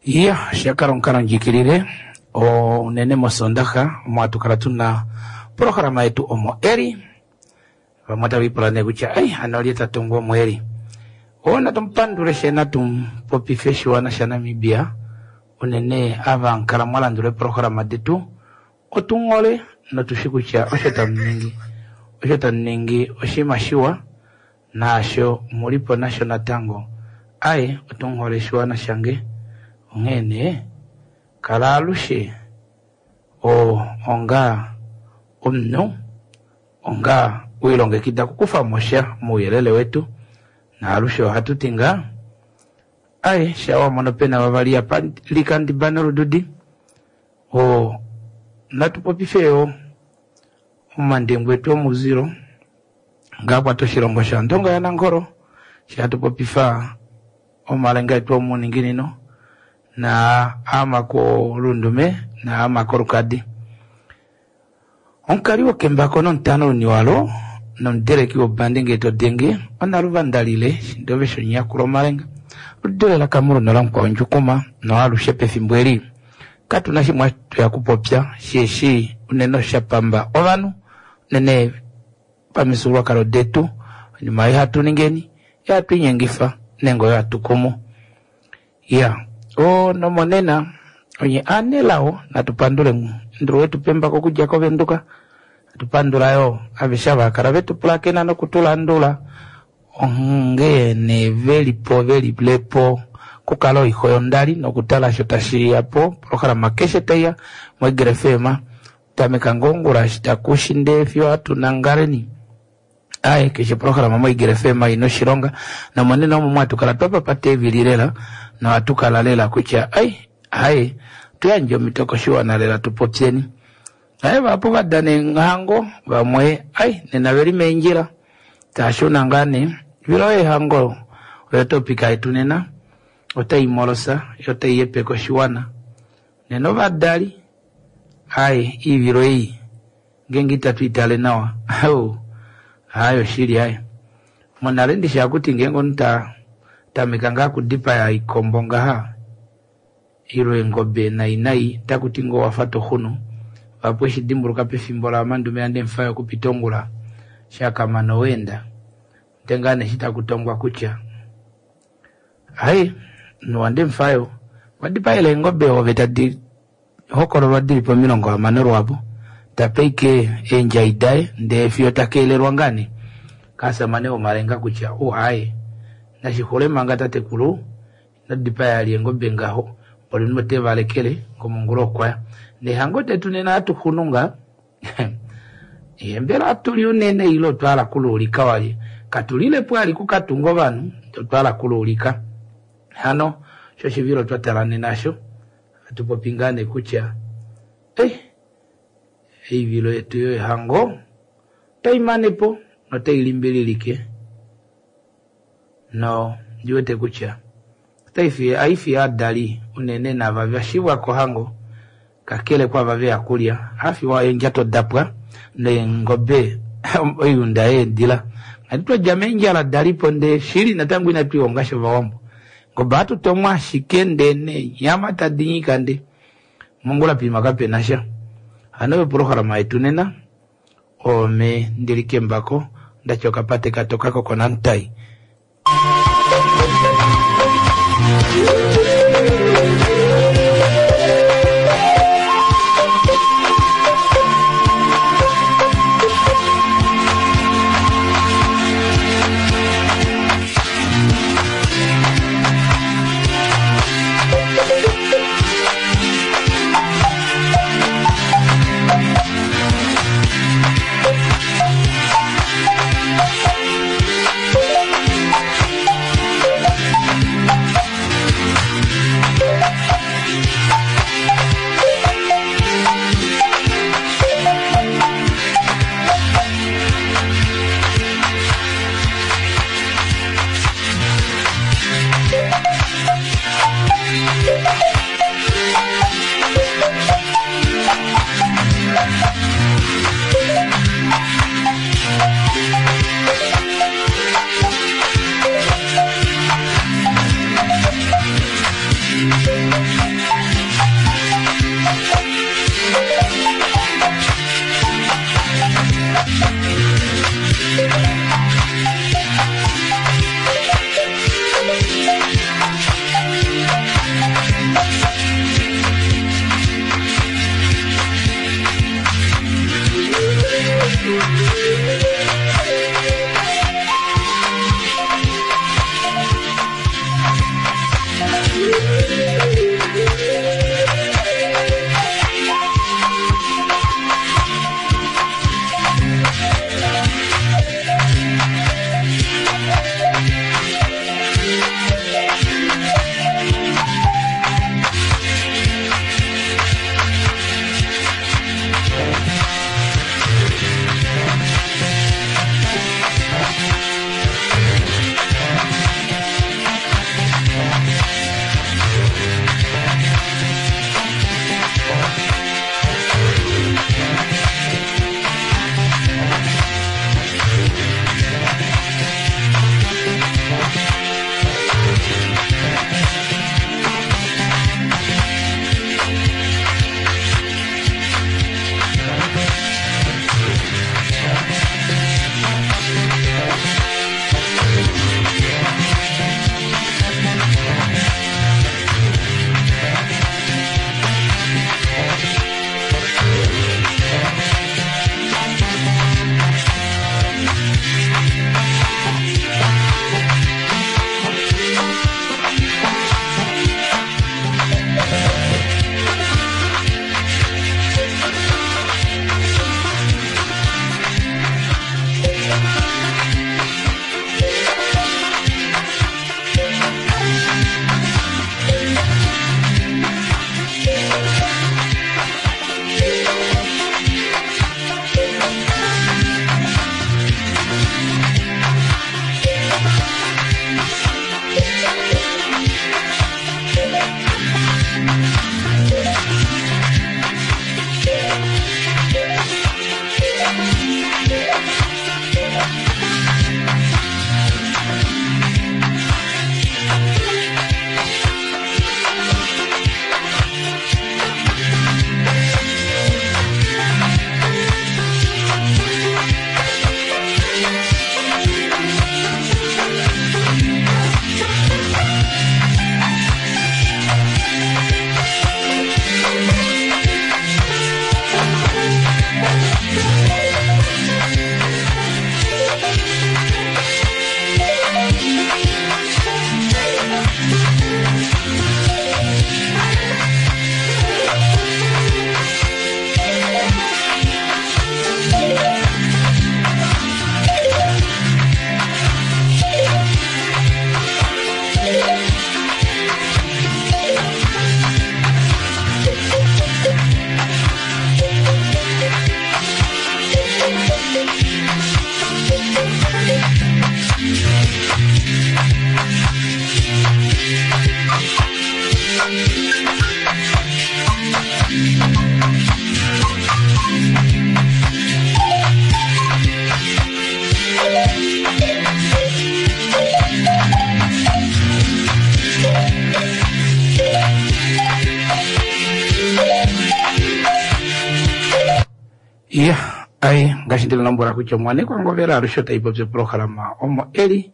Iya, osha kala omukalondjikilile unene mOsoondaxa omo hatu kala tuna oprograma yetu omo eli. Vamwe otava ipula nee kutya ei hano olye ta tungu omo eli. Oo natu mu pandule she natu mu popife oshiwana shaNamibia unene ava kala mwa landula eeprograma detu otu hole notu shi kutya osho tamu ningi osho tamu ningi oshinima shiwa naasho muli po nasho natango aye otu hole oshiwana shange onghee nee kala alushe onga omunhu onga wilongekida okukufa mo sha mouyelele wetu naalushe ohatu ti ngaa aye sha wamono pena vavali apa likandiba nolududi natu popife yo omandengu etu omuzilo ngaa kwata oshilongo shaNdonga yaNangolo shi hatu popifa omalenga etu omuninginino na ama kolundume na ama kolukadi. Omukali wokembako nomutano luniwalo nomudeleki wobandi ngee to denge onaluvandalile shindove shonyakulo omalenga ludule lakamuluno lamukwao ndjukuma noalushe pefimbo eli katuna shimwe hatu kupopya sheshi unene osha pamba ovanhu unene pamifyuululwakalo detu oinima ei hatu ningeni ihatu inyengifa nenge oyo hatu kumu. Ya nomonena onye aanelao natu pandule ndulu wetu pembako okudja koVenduka natu pandula yo aveshe ava kala vetu pulakena nokutulandula onghee nee velipo velilepo kukala oixo yondali nokutala osho tashi ya po programa keshe taiya moEagle FM tameka ngongula eshi takushi ndee fiyo hatu nangaleni aye keshe programa moEagle FM ina oshilonga nomonena omo mwatu kala twapapata eevili lela nohatu kala lela kutya ai aye tuyandje omhito koshiwana lela tupopyeni. Aye vahapu vadana eenghango vamwe ai nena veli meendjila taashuna ngaa nee vilo eehango oyo topika yetu nena otai molosa yo otai yepeke oshiwana nena ovadali aye iivilo ei ngeenge itatu itale nawa aye oshili aye monale ndishi hakuti ngeenge omunhu ta tameka ngaa okudipaya oikombo ngaha ile eengobe nai nai takuti ngoo wafa toxunu vahapu eshi dimbuluka pefimbo la mandume yaNdemufayo okupita ongula shakamana oweenda nde ngaa neshi takutongwa kutya aye omunhu waNdemufayo okwa dipaela eengobe ove tadi hokololwa dili pomilongo hamano lwaapo tape ike eendjai daye ndee fiyo takeelelwa ngaa nee kasamane womalenga kutya aye nashixule manga tatekulu ino dipaya ali eengobe ngaho olimwe ote valekele ngomongula okwaya nehango detu nena hatu xunu ngaa mbela atuli unene ile otwahala kuluulika wali katulilepo ali kukatunga ovanhu otwahala kuluulika hano sho oshivilo twatala nena asho hatu popi ngaa nee kutya oivilo yetu yoihango otai manepo notai limbililike no ndiwete kutya aifi aadali unene nava vashivwa kohango kakele kwava veya kulya hafiwa eendjato dapwa neengobe oiunda yeedila ngati twadja meendjala dalipo ndee shili natango inatu ihonga shovawambo ngobe hatu tomwa ashike ndee neenyama tadi nyika nde mongula pima kapena sha hano oyo programa yetu nena ome ndili kembako ndatya okapate katoka kokonantai. Ya, ai, ngaashi ndi lombwela kutya omwanekwa Ngovela alushe otai popi oprograma omo eli,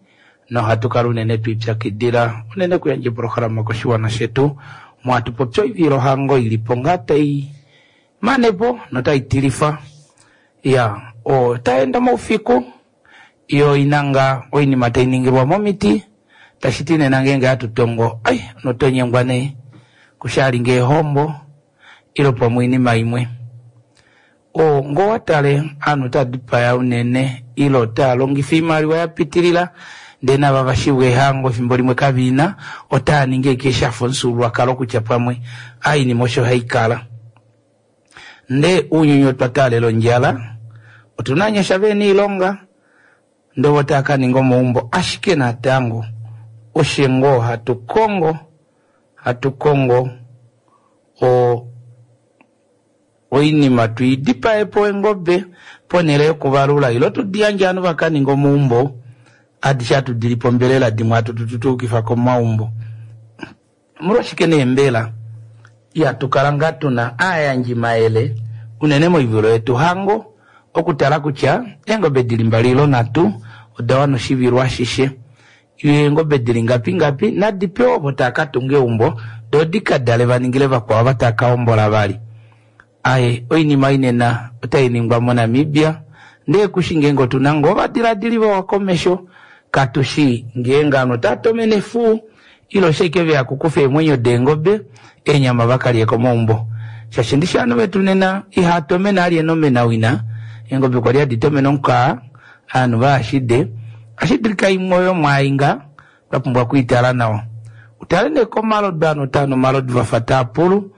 nohatu kala unene twiipyakidila unene kuyandja oprograma koshiwana shetu, omo hatu popi oivilohango ili po ngaa tai mane po notai tilifa. Ya, otai enda moufiku, yo ina ngaa oinima tai ningilwa momiti, tashi ti nena ngeenge hatu tongo, ai, notonyengwa nee, kushali ngee ehombo, ile pamwe oinima imwe. O, ngoo wa tale, aanhu otaa dipaya unene, ile otaa longifa oimaliwa ya pitilila, ndee nava va shivwa ehango efimbo limwe kave ina, otaa ningi ashike shafa omufyuululwakalo kutya pamwe a oinima osho hai kala. Ndee ounyuni otwa taalela ondjala, otuna ovanyasha vehena oilonga, ndee ovo tava ka ninga omaumbo, ashike natango oshe ngoo hatu kongo, hatu kongo o oinima twiidipaye po eengobe ponhele yokuvalula ile tudi yandje ovanhu va ka ninga omaumbo, adishe hatu dili po ombelela dimwe hatu tutuukifa komaumbo. Omolwashike nee mbela ihatu kala ngaa tuna aayandjimayele unene moivilo yetu hango okutala kutya eengobe dili mbali ile nhatu oda wana oshivilo ashishe, eengobe dili ngapi ngapi nadi pewe ovo tava ka tunga eumbo doo di ka dale va ningile vakwao ava tava ka hombola vali. Aye, oinima ei nena otai ningwa moNamibia, ndee kushi ngeenge otuna ngoo ovadiladili vawa komesho, katu shi ngeenge ovanhu otava tomene efuu ile oshike veya kukufa eemwenyo deengobe eenyama va ka lye komaumbo. Shaashi ndishi ovanhu vetu nena ihaa tomene alye nomenawina, eengobe kwali hadi tomene omukaa, ovanhu vaashide, ohashi dulika imwe oyo mwaainga twa pumbwa okwiitala nawa. Utale nee komalodu ovanhu otava nu omalodu vafa taa pulu,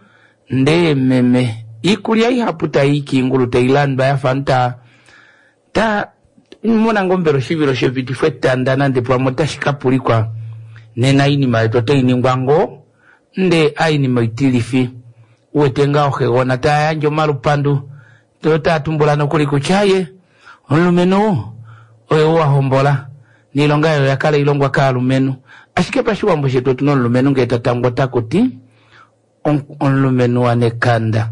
ndee meme iikulya ihapu tai i kiingulu tai landwa yafa ovanhu taa ta mona ngoo mbela oshivilo shepitifo etanda nande pamwe otashi ka pulikwa nena oinima yetu otai ningwa ngoo ndee ainima oitilifi uwete ngaa oxegona taa yandje omalupandu ndee otaa tumbula nokuli kutya aye omulumenhu oye ou a hombola noilonga oyo oya kala ilongwa kaalumenhu ashike pashiwambo shetu otuna omulumenhu ngee ta tangwa otaku ti omulumenhu wanekanda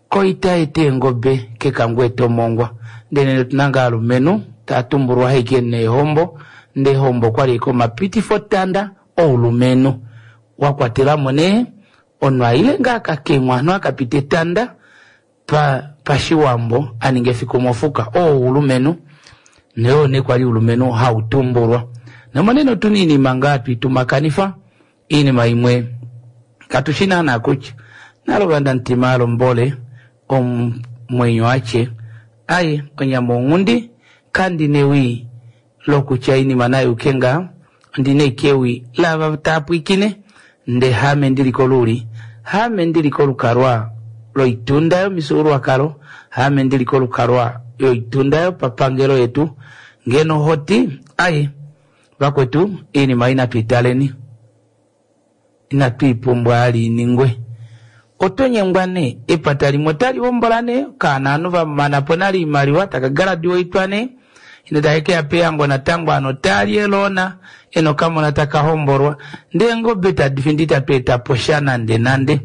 koita eta eengobe kekango eta omongwa ndele otuna ngaa aalumenhu taa tumbulwa haike neehombo ndee ehombo okwali ashike omapitifotanda oulumenhu wa kwatelamo nee omunhu aile ngaa akakemwa ovanhu akapita etanda pashiwambo aninga efiku mofuka oo oulumenhu noo nee kwali oulumenhu hautumbulwa nomonena otuna oinima ngaa twiitumakanifa oinima imwe katushi naana kutya nalovanda mutima alombole omwenyo atye aye onyama onghundi kandi newi lokutya oinima nayuke ngaa ondina ashike ewi laava taa pwiikine ndee haame ndili koluuli haame ndili kolukalwa loitunda yomifyuululwakalo haame ndili kolukalwa yoitunda yopapangelo yetu ngeno hoti aye vakwetu oinima ei natu italeni inatu ipumbwa ali iningwe. Oto nyengwa nee epata limwe otali hombola nee okaana ovanhu vamana po nale oimaliwa taka graduatwa nee ine take keya pehango natango ovanhu otali eloona ena okamona taka hombolwa ndee eengobe tadi fi itatu eta po sha nande nande.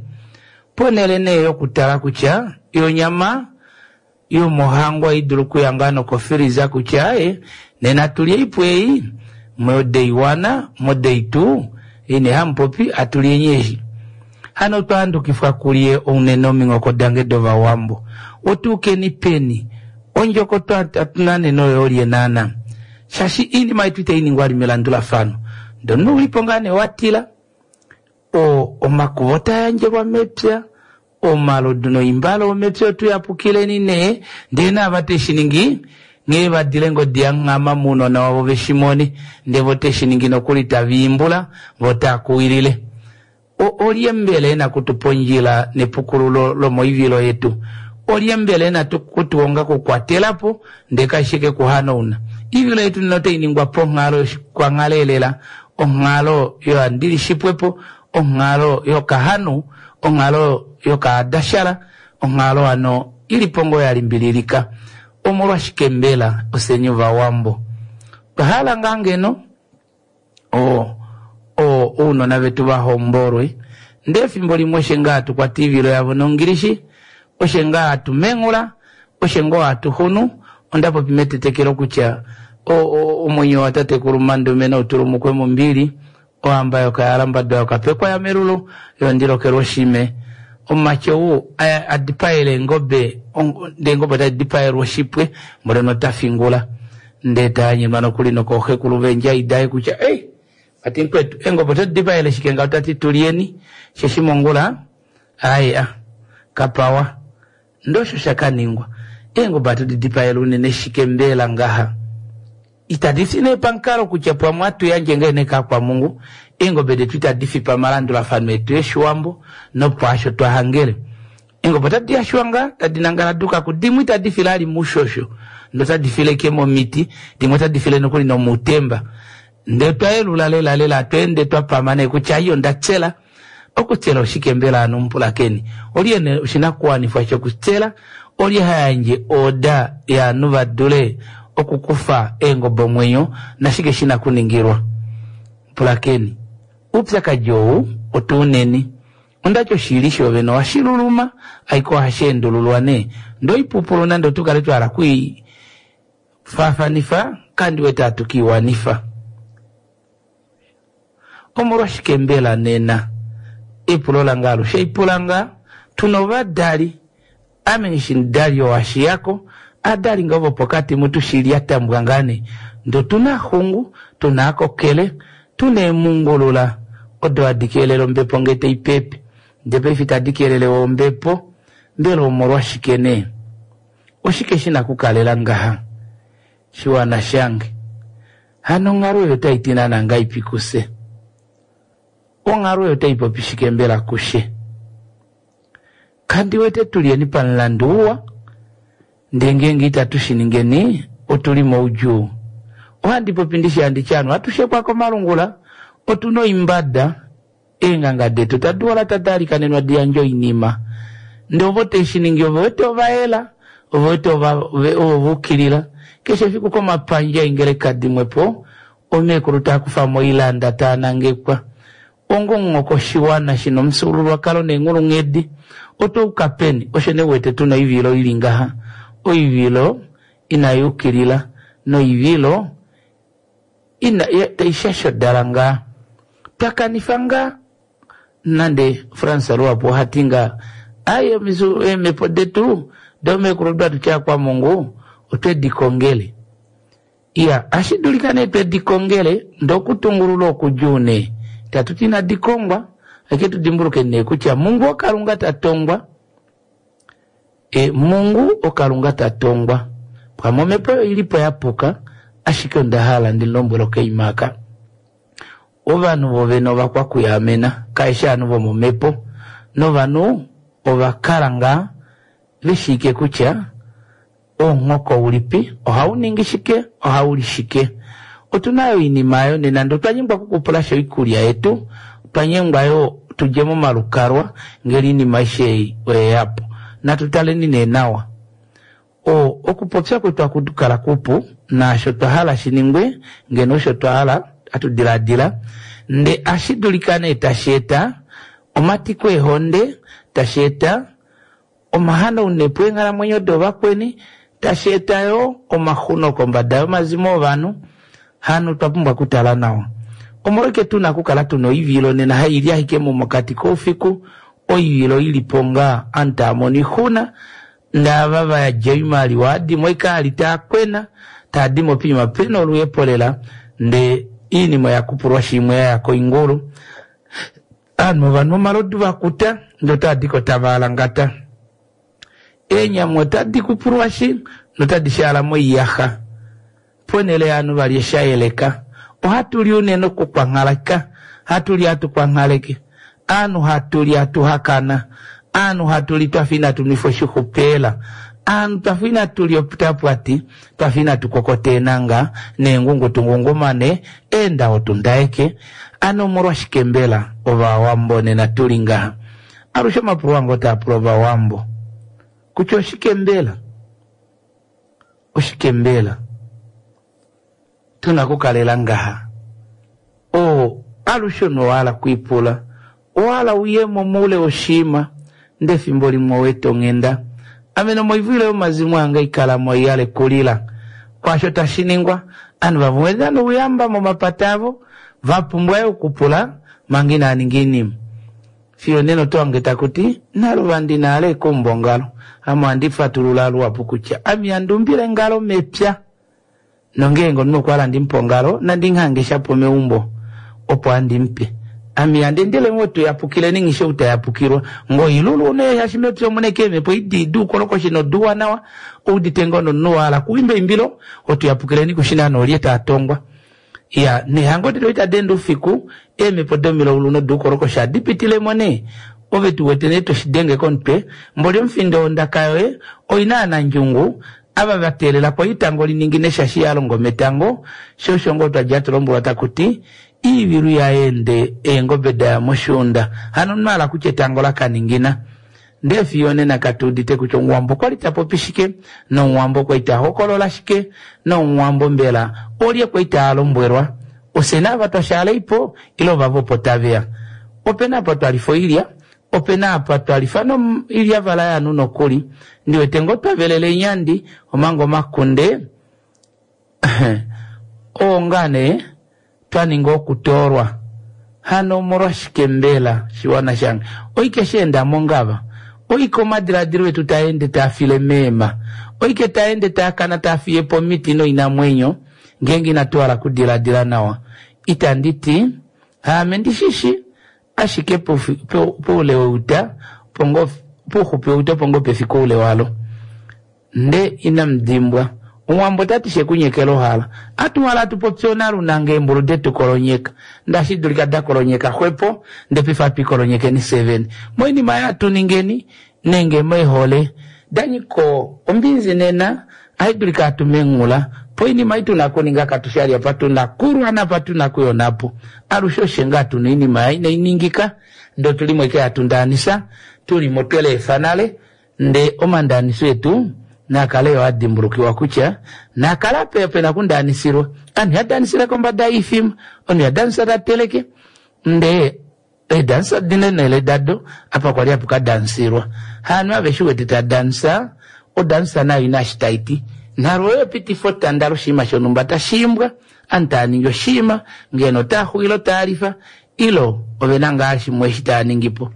Ponhele nee yokutala kutya yonyama yomohango ohaidulu okuya ngaa nokofiliza kutya aye nena tulye oipwa ei mo day one mo day two ine hamupopi atulyeni eshi. Hano otwa handukifwa kulye ounene ominghoko dange dovawambo. Otuukeni peni ondjoko tuna nena oyo olye naana shaashi oinima yetu itai ningwa vali melandulafano ndee omunhu oulipo ngaa nee watila omakuva otaa yandjelwa mepya omalodu noimbale omepya otuyapukileni nee ndee naava teshiningi nghee vadile ngodi yanghama mounona wavo veshimone ndee vo teshiningi nokuli taviimbula vo taakuwilile. Olye mbela ena kutupa ondjila nepukululo lomoivilo yetu? Olye mbela ena kutuhonga kukwatelapo ndee kashi ke kuhanauna? Oivilo yetu nena otai ningwa ponghalo yoshikwanghalelela, onghalo yohandilishipwepo, onghalo yokahanu, onghalo yokaadashala, onghalo hano ilipo ngoo ya limbililika. Omolwashike mbela ofyeni ovawambo twa hala ngaa ngeno ounona vetu va hombolwe ndee efimbo limwe oshe ngaa hatu kwata oivilo yavo nongilishi, oshe ngaa hatu menghula, Oshe ngoo hatu xunu, onda popi metetekelo kutya omwenyo watatekulu Mandume nau tulumukwe mombili, ohamba yokayalambadwa yokapekwa yamelulu yondilokelwa oshime. Omumati ou a dipaele eengobe, ndee eengobe otadi dipaelwa oshipwe, mboli nota fingula. Ndee ta anyenwa nokuli nokooxekulu veendjai daye kutya, ei, vati mukwetu, eengobe oto di dipaele shike ngaho? Ta ti tulyeni, sheshi mongula, aaye a, kapawa. Ndee osho sha ka ningwa. Eengobe ohatu di dipaele unene shike mbela ngaha? Itadi fi nee pamukalo kutya pwamwe ohatu yandje ngee nee kaakwamungu. Eengobe detu itadi fi pamalandulafano etu Eshiwambo nopwaasho twa hangele. Eengobe otadi yashwa ngaa, tadi nangala duka ku dimwe itadi file ali muushosho, ndee otadi file ike momiti, dimwe otadi file nokuli nomuutemba. Ndee otwa yelula lela lela hatu ende twa pama nee kutya ai onda tsela. Okutsela oshike mbela ano mupulakeni? Olye ena oshinakuwanifwa shokutsela? Olye ha yandje ooda yaanhu va dule okukufa eengobe omwenyo nashike shi na kuningilwa? Pulakeni, oupyakadi ou otu u neni. Onda ti oshili shoovene ohashi luluma, ashike ohashi endululwa nee. Ndee oipupulu nande otu kale twa hala oku i faafanifa, kandi wete hatu ke i wanifa. Omolwashike mbela nena? Epulo lange alushe ipula ngaa, tu na ovadali, ame nghi mudali oo a shiya ko, adali ngaa vopokati mutu shili a tambwa ngaa nee, ndee otu na axungu, tu na akokele, tu na eemungulula odo hadi keelele ombepo ngee tai pepe, ndee paife itadi keelele we ombepo, mbela omolwashike nee? Oshike shi na okukalela ngaha? Shiwana shange, hano onghalo oyo otai ti naana ngaipi kufye? Onghalo oyo otai popi shike mbela kufye? Kandi wete tu lyeni pamulandu uwa, ndee ngeenge itatu shi ningeni, otu li moudjuu. Ohandi popi ndishi handi ti ovanhu ohatu shekwa komalungula, otu na oimbada, Eenganga detu tadi ola tadi alikanenwa di yandje oinima, ndee ovo te shi ningi ove wete ova yela, ove wete ovo va ukilila. Keshe efiku komapandja eengeleka dimwe po, omeekulu taa kufa mo oilanda taa nangekwa onga omunghoko oshiwana shi na omufyuululwakalo neenghulunghedi. Otwa uka peni? Osho nee u wete tu na oivilo i li ngaha, oivilo inai ukilila noivilo ina tai shashodala ngaa. Twa kanifa ngaa nande Frans luhapu oha ti ngaa ai eemhepo detu domeekulu do hatu ti akwamungu otwe di kongele. Iya, ohashi dulika nee twe di kongele ndee okutungulula okudjuu nee. Itatu ti inadi kongwa, ashike tu dimbuluke nee kutya Mungu oKalunga ta tongwa. E, Mungu oKalunga ta tongwa. Pamwe omhepo oyo i li po ya puka, ashike onda hala ndi lombwele okaima aka. Ovanhu vovene ovakwakuyaamena, kaeshi ovanhu vomomhepo. Novanhu ova kala ngaa ve shiike kutya omunghoko ulipi, ohau ningi shike, ohau li shike. Otu na yo oinima oyo nena ndee otwa nyengwa okukupulasha oikulya yetu, otwa nyengwa yo tu dje momalukalwa ngele oinima aishe ei oye ya po. Natu taleni nee nawa. O, okupopya kwetu haku kala kupu, naasho twa hala shi ningwe, ngeno osho twa hala, hatu diladila, ndee ashi dulika nee tashi eta omatiko eehonde, tashi eta omahanaunepo eenghalamwenyo dovakweni, tashi eta yo omaxuno kombada yomazimo ovanhu. Hano otwa pumbwa okutala nawa. Omolwashike tu na okukala tu na oivilo nena hai li ashike mokati koufiku, oivilo i li po ngaa ovanhu tava mono oixuna, ndaava va yadja oimaliwa dimwe oikaali taa kwena, taa di mo poima pe na oluhepo lela, ndee oinima oya kupulwashi imwe ya ya koingulu. Ovanhu ova nwa omalodu va kuta, ndee otava di ko tava alangata. Eenyama otadi kupulwashi notadi shaala moiyaxa. Ponhele yaanhu va lye sha yeleka, ohatu li unene okukwanghaleka, hatu li hatu kwanghaleke, aanhu hatu li hatu hakana, aanhu hatu li twa fa inatu nwifa oshixupeela, aanhu twa fa inatu lya oputapwati, twa fa inatu kokota eenanga neengungu tu ngungumane, eendawo tu ndaeke. Ano omolwashike mbela Ovawambo nena tu li ngaha? Alushe omapulo ange otaa pula Ovawambo kutya oshike mbela? Oshike mbela tu na okukalela ngaha? Oo, alushe omunhu owa hala okwiipula. Owa hala u ye mo moule woshinima, ndele efimbo limwe owa eta onghenda. Ame nomoivilo yomazimo ange ikala mo i yale kulila. Kwaasho tashi ningwa, ovanhu vamwe ove na nouyamba momapata avo, va pumbwa yo okupula manga inaa ninga oinima. Fiyo nena oto hange taku ti, Naluvandi na ale ekuumba ongalo. Ame ohandi fatulula luhapu kutya ame ihandi umbile engalo mepya. Nongeenge omunhu okwa hala ndi mu pe ongalo, nandi mu hange shapo meumbo opo handi mu pe. Ame ihandi endele mo tu yapukileni nghi ou ta yapukilwa. Ngoilulu nee shaashi mepya omu na ashike eemhepo edi duukolokoshi noduuwanawa, ou udite ngoo nomunhu wa hala okuimba eimbilo, otu yapukileni kushi naana olye taa tongwa. Iya, neehango detu itadi ende oufiku, eemhepo domilaulu noduukolokoshi ohadi pitile mo nee. Ove tu wete nee to shi denge komutwe, mboli omufindo wondaka yoye oi na aanandjungu, ava va teelela ko etango li ningine shaashi ya longo metango, sho osho ngoo twa li hatu lombwelwa taku ti, Iivilu ya ende, eengobe da ya moshuunda. Hano omunhu a hala kutya etango la ka ningina. Ndee fiyo onena katu udite kutya Omuwambo okwa li ta popi shike, nOmuwambo okwa li ta hokolola shike, nOmuwambo mbela olye kwa li taa lombwelwa? Ofye naava twa shaala po, ile ovava opo tave ya? Ope na apa twa lifa oilya, ope na apa twa lifa noilyavala yaanhu nokuli. Ndi wete ngoo twa velela eenyandi, omanga omakunde oo ngaa nee twa ninga okutoolwa. Hano omolwashike mbela, shiwana shange, oike sha enda mongava? Oike omadiladilo etu taa ende taa file meema? Oike taa ende taa kana taa fiye po omiti noinamwenyo, ngeenge inatu hala okudiladila nawa? Itandi ti, haame ndi shi shi, ashike poule weuta opo ngoo, pouxupi weuta opo ngoo pe fike oule walo. Nde inamu dimbwa, Omuwambo ota ti she ku nyekela ohala. Atu hala tu popye onalunanga eembulu detu kolonyeka. Ndashi dulika da kolonyeka xwepo, nde paife atu i kolonyekeni fye vene. Moinima ei atu ningeni, nenge meehole da nyika ombinzi nena, ahi dulika atu menghula. Poinima ei tu na kuninga katu shi apa tu na kulwa napa tu na kuya onhapo. Alushe oshe ngaa tu na oinima inai ningika, ndee otu li mo ashike hatu ndaanisa, tu li mo twe leefa nale, Ndee omandaaniso etu naa kale yo a dimbulukiwa kutya naa kale apa pe na okundaanisirwa. Aanhu iha daanisire kombada yiifima, omunhu iha daanisa ta teleke, ndee eedansa odi na eenhele dado apa kwali hapu ka daansirwa. Haanhu aveshe u wete ta dansa, odansa nayo ina eshi tai ti. Nalwo oyo epitifa otanda loshinima shonhumba tashi imbwa, aanhu taa ningi oshinima, ngeno otaa xuwile otaa lifa, ilo ove na ngaa shimwe eshi taa ningi po.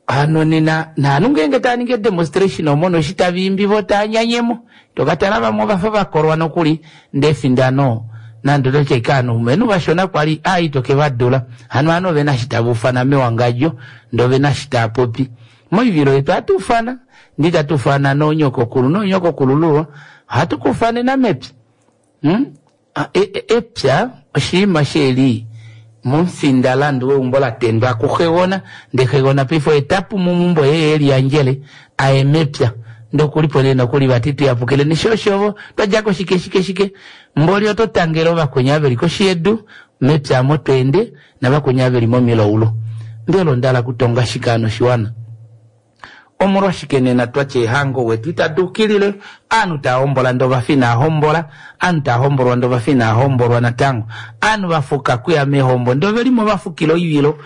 Hano nena naanhu ngeenge taa ningi edemonstration omono eshi tava imbi vo taa nyanyemo to ka tala vamwe ovafa va kolwa nokuli ndee efindano nande oto ti ashike ovanhu vashona kwali aa ito ke va dula hano ovanhu ovena eshi tava ufana mewangadjo ndee ovena eshi taa popi moivilo yetu ohatu ufana ndee itatu ufana noonyokokulu noonyokokulululwa ohatu ka ufanena mepya hmm? Epya oshinima she li momufindalandu weumbo la tendwa kuxegona, ndee xegona paife oye ta pumu meumbo ye e liyandjele a ye mepya. Ndee oku li po nee nokuli vati tu yapukileni sho oshovo twa dja ko shike shike shike. Mboli oto tangele ovakweni ava ve li koshi yedu mepya omo to ende navakweni ava ve li momilaulu. Mbela onda hala okutonga shike hano oshiwana? Omolwashike nena twa tya ehango wetu itadi ukilile? Aanhu taa hombola ndee ovafa inaa hombola, aanhu taa hombolwa ndee ovafa inaa hombolwa natango, aanhu va fuka kuya meehombo ndee ove li mo va fukila oivilo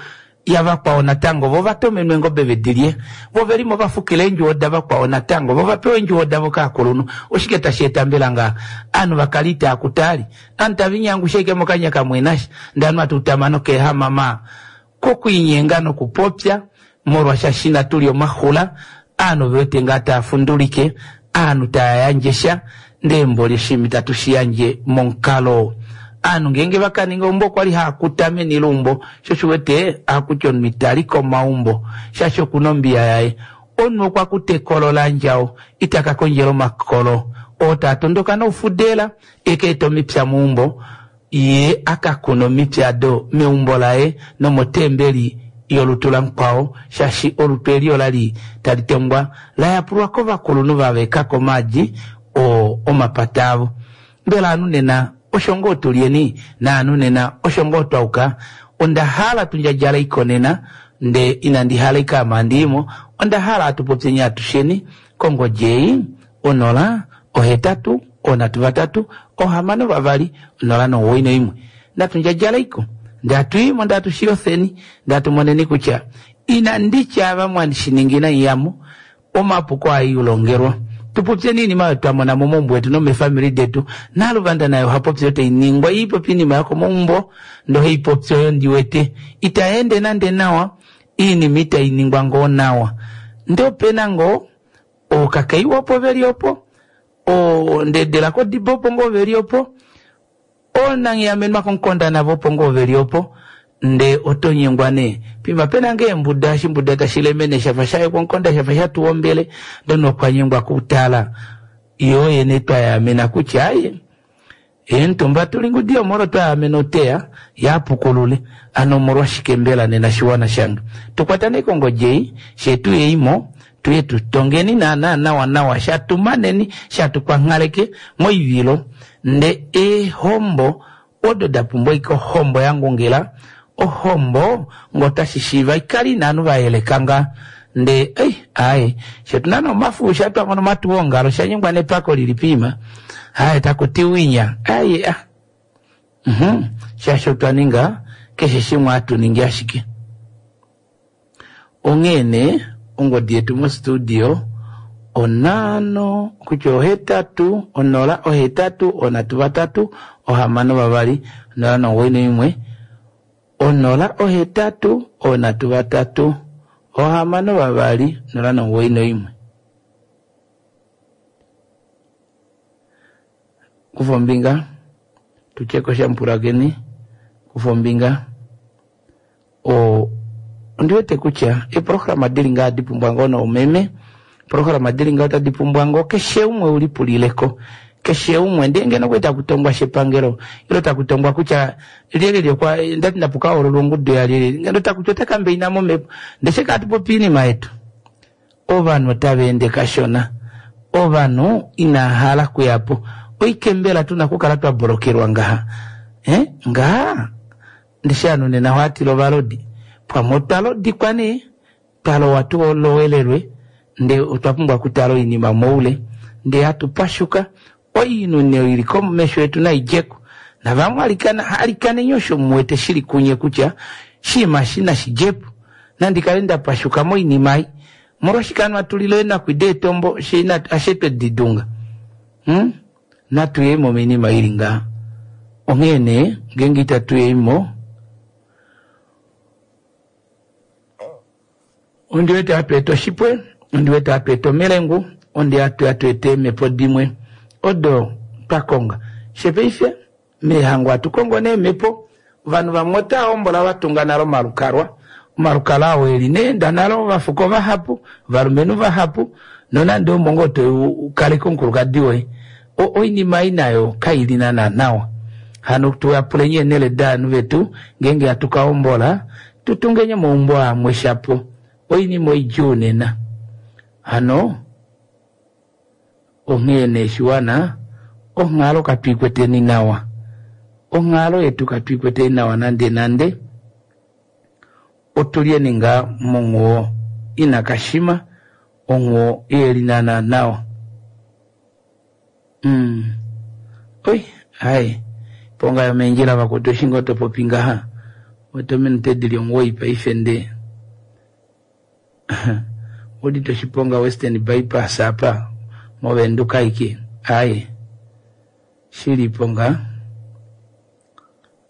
yavakwao natango, vo va tomenwe eengobe ve di lye, vo ve li mo va fukila eendjuwo davakwao natango, vo va pewe eendjuwo davo kaakulunhu. Oshike tashi eta mbela ngaha aanhu va kale itaa kutaali, aanhu tava inyangusha ashike mokanya kamwe nasha, ndee aanhu hatu utama nokeehamama kokwiinyenga nokupopya molwasha inatu lya omaxula, aanhu ove wete ngaa taa fundulike, aanhu taa yandje sha, ndee mboli oshinima itatu shi yandje momukalo. Aanhu ngeenge va ka ninga eumbo okwa li haa kuta meni leumbo, sho osho u wete ohaku ti omunhu ita li komaumbo shaashi oku na ombiya yaye. Omunhu okwa kuta ekolo laandjao, ita ka kondjela omakolo oo taa tondoka noufudela e ka ete omipya meumbo. Ye a ka kuna omiti ado meumbo laye nomotembeli yolutu lamukwao, shaashi olutu eli ola li tali tongwa la yapulwa kovakulunhu va veka komaadi oo omapata avo. Mbela ovanhu nena osho ngoo tu lyeni, naanhu nena osho ngoo twa yuka? Onda hala tu ndjadjale oikonena, ndee inandi hala ashike ame handi i mo, onda hala hatu popyeni atusheni kongodi ei, 0, 8, 3, 6, 2, 0 9 1. Natu ndjadjaleiko, ndee hatu i mo ndee hatu shi yofeni, ndee hatu moneni kutya inandi tya ava mwa shi ningi inamu ya mo. Omapuko aa iulongelwa. Tu popyeni iinima oyo twa mona momaumbo etu nomeefamili detu. Naluvanda naye oha popi oyo tai ningwa. Ye ipopi iinima yokomaumbo ndee ohei popi oyo ndi wete itai ende nande nawa. Iinima itai ningwa ngoo nawa. Ndee ope na ngoo ookakaiwa opo ve li opo, oondedela kodibo opo ngoo ve li opo, Oonanghiyamenwa komukonda navo opo ngoo ve li opo, ndee oto nyengwa nee. Pima pe na ngee embuda, oshimbuda tashi lemene sha fa sha yekwa omukonda sha fa sha tuwa ombele, ndee omunhu okwa nyengwa kutala. Yoo yene twa yaamena kutya aye, eemutumba tu li ngudi yomolo twa yaamena oteya, ye a pukulule. Ano omolwashike mbela nena shiwana shange? Tu kwatane kongodi ei, fyee tu yei mo, tu ye tu tongeni naanaa nawanawa, sha tu maneni, sha tu kwanghaleke moivilo. Nde eehombo odo da pumbwa ashike ohombo ya ngungila, ohombo nge otashi shiiva i kale ina ovanhu va yeleka ngaa. Nde ei, aaye, fye otu na nee omafuusha twa mona omatuwongalo, osha nyengwa nepako li li piima. Aaye, taku ti winya, aaye, a. Uhum, shaashi otwa ninga keshe shimwe hatu ningi ashike. Onghee nee, ongodi yetu mostudio onhano kutya ohetatu onola ohetatu onhatu vatatu ohamano vavali onola nomugoyi noimwe onola ohetatu onhatu vatatu ohamano vavali onola nomugoyi noimwe. Kufa ombinga, tutye ko sha mupulakeni, kufa ombinga. O, ondi wete kutya eeprograma di li ngaha odi pumbwa ngoo noumeme, eeprograma di li ngaha otadi pumbwa ngoo keshe umwe u lipulile ko. Keshe umwe, ndee ngeno okwali taku tongwa shepangelo, ile taku tongwa kutya lyelye okwa, ndati napu ka hoololwe ongudu yalyelye, ngeno taku ti ota kambeina momhepo. Ndee fye katu popi oinima yetu. Ovanhu otava ende kashona. Ovanhu inaa hala kuya po. Oike mbela tu na okukala twa bolokelwa ngaha? Eh, ngaha? Ndishi ovanhu nena ohava tila ovalodi. Pamwe otwa lodikwa nee, twa lowa tu lowelelwe, ndee otwa pumbwa okutala oinima moule, ndee hatu pashuka. Oinhu nee oyo i li komesho yetu nai dje ko. Navamwe alikana, alikaneni osho mu wete shi li kunye kutya oshinima eshi nashi dje po. Nandi kale nda pashuka moinima ei. Omolwashike hano hatu lile eenakwi deetombo fye inatu, ashe twe di dunga? Hum? Natu ye mo moinima i li ngaha. Onghee nee, ngeenge itatu ye mo, ondi wete hatu eta oshipwe, ondi wete hatu eta omelengu, ondi hatu hatu eta eemhepo dimwe odo twa konga. Fye paife, Meehango ohatu kongo nee eemhepo. Ovanhu vamwe otava hombola va tunga nale omalukalwa. Omalukalwa oo e li nee enda nale ovafuko vahapu, ovalumenhu vahapu, nonande omo ngoo to u kaleke omukulukadi woye. Oinima ei nayo kai li naana nawa. Hano tu yapuleni eenhele daanhu vetu ngeenge hatu ka hombola, tu tungeni omaumbo amwe shapo. Oinima oidjuu nena. Hano. Onghee nee shiwana, onghalo katu i kweteni nawa. Onghalo yetu katu i kweteni nawa nande nande. Otu lyeni ngaa monghuwo ina kashima, onghuwo ihe li naana nawa. Umm. Oi, ai. Iponga yomeendjila vakwetu eshi ngoo to popi ngaha, oto ominute di li omuwoi paife ndee. Udite oshiponga Western Bypass apa moVenduka aike aaye shili po ngaa.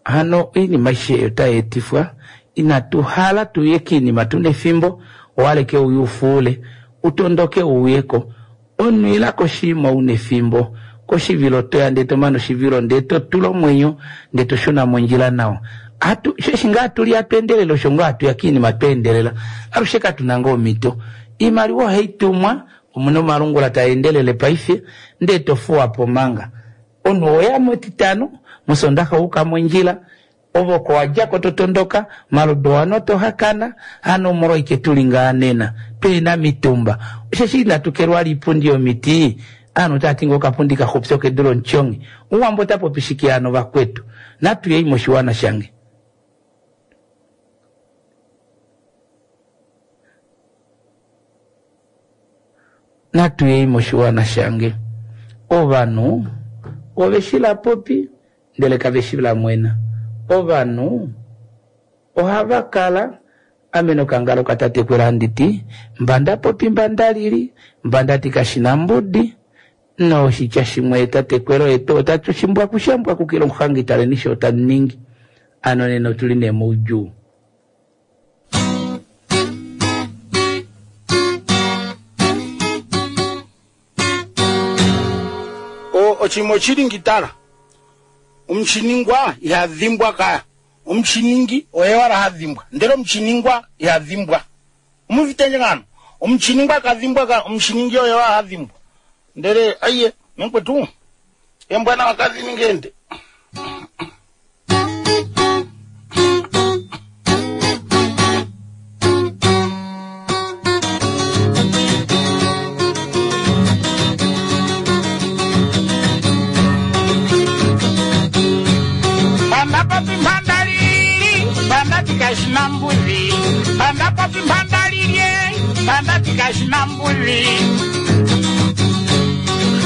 Hano oinima aishe ei otai etifwa inatu hala tuye kiinima tuna efimbo owaleke uye ufuule utondoke uuyeko omunhu ila koshiima una efimbo koshivilo toya ndee tomane oshivilo ndee totula omwenyo ndee toshuna mondjila nawa. Atu, eshi ngaa hatu li hatu endelele osho ngoo hatu ya kiinima twa endelela. Alushe katu na ngoo omhito. Iimaliwa ohai tumwa, omu na omalungula taa endelele paife, ndee to fuwa po manga. Omunhu oweya mEtitano, mOsoondaxa owa uka mondjila, Ove oko wa dja ko to tondoka, omaludo oano to hakana, hano omolwaike tu li ngaha nena, tuhe na mitumba. Osheshi inatu kelwa liipundi yomiti, ovanhu otava ti ngoo okapundi kaxupi okedu lomutyonghi. Omuwambo ota popi shike hano vakwetu? Natu yei moshiwana shange. Natu yei moshiwana shange. Ovanhu ove shi la popi ndele kave shi la mwena. Ovanhu ohava kala Ame nokangalo katatekwela handi ti, mba nda popi mba nda lili, mba ndati kashina mbudi. Noshitya shimwe tatekwelo yetu otati oshimbwaku shambwakukila omuhangi taleni sho tamu ningi. Ano nena otuli nee moudjuu. Oshinima oshili ngitala omushiningwa iha dhimbwa kaya omushiningi oye wala ha dhimbwa ndele omushiningwa iha dhimbwa omuvitenge ngano omushiningwa ka dhimbwa ka omushiningi oye wala ha dhimbwa ndele aiye mekwetu embwana wakadhiningende Pandapapi mpandalili, pandati kashina mbuzi. Pandapapi mpandalili, pandati kashina mbuzi.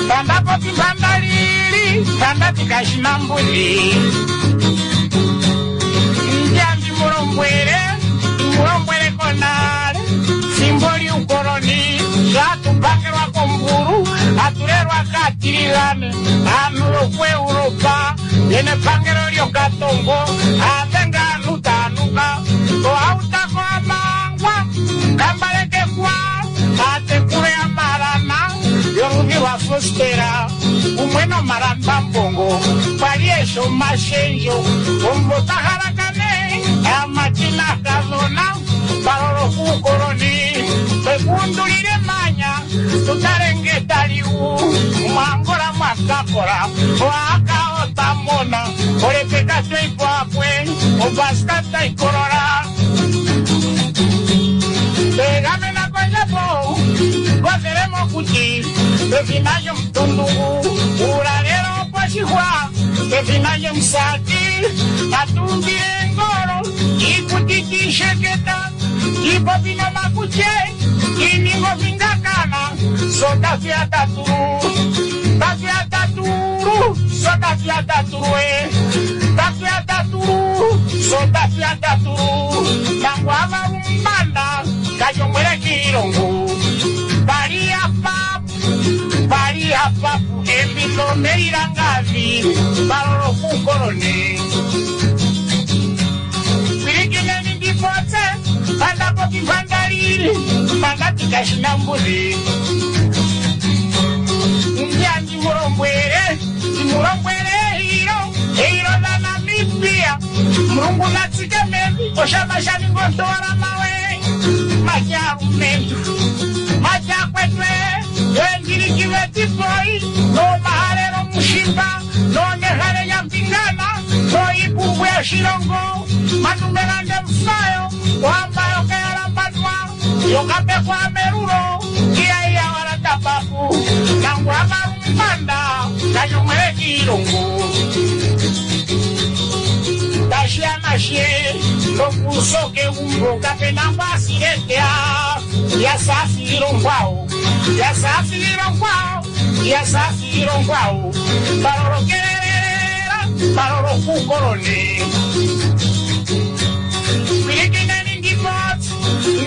Pandapapi mpandalili, pandati kashina mbuzi. Njambi mulombwele, mulombwele konale. Fimbo lyuukoloni, shatupakelwa kombulu, atulelwa kaatiligane, aantu yokuEuropa, yena epangelo lyokatongo, aadhenga aantu taanuka, ohautako amangwa, kambalekekwa, aatekulu yamalana, yoludhi lwa Fostera, kumwe nomalambambongo, kwali eshi omashendjo, omumvo ta halakane, aamati naakadhona, palolo kuukoloni, twekuundulile emanya, tutale nge tali wu, muAngola mwakakola, oaka otamona, olepeka tweipwapwe, obaska taikolola. Twegamena kondjapo, kothele mokuti, pefina lyomutundungu, uulalelo oposhihwa, pefina lyomusati, tatuumbile engolo, iikuti tiisheketa, tiipopi nomakutye, tiiningo vingakana, so tatuya tatulu, tatuya tatulu, so tatuya tatulu e, tatuya tatulu, so tatuya tatulu, nangwava lumbanda, kajongwele kiilongo, pali apapu, pali apapu, embilo melilangavi, balolo kukoloni. Pilikineni ndipotse, pandapopi mpandalili, pandati kashina mbuzi. Ndiya ndimulombwele, ndimulombwele eilo, eilo la Namibia. Mulungu natsike mevi, oshama shaningontola mawe. Majalumentu, majakwetwe, endilikive tipoi, nomahalelo mushimba, nonehale nyampingana, noipumbu ya shilongo, manumelande mfayo, wamba yokayalambanwa, yokapekwa melulo, iya wala tapapu, nangwa malumbanda, kanyomwele kiilongo. Tashiamashe, lokusoke umbo, kapena kwasiletea, yasafilongwao, yasafilongwao, yasafilongwao, balolokelela, balolokukoloni. Pilikineni ndipotsi,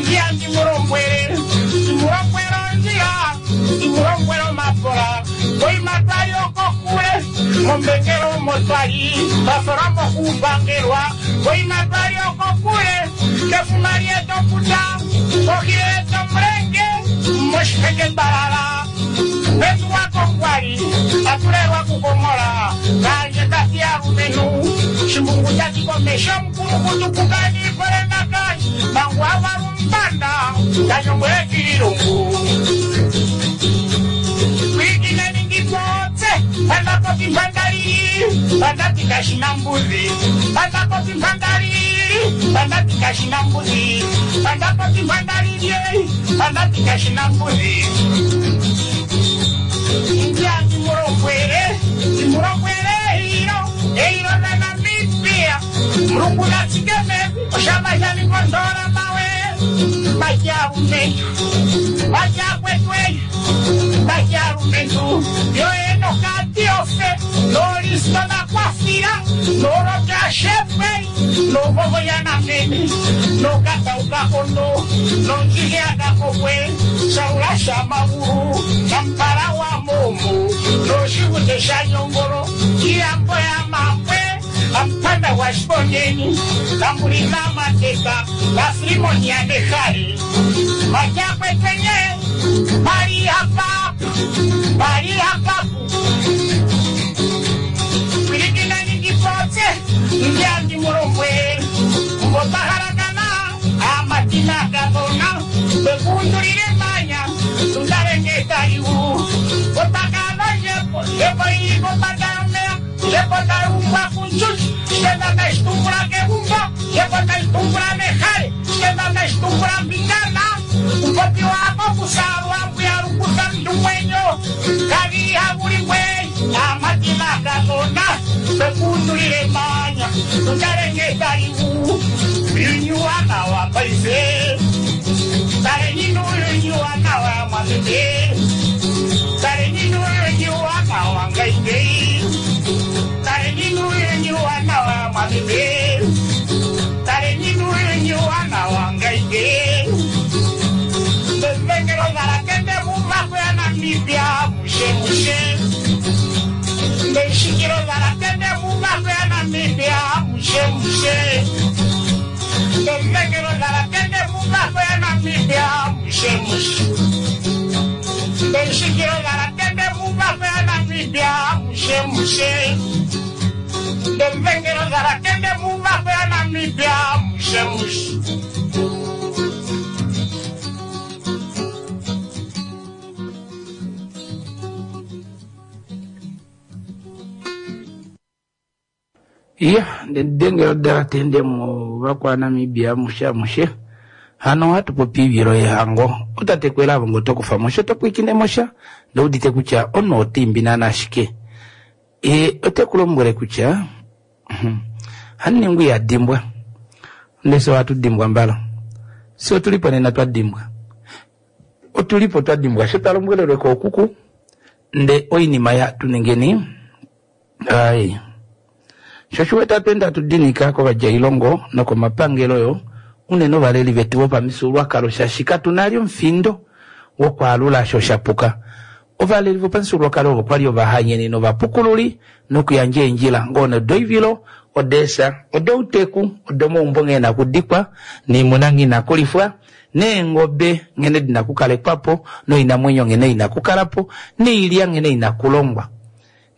ndiya ndimulombwele, ndimulombwele ondjila, ndimulombwele omapola, koimata yokokule, mombengelo motwali, bafola mokupangelwa, koimata yokokule, kefuma lyetokuta, kohi yetomulenge, moshiheke balala. Petu wako kwali, atulelwa kukomola, kanje kati ya lumenu, shimbungu tatikomesha mkulukutu kukani kolenda kanje, mangu avalumbanda, kanyongwele kilungu. Pilikineni ndipotse, pandapopi mpandalili, pandati kashina mbuzi, pandapopi mpandalili, pandati kashina mbuzi, pandapopi mpandalili, pandati kashina mbuzi. Ndiya ndimulombwele, ndimulombwele eilo, eilo la Namibia. Mulungu natsike mevi, oshama shaningondola mawe, majalumentu, majakwetwe, majalumentu, yoenokati ofe, Nolisto nakwafila nolotyashepwe novovoyanamene nokataukakondo nonjiheakakokwe saula shamagulu nampala wa momo noshivute shanyongolo iyambo ya mapwe ampanda wa shiponyeni tambulina mateka lafrimoni ya nehale matyakwetenye pali hapapu pali hapapu pwilikinani ndipotse ndyandi mulombwe mbopahalakana amatina kadona bekundulile manya tundalengetaliu otakanojepo jepo ili kopadamea jepo talumbwa kunchuchi shenda naitumbula kegumbo jepo taitumbula mehale shenda naitumbula mbingana upopi wako kusalwa mbuyalukuta mndumwenyo kaviha buligwe amatina kadona bekundulile manya tundalengetaliu yunyuwana wa paife talenyinu yunyuwana wa mwamete talenyinu yunyuwana wa ngaite talenyinu yunyuwana wa mwamete talenyinu yunyuwana wa ngaite mbengelo zalakende mumako ya Namibia mushe mushe mbeshikilo zalakende mumako ya Namibia mushe mushe mbengelo zalakende mumako ya Namibia mushe mushe mbeshikilo zalakende mumako ya Namibia mushe mushe mbengelo zalakende mumako ya Namibia mushe mushe. Iya ndengelo dalatende mu vakwa Namibia mushe mushe hano hatu popi ivilo yehango otatekwela avo ngo tokufa mosha topwikine mosha ndoudite kutya ono otimbi nana ashike e otekulombwele kutya haningu yadimbwa ndese watu dimbwa mbala si otulipo nena twadimbwa otulipo twadimbwa sho twalombwelelwe kookuku nde oinima ya tuningeni ai shoshiweta twenda tudinika kovadjailongo nokomapangelo yo unene ovaleli vetu vopamifyuululwakalo shaashi katu omufindo wokwaalula osho shapuka. Ovaleli vopamifyuululwakalo ovo kwali ovahanyeni novapukululi nokuyandja eendjila ngoo nodoivilo odeesa odouteku odomaumbo nghee na kudikwa niimuna nghee ina kulifwa neengobe nghene dina kukalekwapo noinamwenyo nghene ina kukalapo noilya nghene ina kulongwa.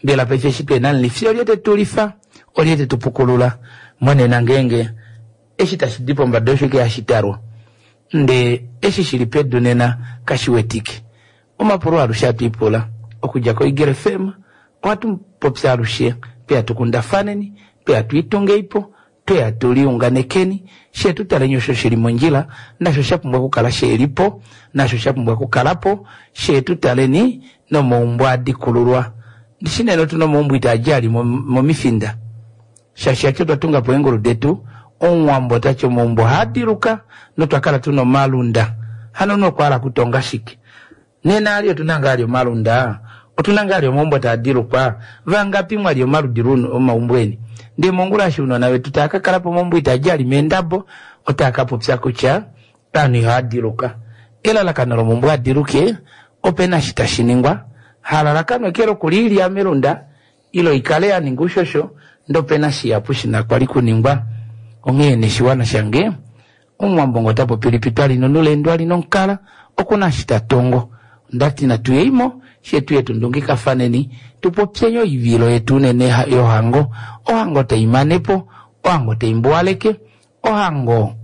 Mbela paife eshi twena mulifi olye tetulifa olye tetupukulula monena ngeenge eshi tashi di pombada osho ke hashi talwa nde eshi shili pedu nena kashiwetike. Omapulo alushe atwiipula okudja koIgele FM ohatu popya alushe peya tukundafaneni peya twiitungeipo tweya tuliunganekeni she tutaleni osho shili mondjila nasho sha pumbwa okukala shelipo nasho sha pumbwa okukalapo she tutaleni nomaumbo adikululwa. Ndishi neno tuna omaumbo itaadja ali momifinda shaashi acho twatungapo eengulu detu omuwambo tati omaumbo haadiluka notwakala tuna omalunda hano nokwala kutonga shike nena ali otuna ngaa ali omalunda otuna ngaa ali omaumbo taadilukwa vangapi mwali omaludi luno omaumbo eni ndee mongula eshi ounona vetu taakakala pomaumbo itaadja ali meendabo otaakapopya kutya ovanhu ihaadiluka elalakano lomaumbo adiluke opena eshi tashiningwa halalakano eke lokuliilya melunda ilo ikale yaninga ushosho ndee opena shihapu shina kwali kuningwa onghee neshiwana shange omuwambo ngo tapopi twali nonulendo ali nonkala okuna eshi tatongo ndati natuyeimo she tuye tundungikafaneni tupopyenye oivilo yetu unene yohango ohango taimanepo ohango taimbuwaleke ohango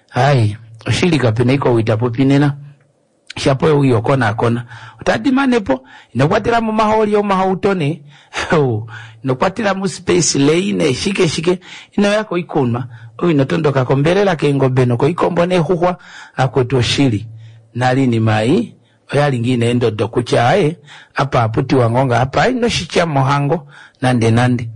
hai oshili kapena iko itapopi nena shapo uyo kona kona otadimanepo inokwatela mo maholi omahauto ne inokwatela mo space lane shike shike ino yako ikunwa oyo inotondoka kombelela keengobe nokoikombo neexuxwa akwetu oshili nalini mai oyali ngiina endodo kutya aye apa aputiwa ngonga apa inoshitya mohango nande nande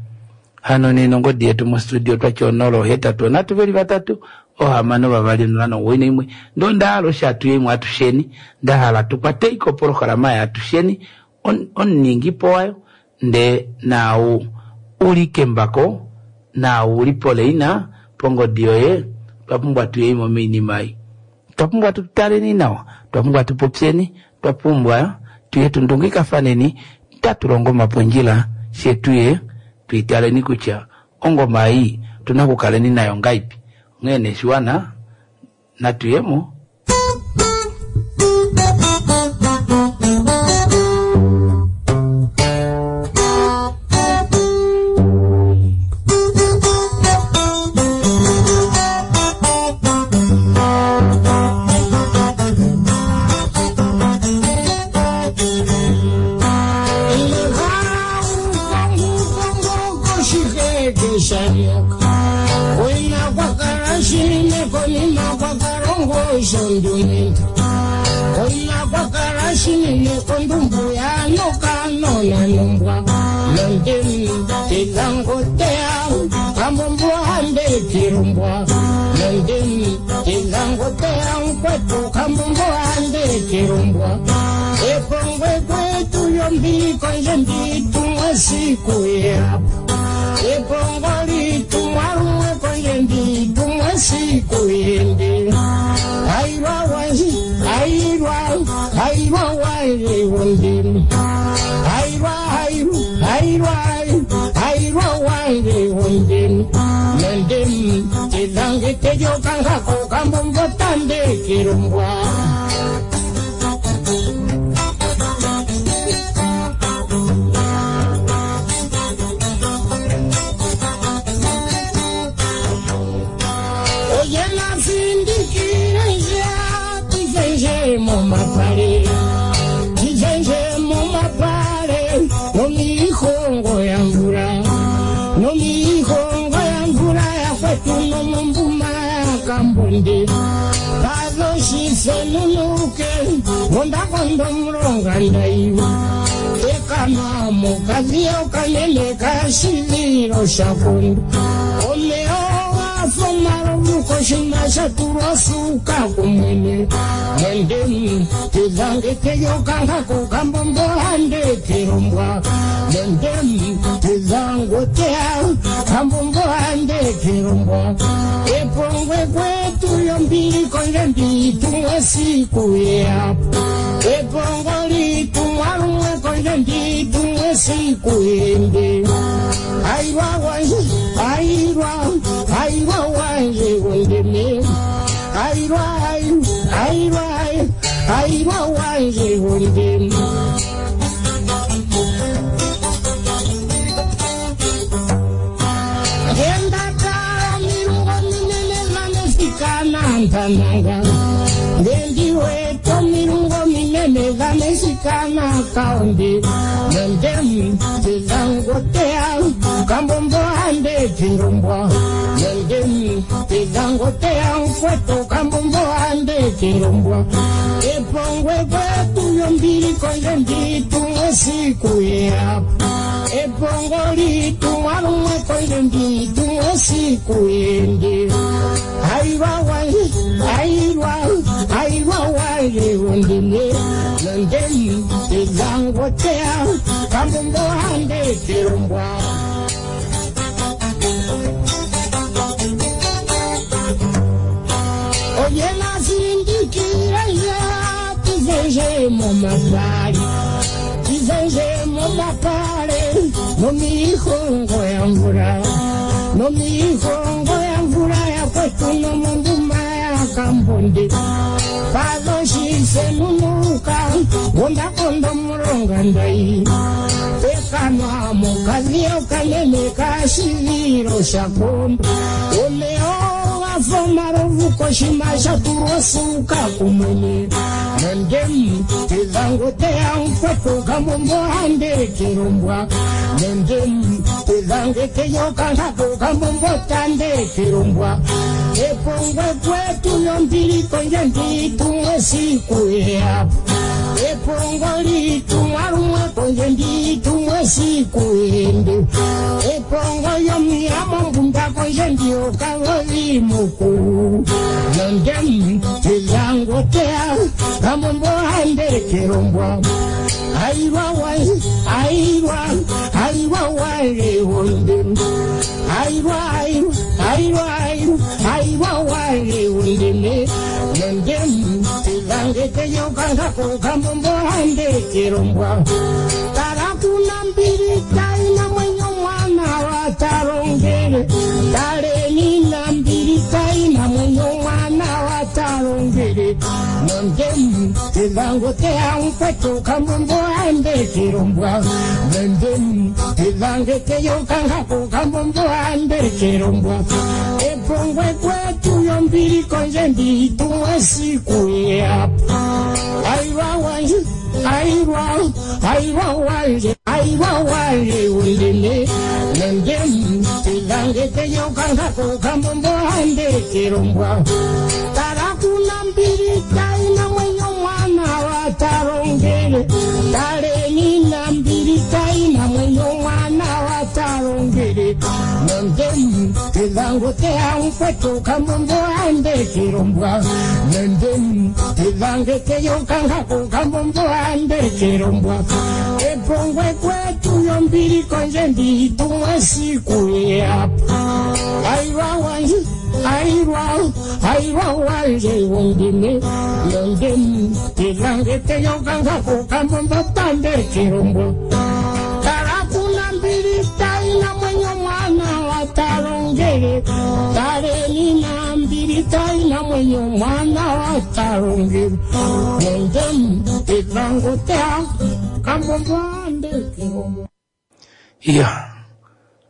hano nena ongodi yetu mostudio twatya 0 8 3 2 6 2 0 9 1 ndo ndahala osho atuyeimwe atusheni ndahala tukwate iko opolohalama ya atusheni omuningipo wayo. Ndee naau u li kembako, naau u li poleina, pongodi yoye, otwa pumbwa tu yeimo moinima ei. Otwa pumbwa tu taleni nawa, otwa pumbwa tu popyeni, otwa pumbwa tuye tu ndungikafaneni, tatu longo omapondjila, fye tuye tuitaleni kutya ongoma ei otuna okukaleni nayo ngaipi. Onghee nee shiwana natuyemo. Airwa, airwa wale wondem. Airwa, airwa, airwa, airwa, airwa wale wondem. Nondem, tilange teyo kanga koka mbombo ande kirombwa. Tarakuna mbiri taina mwenyo mwana wa tarongere. Tare nina mbiri taina mwenyo mwana wa tarongere. Nondem, tilango te ampeto kambombo ande kirombwa. Nondem, tilange teyo kanga koka mbombo ande kirombwa. Epongwe kwetu yombiri konje mbitumwe siku yapa. Airwa wanje, airwa, airwa wanje, airwa wanje undine. Nondem, tilange teyo kanga koka mbombo ande kirombwa. Tarakuna mbiri taina mwenyo mwana wa tarongere. Tare nina mbiri taina mwenyo mwana wa tarongere. Nondem, tilango te ampeto kambombo ande kirombwa. Nondem, tilange teyo kanga koka mbombo ande kirombwa. Epongwe kwetu yombiri konje mbitumwe siku yapa. Airwa wanje, airwa, airwa wanje wondime. Nondem, tilange teyo kanga koka mbombo ande kirombwa. Tarakuna mbiri taina mwenyo mwana wa tarongere. Tare nina mbiri taina mwenyo mwana wa tarongere. Nondem, tilango tea, kambombo ande kirombwa. Iya.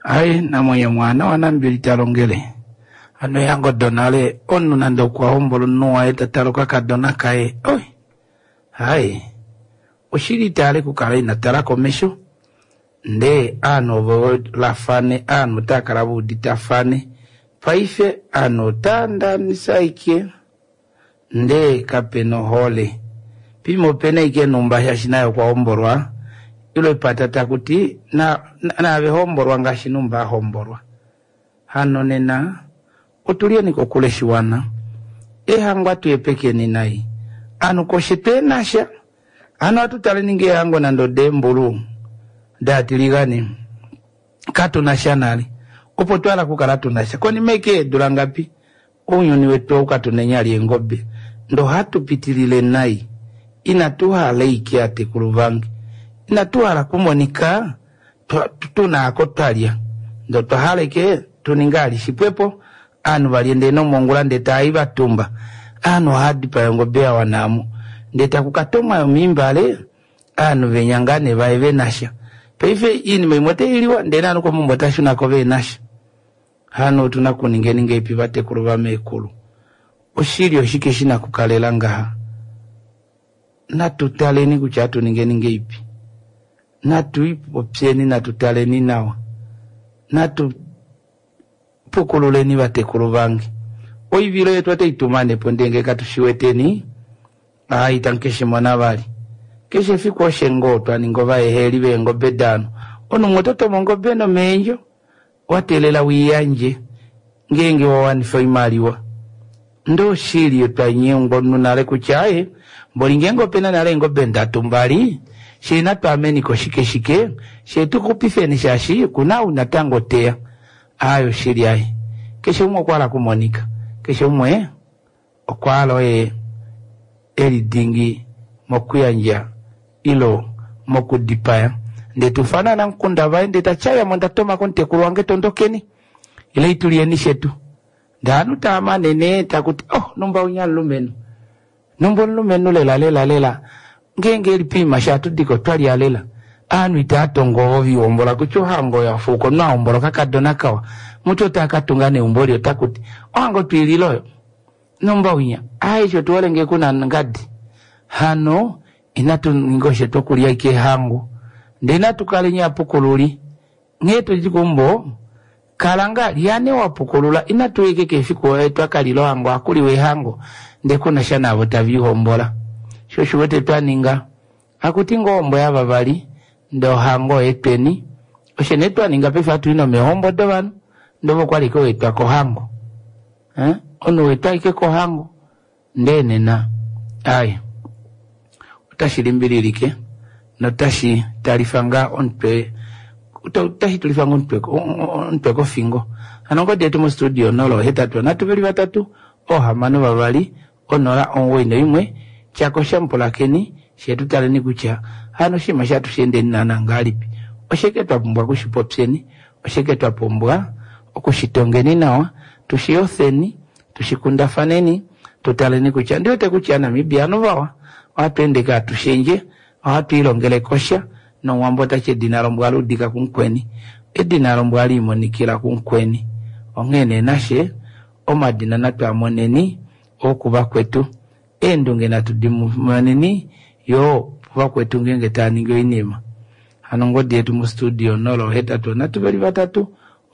Ai namwenye mwana wanambili talongele. Ano yango donale onu nando kwa hombolo nuwa eta taloka kadona kae. Oi. Hai. Oshili tale kukala ina tala komesho. Nde ano vo lafane ano takala vuditafane. Paife ano tanda nisaike. Nde kapeno hole. Pimo pene ike numba shashinayo kwa hombolwa. Ilo ipatata kuti na nave hombolwa ngashi numba hombolwa. Hano nena otulieni kokule shiwana. Ehango atuepekeni nai. Anu koshe tenasha. Ano atutale ninge ehango nando dembulu. Datiligani. Katunasha nali. Opo twala kukala tunasha. Koni meke dulangapi. Unyuni wetu ukatunenya engobe. Ndo hatupitilile nai. Inatuhala iki ate kuluvangi. Inatuhala kumonika tunako twalya. Ndo twahaleke tuningali shipwepo. Anu valiende nomongula ndeta aivatumba. Anu hadi payongobe ya wanamu. Ndeta kukatomwa yomimbale. Anu venyangane vae venasha. Paife ini maimwete iliwa ndena anu kwa mumbo tashunako venasha. Hano tunakuningeninge ipi vatekulu vamekulu. Oshili oshike shina kukalela ngaha. Natutaleni kucha tuningeninge ipi. Natuipopyeni natutaleni nawa. Natupukululeni vatekulu vange. Oivilo yetu ateitumane po ndenge katushiweteni. Ai tankeshe mwana vali. Keshe fiku oshengo twaningo vaeheli vengobe dano. Ono mwototo mongobe no menjo. Watelela wiyanje. Ngenge wawanifa imaliwa. Ndo shili twanyengwa nunale kuchaye. Mboli ngengo pena nale ngobe ndatu mbali. Shina twameni ko shike shike. Shetu kupifeni shashi kuna unatango tea. Ayo shili ai. Keshe umwe kwala kumonika. Keshe umwe okwalo e elidingi mokuyanja ilo mokudipaya. Ndetufana nkunda vae ndetachaya mwenda toma kontekulu wange tondokeni. Ile itulieni shetu. Ndanu tamanene takuti oh nomba unyalumenu. Nomba lumenu lela lela lela. Ngenge lipima shatudiko twali alela. Anu itatongo ovi ombola kuchohango ya fuko na ombola kakadona kawa. Mutu takatunga ne umboli otakuti ohango twililoyo. Nomba unya. Ai chotuolenge kuna ngadi. Hano inatu ngoshe tokulia ike hango. Ndena tukalinya pukululi. Ngeto jikumbo kalanga lyane wapukulula inatuike kefiku wetu akalilo hango akuliwe hango ndekuna shana abo tavihombola. Shosho wete twaninga akuti ngombo yababali ndo hango etweni oshene twaninga pefa tuino mehombo do banu ndobo kwaliko wetwa kohango. Ono wetwa ike kohango ndene na ai utashilimbililike Notashi talifa ngaa omutwe otashi tulifa ngaa omutwe kofingo. Hano ongodi yetu mostudio 083 3 6 2 091 tyakosha mupulakeni shee tu taleni kutya hano oshinima shatu sheendeni naana ngahelipi. Oshike twa pumbwa okushipopyeni, oshike twa pumbwa okushitongeni nawa, tushiyofeni, tushikundafaneni, tu taleni kutya ndi wete kutya Namibia ovanhu vawa ohatu ende kaa tushendje, ohatu ilongele kosha nomuwambo otati edina lombwa luudika kumukweni, edina lombwa liimonikila kumukweni. Onghee nee nashe omadina natu a moneni okuvakwetu, eendunge natu di moneni yoo kuvakwetu ngeenge tava ningi oinima. Hano ongodi yetu mostudio 083 3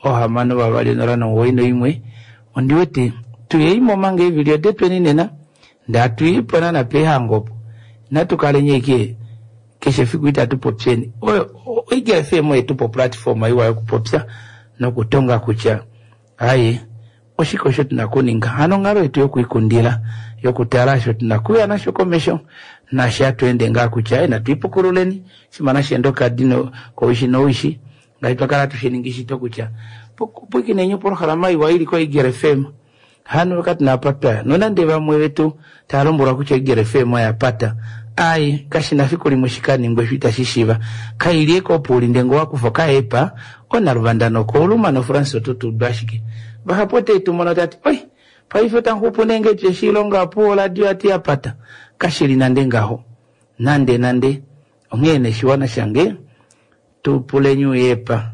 6 2 091. Ondi wete tuyeimo omanga eevili odetweni nena, ndee hatuyipo naana peehango opo. Inatu kaleni ashike keshe efiku itatu popyeni. Oiga FM oyetupa oplatform iwa yokupopya nokutonga kutya aye oshike osho tuna okuninga. Hano onghalo yetu yokwiikundila, yokutala osho tuna okuya nasho komesho, naashi hatu ende ngaa kutya aye natu ipukululeni, shimana sheenda okadi kowishi nowishi, ngaashi twakala hatu shiningi shito kutya pwikineni opolohalama iwa ili koEagle FM. Hano katuna apa twaya. Nonande vamwe vetu tava lombwelwa kutya Eagle FM oya pata, ai kashina fiku limwe shikaningwe osho itashi shiiva. Kaili eke opo uli ndee ngee owakufa okaepa, onaluvanda nokouluma noFrance oto tuudu ashike. Vahapu ote tu mono tati oi paife otamuxupu nee ngee shilonga opuwo oradio yati yapata. Kashili nande ngaho. Nande nande. Onghee nee shiwana shange tu puleni uyepa.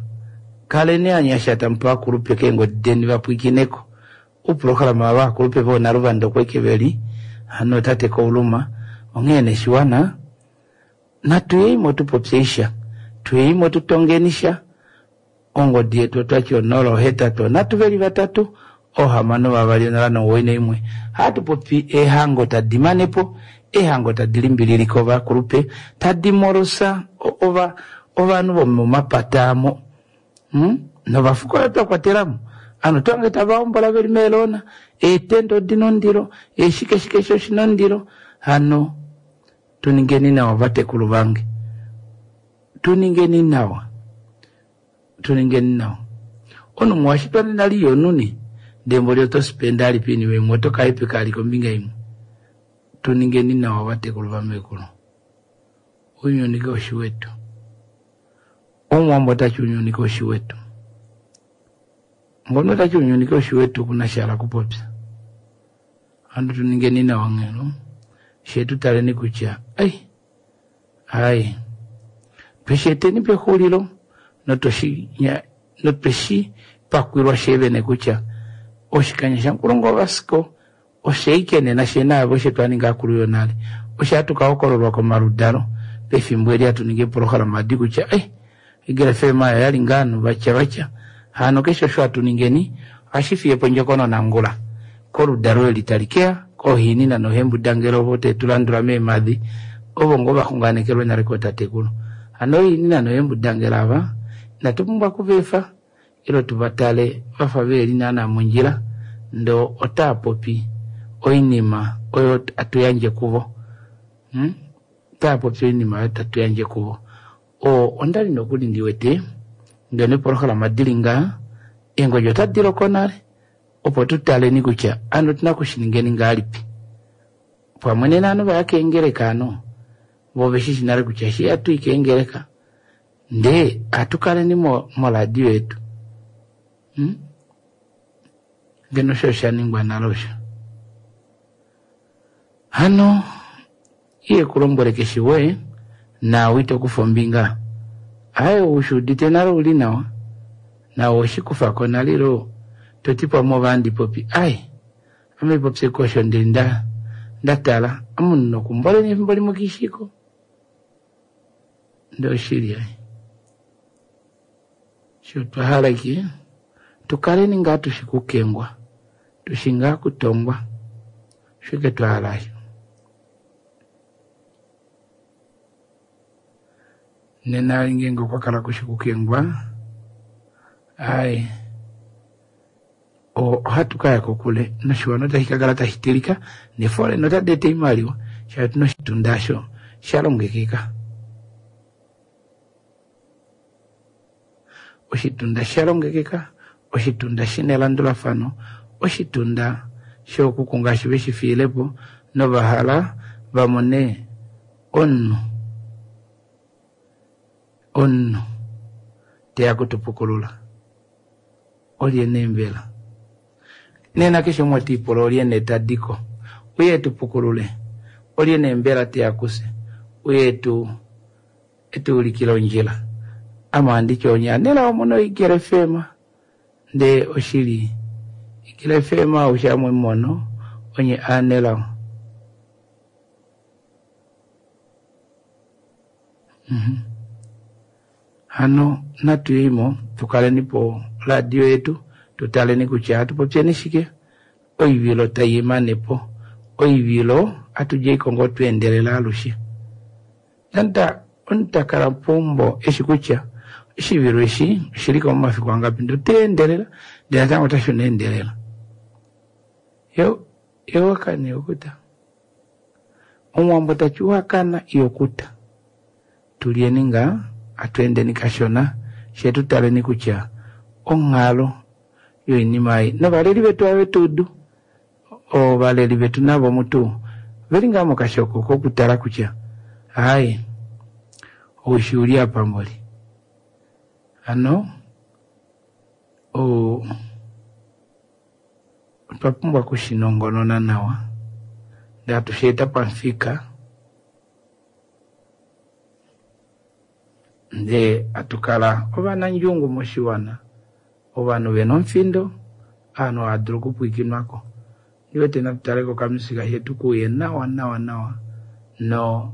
Kaleni anyasha tamupe ovakulupe keengodi deni vapwikineko. Ouprograma vovakulupe voonaluvanda okwa ike veli hano tate Kouluma. Onghee nee shiwana natuyeimo tupopye sha, tuyeimo tutongeni sha. Ongodi yetu otwati 083 3 6 2 091. Hatu popi eehango tadi manepo, eehango tadi limbililike ovakulupe, tadi molosa ovanhu vomomapata amo. Novafuko oyo twa kwatelamo. Ovanhu twange tava hombola veli meelona, eetenda odina ondilo, eeshikeshike osho shina ondilo. Hano tuningeni nawa vatekulu vange, tuningeni nawa, tuningeni nawa. Omunhu washitwa nena liyonuni, ndee mboli oto spenda alipi oinima imwe, oto ka ali kombinga imwe. Tuningeni nawa vatekulu vamekulu. Ounyuni kaushi wetu. Omuwambo otati ounyuni kaushi wetu. Ngono otati ounyuni kaushi wetu kuna sha kupopya. Hano tuningeni nawa nghelo. She tutaleni kutya ai ai twesheeteni pexulilo notweshi pakwilwa shevene kutya oshikanya shankulungu vasiko osheike nena shenaavo oshe twaninga akulu yonale. Oshe hatu kahokololwa komaludalo pefimbo eli hatu ningi eprogram adi kutya ai Eagle FM oyo yali ngaa ovanhu vatya vatya. Hano keshe osho hatu ningeni ohashi fiye po ondjokonona ngula koludalo eli tali keya koohinina nohembudangelo ovo te tu landula meemadi ovo ngoo vaxunganekelwe nale kootatekulu. Hano oohinina nohembudangelo ava inatu pumbwa okuveefa ilo tuvatale vafa veli naana mondjila ndoo otaa popi oinima oyo hatu yandje kuvo. Otaa popi oinima oyo tatu yandje kuvo. Ondali nokuli ndi wete ngeno eprogram dili ngaa eengodi otadi loko nale opo tutaleni kutya ano otuna okushiningeni ngahelipi. Pamwe nena ovanhu vaya keengeleka ano vo veshishi nale kutya eshi hatu i keengeleka ndee hatu kaleni moradio yetu. Ngeno osho oshaningwa nale osho. Hano iye kulombwele keshe woye naawe ito kufa ombinga. Aye ushuudite nale uli nawa nawe oshikufako nale ilo toti pamwe ovandi popi ai ame popye kosho ndee ndatala omunhu nokumboleni efimbo limwe kishiko ndee oshili ai sho twahala ke tukaleni ngaa tushi kukengwa tushi ngaa kutongwa shike twahala asho. Nena ngeenge okwa kala kushi kukengwa ai ohatu kaya kokule noshiwana otashi kakala tashi tilika nefoleni otadi eta oimaliwa shaashi otuna oshitunda osho sha longekeka. Oshitunda sha longekeka, oshitunda shi na elandulafano, oshitunda shookuku ngaashi ve shi fiile po nova hala va mone omunhu, omunhu te ya kutupukulula. Olye nee mbela? Nena keshe umwe ota ipula olye nee ta di ko uye e tu pukulule? Olye nee mbela te ya kufye uye e tu e tu ulikile ondjila? Ame ohandi ti onye anelao mu na oigele FM. Ndee oshili, Igele FM aushe amwe mono onye aanelao. Mhm. Hano natu yeimo tu kaleni po radio yetu tu taleni kutya hatu popyeni shike. Oivilo tai emane po. Oivilo atu djeiko ngoo twa endelela alushe. Nanda omunhu ta kala peumbo eshi kutya oshivilo eshi oshili ko momafiku angapi ndee ota endelela ndee natango ota shuna endelela. Yo yo wakana yokuta. Omuwambo ta ti wakana yokuta. Tulyeni ngaa atu endeni kashona fye tu taleni kutya onghalo yoinima ei novaleli vetu ave tu udu. Ovaleli vetu navo mutu veli ngaa mokashoko kokutala kutya aaye oushi uli apa mboli. Hano otwa pumbwa okushinongonona nawa ndee hatu shi eta pamufika ndee hatu kala ovanandjungu moshiwana, ovanhu ve na omufindo, ovanhu hava dulu okupwiikinwa ko. Ondi wete natu tale kokamusika shetu kuuye nawa nawa nawa no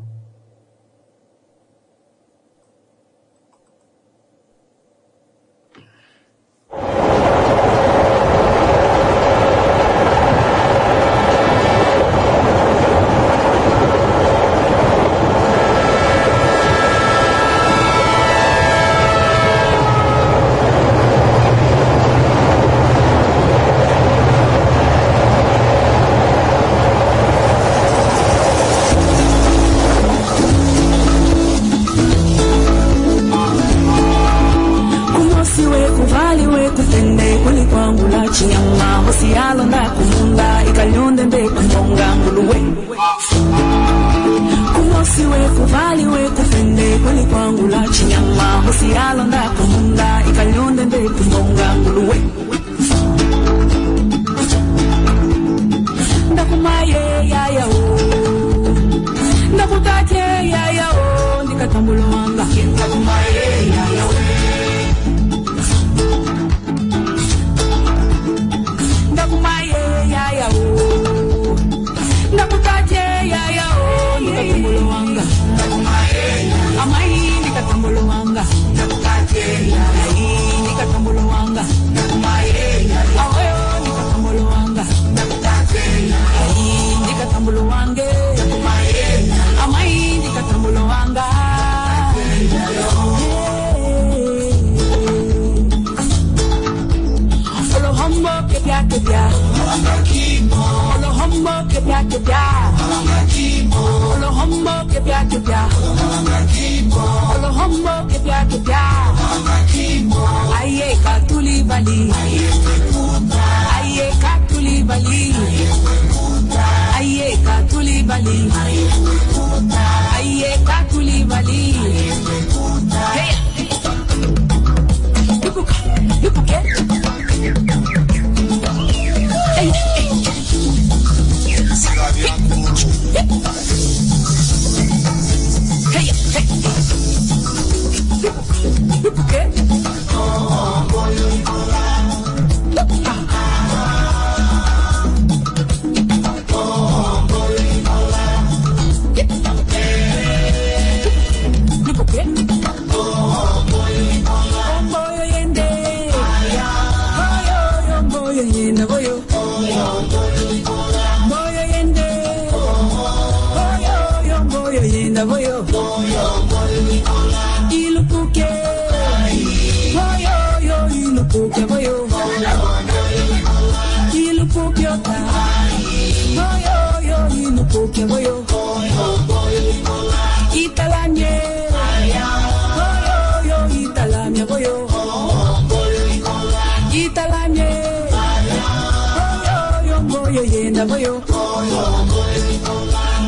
yenda boyo.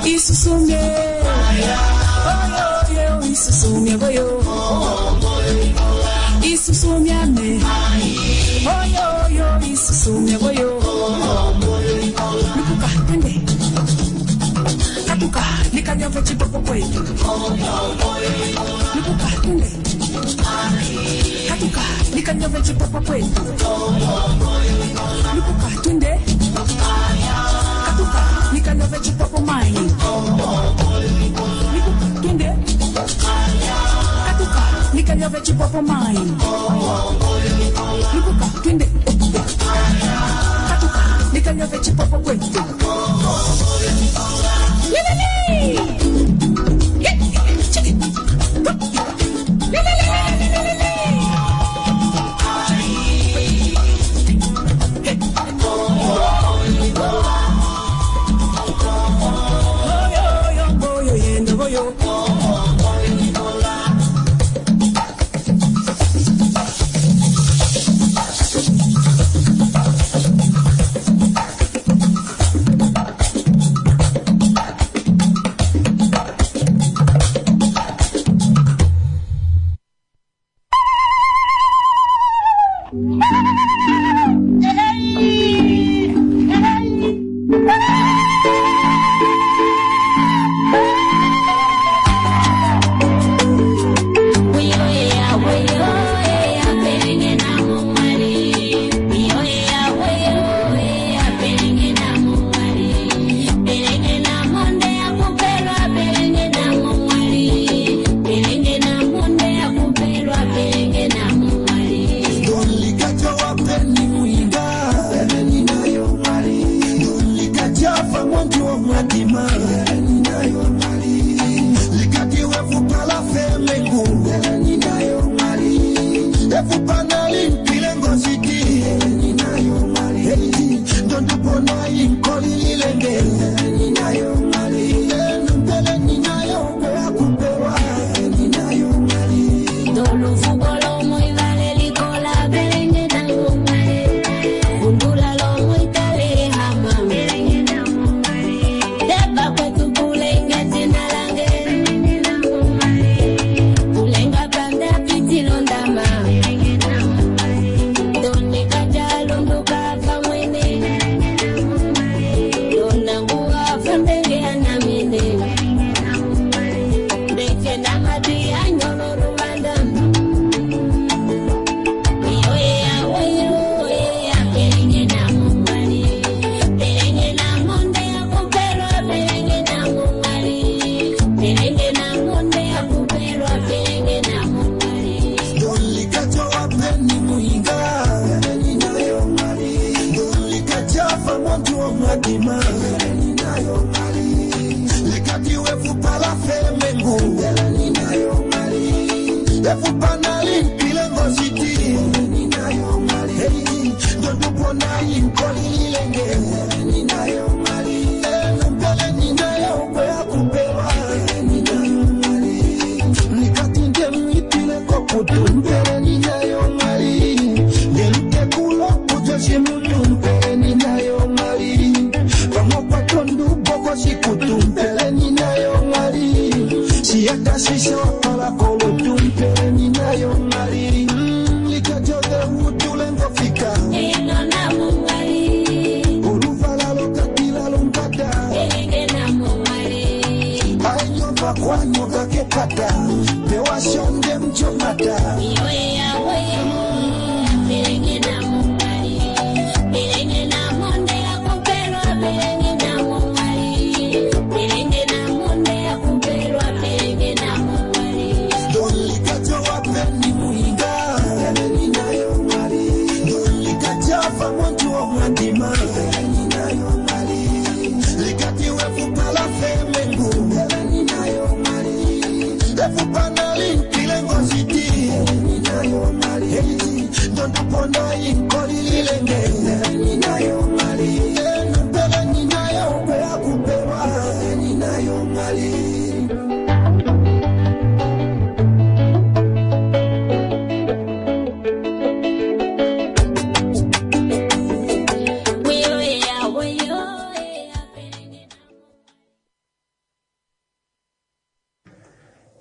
Isusumye. Oyo yo isusumye boyo. Isusumyane. Oyo yo isusumye boyo. Lupuka twende. Katuka nikanyove chipopo kwetu. Lupuka twende. Katuka nikanyove chipopo kwetu. Lupuka twende. Katuka nikanyove chipopo mai. Lupuka twende. Katuka nikanyove chipopo mai. Lupuka twende. Katuka nikanyove chipopo kwetu. Lelele! Check it. Lelelelelelele! Oyo, oyo, yendo, oyo. Oyo.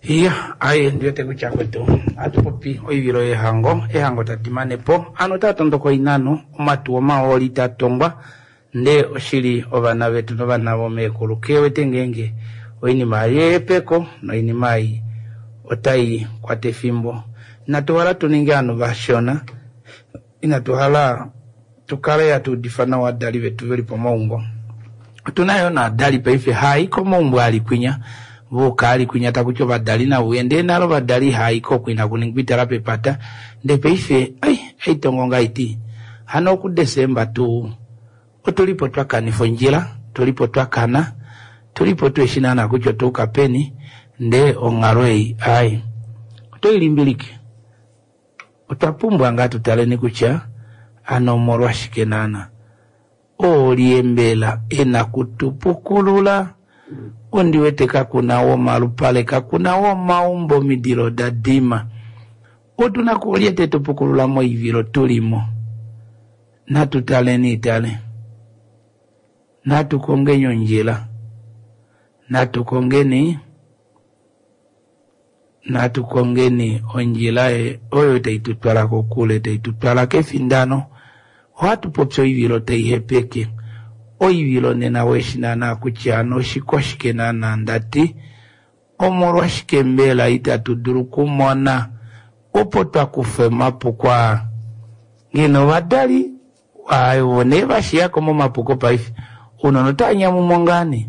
Iya, aye ndiwete kutya kwetu ohatu popi oivilo yehango, ehango tadi mane po, ovanhu otava tondoka oinano, omatuwa omahooli taa tongwa, ndee oshili ovana vetu novana vomeekulu kewete ngeenge oinima ei yehepeko noinima ei otai kwata efimbo. Inatu hala tu ninge ovanhu vashona, inatu hala tu kale hatu udifa nawa ovadali vetu ve li pomaumbo. Otu na yoo naadali paife haa i komaumbo ali kwinya, voka ali kwinya taku ti ovadali nave uye, ndee nale ovadali ihaa i ko oku inaku ningwa itala pepata, ndee paife ai, aitongo ngaa iti hano okuDesemba tuu otu li po twa kanifa ondjila, tu li po twa kana, tu li po tuheshi naana kutya otwa yuka peni, ndee onghalo ei ai oto i limbilike. Otwa pumbwa ngaa tu taleni kutya ano omolwashike naana. Oolye mbela e na kutu pukulula? Ondi wete kaku na womalupale, kaku na womaumbo, omidilo oda dima. Otu na kuolye te tu pukulula moivilo tu li mo? Natu taleni tale. Natu kongeni ondjila. Natu kongeni natu kongeni ondjila oyo tai tu twala kokule, tai tu twala kefindano. Ohatu popi oivilo tai hepeke. Oivilo nena weshi naana kutya ano oshikwashike naana ndati. Omolwashike mbela itatu dulu kumona opo twa kufa omapuko aa? Ngeno ovadali ovo nee va shiyako momapuko paife, ounona otava nyamumo ngaa nee.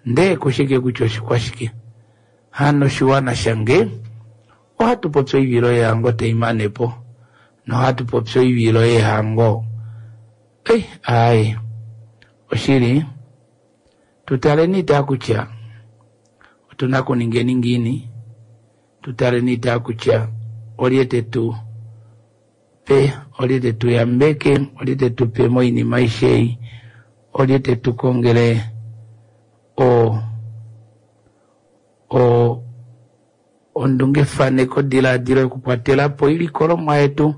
Ndee kushike kutya oshikwashike? Hano oshiwana shange, ohatu popi oivilo yehango tai mane po, nohatu popi oivilo yehango. Ei, aaye, oshili, tu taleni taa kutya otu na kuningeni ngiini, tu taleni taa kutya olye te tu pe, olye te tu yambeke, olye te tu pe moinima aishe ei, olye te tu kongele o o ondungefaneko diladilo yokukwatela po oilikolomwa yetu.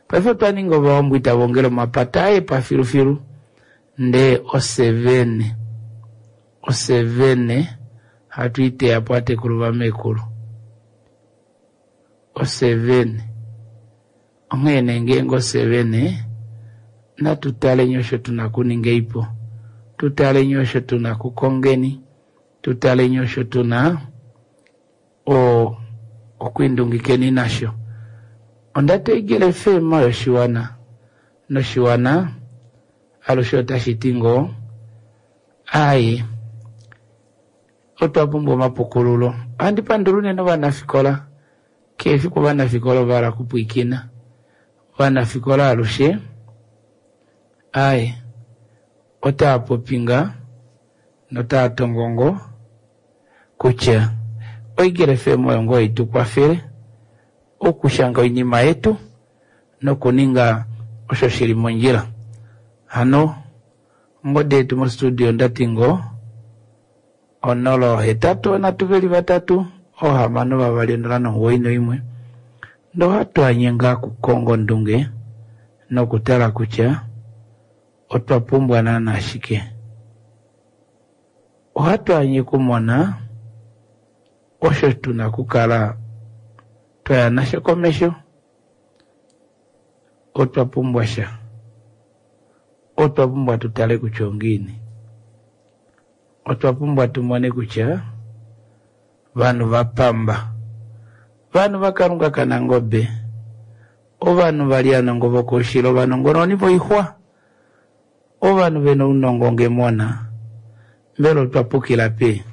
Paife otwa ninga ovahongwi tava ongele omapata aye pafilufilu, ndee osevene osevene hatu i teya po atekulu vamekulu. Osevene onghee nee ngeenge osevene natu taleni osho tuna kuninga ipo, tu taleni osho tuna kukongeni, tu taleni osho tuna o okwiindungikeni nasho. Onda teegela efema yoshiwana, noshiwana alushe otashi ti ngoo aaye, otwa pumbwa omapukululo. Ohandi pandula unene ovanafikola, kehe efiku ovanafikola ova hala okupwiikina. Ovanafikola alushe aaye, otava popi ngaa notava tongo ngoo kutya oigele FM oyo ngoo itu kwafele okushanga oinima yetu nokuninga osho shili mondjila. Hano ongodi yetu mostudio ndati ngoo 083 3 6 2 0 91. Nohatu anye ngaa kukonga ondunge nokutala kutya otwa pumbwa naana shike. Ohatu anye kumona osho tuna kukala twaya nasho komesho. Otwa pumbwa sha, otwa pumbwa tu tale kutya ongiini, otwa pumbwa tu mone kutya vanhu va pamba, vanhu va Kalunga kaNangobe, ovanhu va li anongo vokoushilo, ovanongononi voixwa, ovanhu vena ounongo ngemona, mbela otwa pukila pe?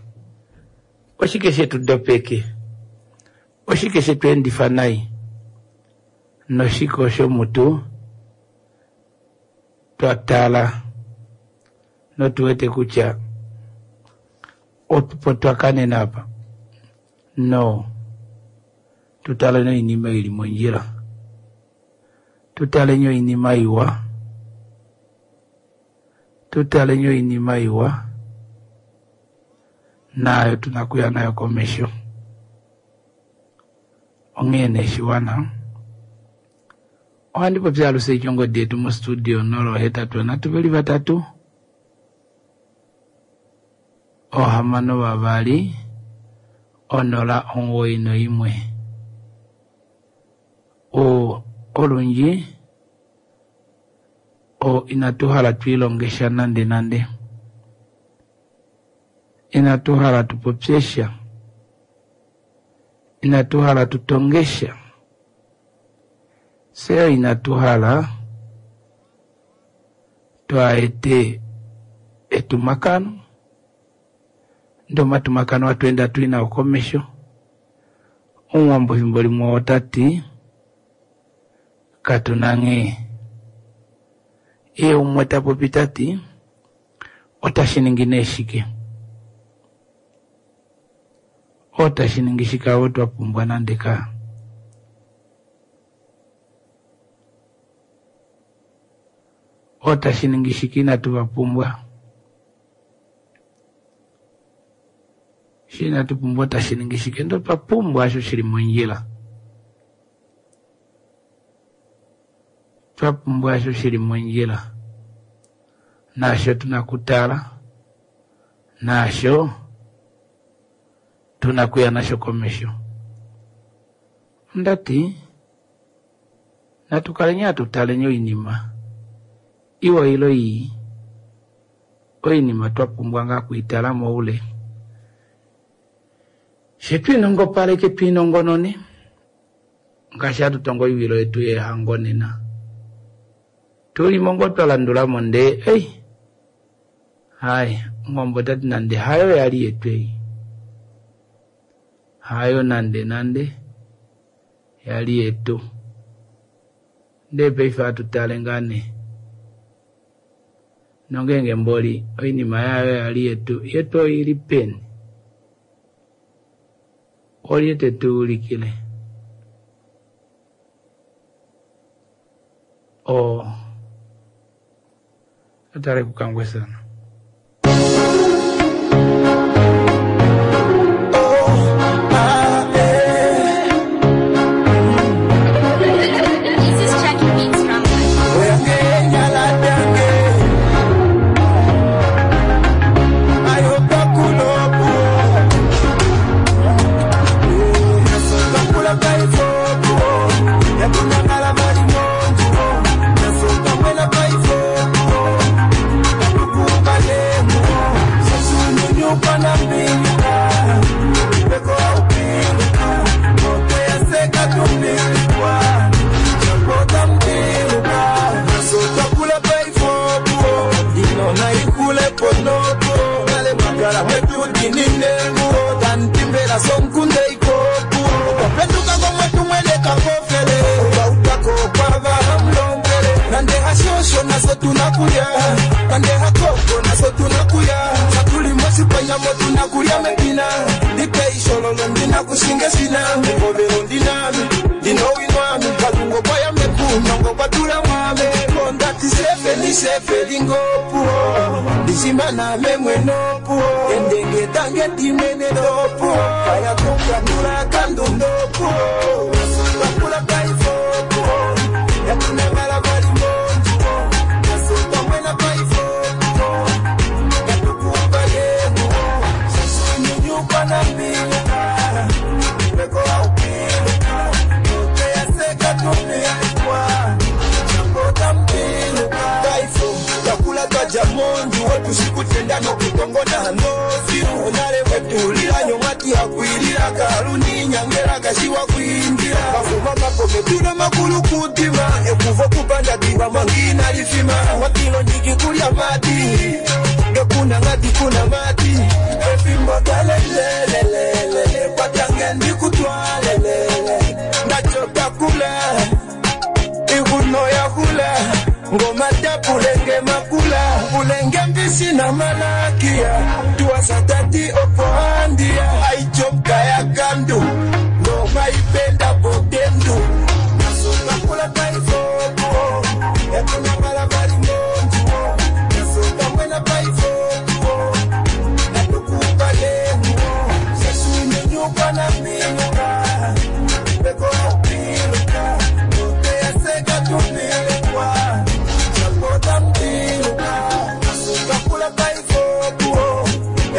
Oshike shetu dopeke? Oshike shetu endifa nai? Noshike osho mutu twa tala notu wete kutya opo twa kanena apa? No, tu taleni oinima ili mondjila, tu taleni oinima iwa, tu taleni oinima iwa, naayo tuna kuya nayo komesho. Onghee nee shiwana, ohandi popi alushe ongodi yetu mostudio 083 3 6 2 091. Olundji inatu hala twiilonge sha nande nande. Inatu hala tu popye sha. Inatu hala tu tonge sha. Fye inatu hala twaa ete etumakano, ndee omatumakano hatu ende hatu i nao komesho. Omuwambo efimbo limwe ota ti katu na nghee. Ye umwe ta popi ta ti otashi ningi nee shike? Otashi ningi shike avo twa pumbwa nande ka. Otashi ningi shike inatu va pumbwa? Shi inatu pumbwa otashi ningi shike? Ndee otwa pumbwa osho shili mondjila. Twa pumbwa osho shili mondjila. Naasho tuna okutala, naasho tuna okuya nasho komesho. Onda ti, natu kaleni hatu taleni oinima iwa ile ii, oinima twa pumbwa ngaa okwiitala moule. She twiinongopaleke twiinongonone, ngaashi hatu tongo oivilo yetu yeehango nena. Tulimo ngoo twa landula mo ndee ei, hai, omuwambo ota ti nande hayo yali yetu ei. Hayo nande nande yali yetu. Ndee paife hatu tale ngaa nee. Nongeenge mboli oinima yayo yali yetu, yetu oili peni? Olye te tu ulikile? Oo atale kukangwesana. This is Chucky Beats from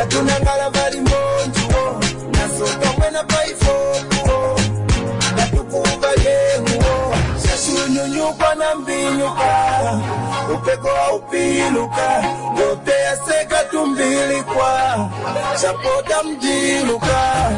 Tunangala vali mo. Mukwanambinyuka upeko aupiluka ngote yaseka tumbilikwa sapota mjiluka.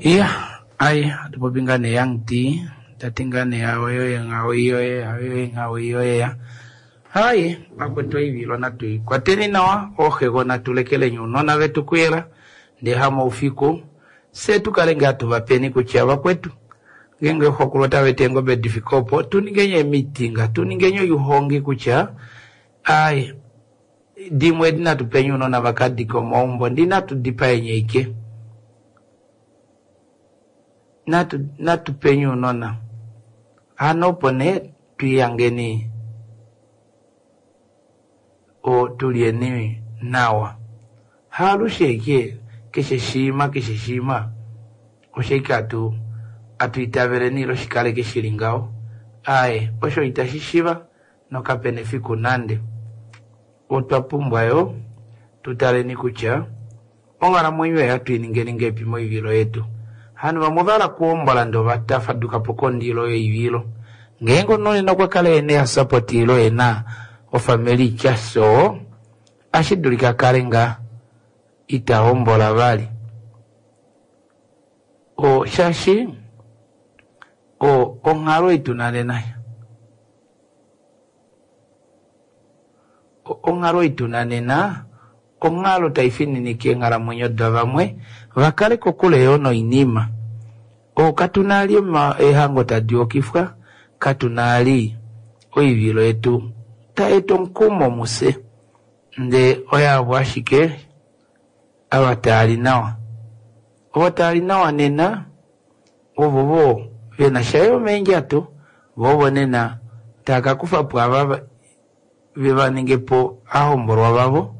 Iya, ai atupopi ngaa nee Young D tati ngaa nee aweyoye nghaweyoye aweyoye nghaweyoye ya. Hai, vakwetu oivilo natu ikwateni nawa ooxegona tulekeleni ounona vetu kuyela ndee hamaufiku fye tukale ngaa tuvapeni kutya vakwetu ngeenge xokulu otaveti eengobe difike opo tuningeni eemitinga tuningeni oihongi kutya ai dimwe edi natu peni ounona vakadike omaumbo ndi natu dipaeni aike natu peni ounona hano opo nee twihangeni tulyeni nawa haalushe aike keshe shiima keshe shiima osho aike atu itaveleni ile shikaleke shili ngaho aaye osho itashi shiva nokapena efiku nande otwa pumbwa yoo tutaleni kutya onghalamwenyo ei ohatu iningeni ngahelipi moivilo yetu hano vamwe ovahala okuhombola ndee ovatafadukapo kondilo yoivilo ngeenge omunhu nena okwa kala ena esupport ile ena ofamily itya soo ohashi dulika akale ngaa ita hombola vali shaashi onghalo ei tuna nena onghalo ei tuna nena onghalo taifininike eenghalamwenyo davamwe vakale kokule yoo noinima katuna ali eehango tadi okifwa katuna ali oivilo yetu tayeeta omukumo mufye. Ndee oyaavo ashike ava taali nawa. Ovo taali nawa nena ovovo vena sha yo meendjato, vo ovo nena tava ka kufa po ava ve va ninge po ahombolwa vavo.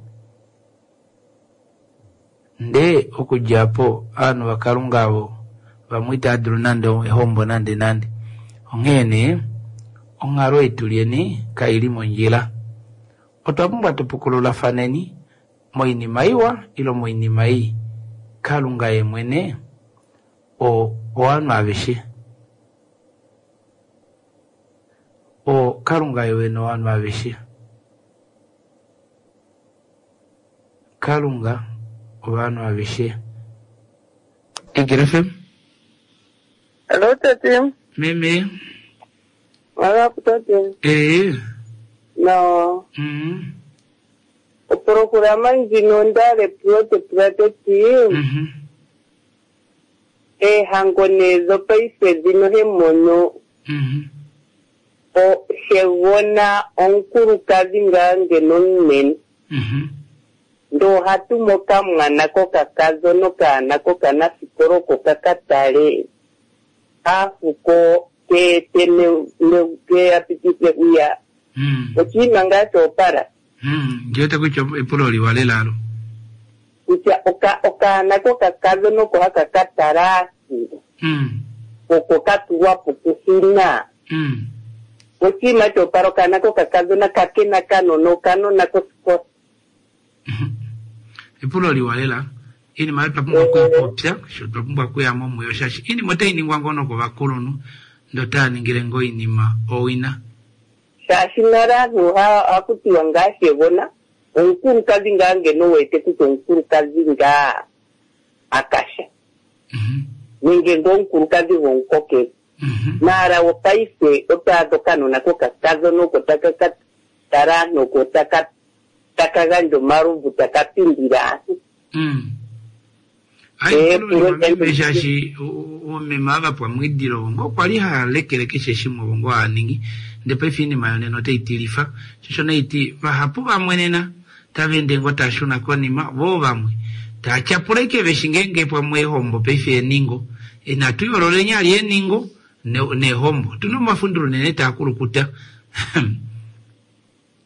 Ndee okudja apo ovanhu vaKalunga avo vamwe itava dulu nande ehombo nande nande. Onghee nee onghalo ei tulyeni kaili mondjila. Otwa pumbwa tupukululafaneni moinima iwa ile moinima ii. Kalunga ye mwene ovanhu aveshe. Kalunga ye wene ovanhu aveshe. Kalunga ovanhu aveshe. Egel FM. Hello, tate. Meme. Malapu, tate. Eh. No. Oprokurama ndjino ndale pulo tepula teti. Eehango nee dhopaife dhino hemono. Xegona omukulukadhi ngaa ngeno omunene. Ndoo hatumu okamwana kokakadhona okaana kokanafikola oko kaka tale aafuko keete ke apitithe hwiya. Oshinima ngaa shoopala. Ndiwete kutya epulo liwa lela alo. Kutya okaana kokakadhona oko haka ka tala aafuko. Oko ka tulwa po kuhina. Oshinima shoopala okaana kokakadhona kakena kanona okanona kosikola. Epulo liwa lela. Iinima oyo twa pumbwa okuipopya, sho twa pumbwa okuya mo muyo shaashi iinima otai ningwa ngoo nokovakulunhu ndee otava ningile ngoo oinima owina. Shaashi nale aantu ohaku tiwa ngaa xegona omukulukadhi ngaa ngeno wete kutya omukulukadhi ngaa akasha. Nenge ngoo omukulukadhi gomukokele. Maara wopaife oto adha okanona kokakadhona oko taka ka tala aantu oko taka taka gandja omalovu taka pindile aantu. Epulo meme shaashi oomeme ava pwamwidilo ovo ngoo kwali hava lekele keshe shimwe ovo ngoo hava ningi ndee paife oinima yonena otai tilifa shosho naiti vahapu vamwe nena tava ende ngoo tava shuna konima voo vamwe tava tyapula ashike veshi ngeenge pamwe eehombo paife eeningo inatu yoololeni ali eeningo neehombo otuna omafundilo unene taa kulukuta.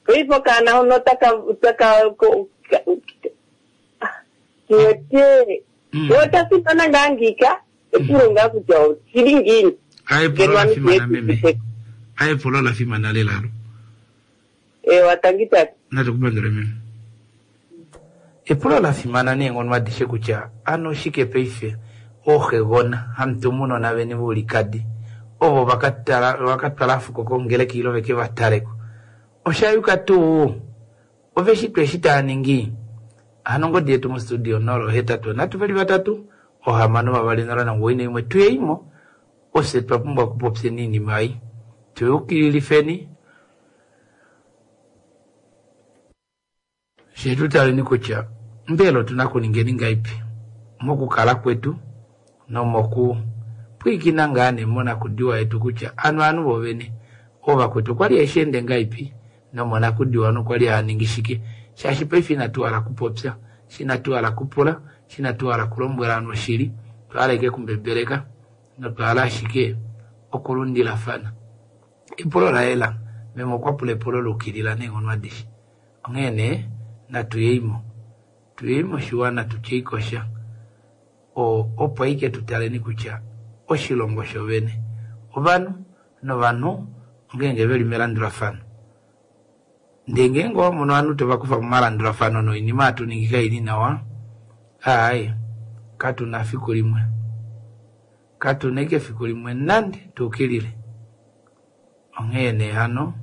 Paife okaana hono taka taka kiwete ota fimana ngaa ngiika epulo ngaa kutya oshili ngiini. Epulo la fimana meme. Epulo la fimana lela alo. Ewa tangi tate. Natukupandule meme. Epulo la fimana neenghono adishe kutya ano oshike paife ooxegona hamutumunona veni voulikadi ovo vakatwala afuko kongeleka ile veke vataleko. Oshayuka tuu ove shi tuu eshi tava ningi? Hano ongodi yetu mostudio 083 3 6 2 0 91 tuyeimo ofye twa pumbwa okupopyeni oinima ei tuyukililifeni fye tutaleni kutya mbela otuna okuningeni ngaipi mokukala kwetu nomoku pwiikina ngaa nee monakudiwa yetu kutya anu ovanhu vovene oovakwetu okwali hashi ende ngaipi nomonakudiwa nokwali hava ningi shike shaashi paife inatu hala kupopya inatu hala kupula inatu hala kulombwela ovanhu oshili otwa hala ashike kumbebeleka notwa hala ashike okulundilafana. Epulo la yela meme okwa pula epulo la ukilila neenghono adishe onghee nee natuyeimo tuyeimo oshiwana tutyeikosha opo ashike tutaleni kutya oshilongo shovene ovanhu novanhu ngeenge veli melandulafano. Ndee ngeenge owamono ovanhu tovakufa momalandulafano noinima hatu ningi kaili nawa aaye katuna fiku limwe katuna ashike fiku limwe nande tuukilile. Onghee nee hano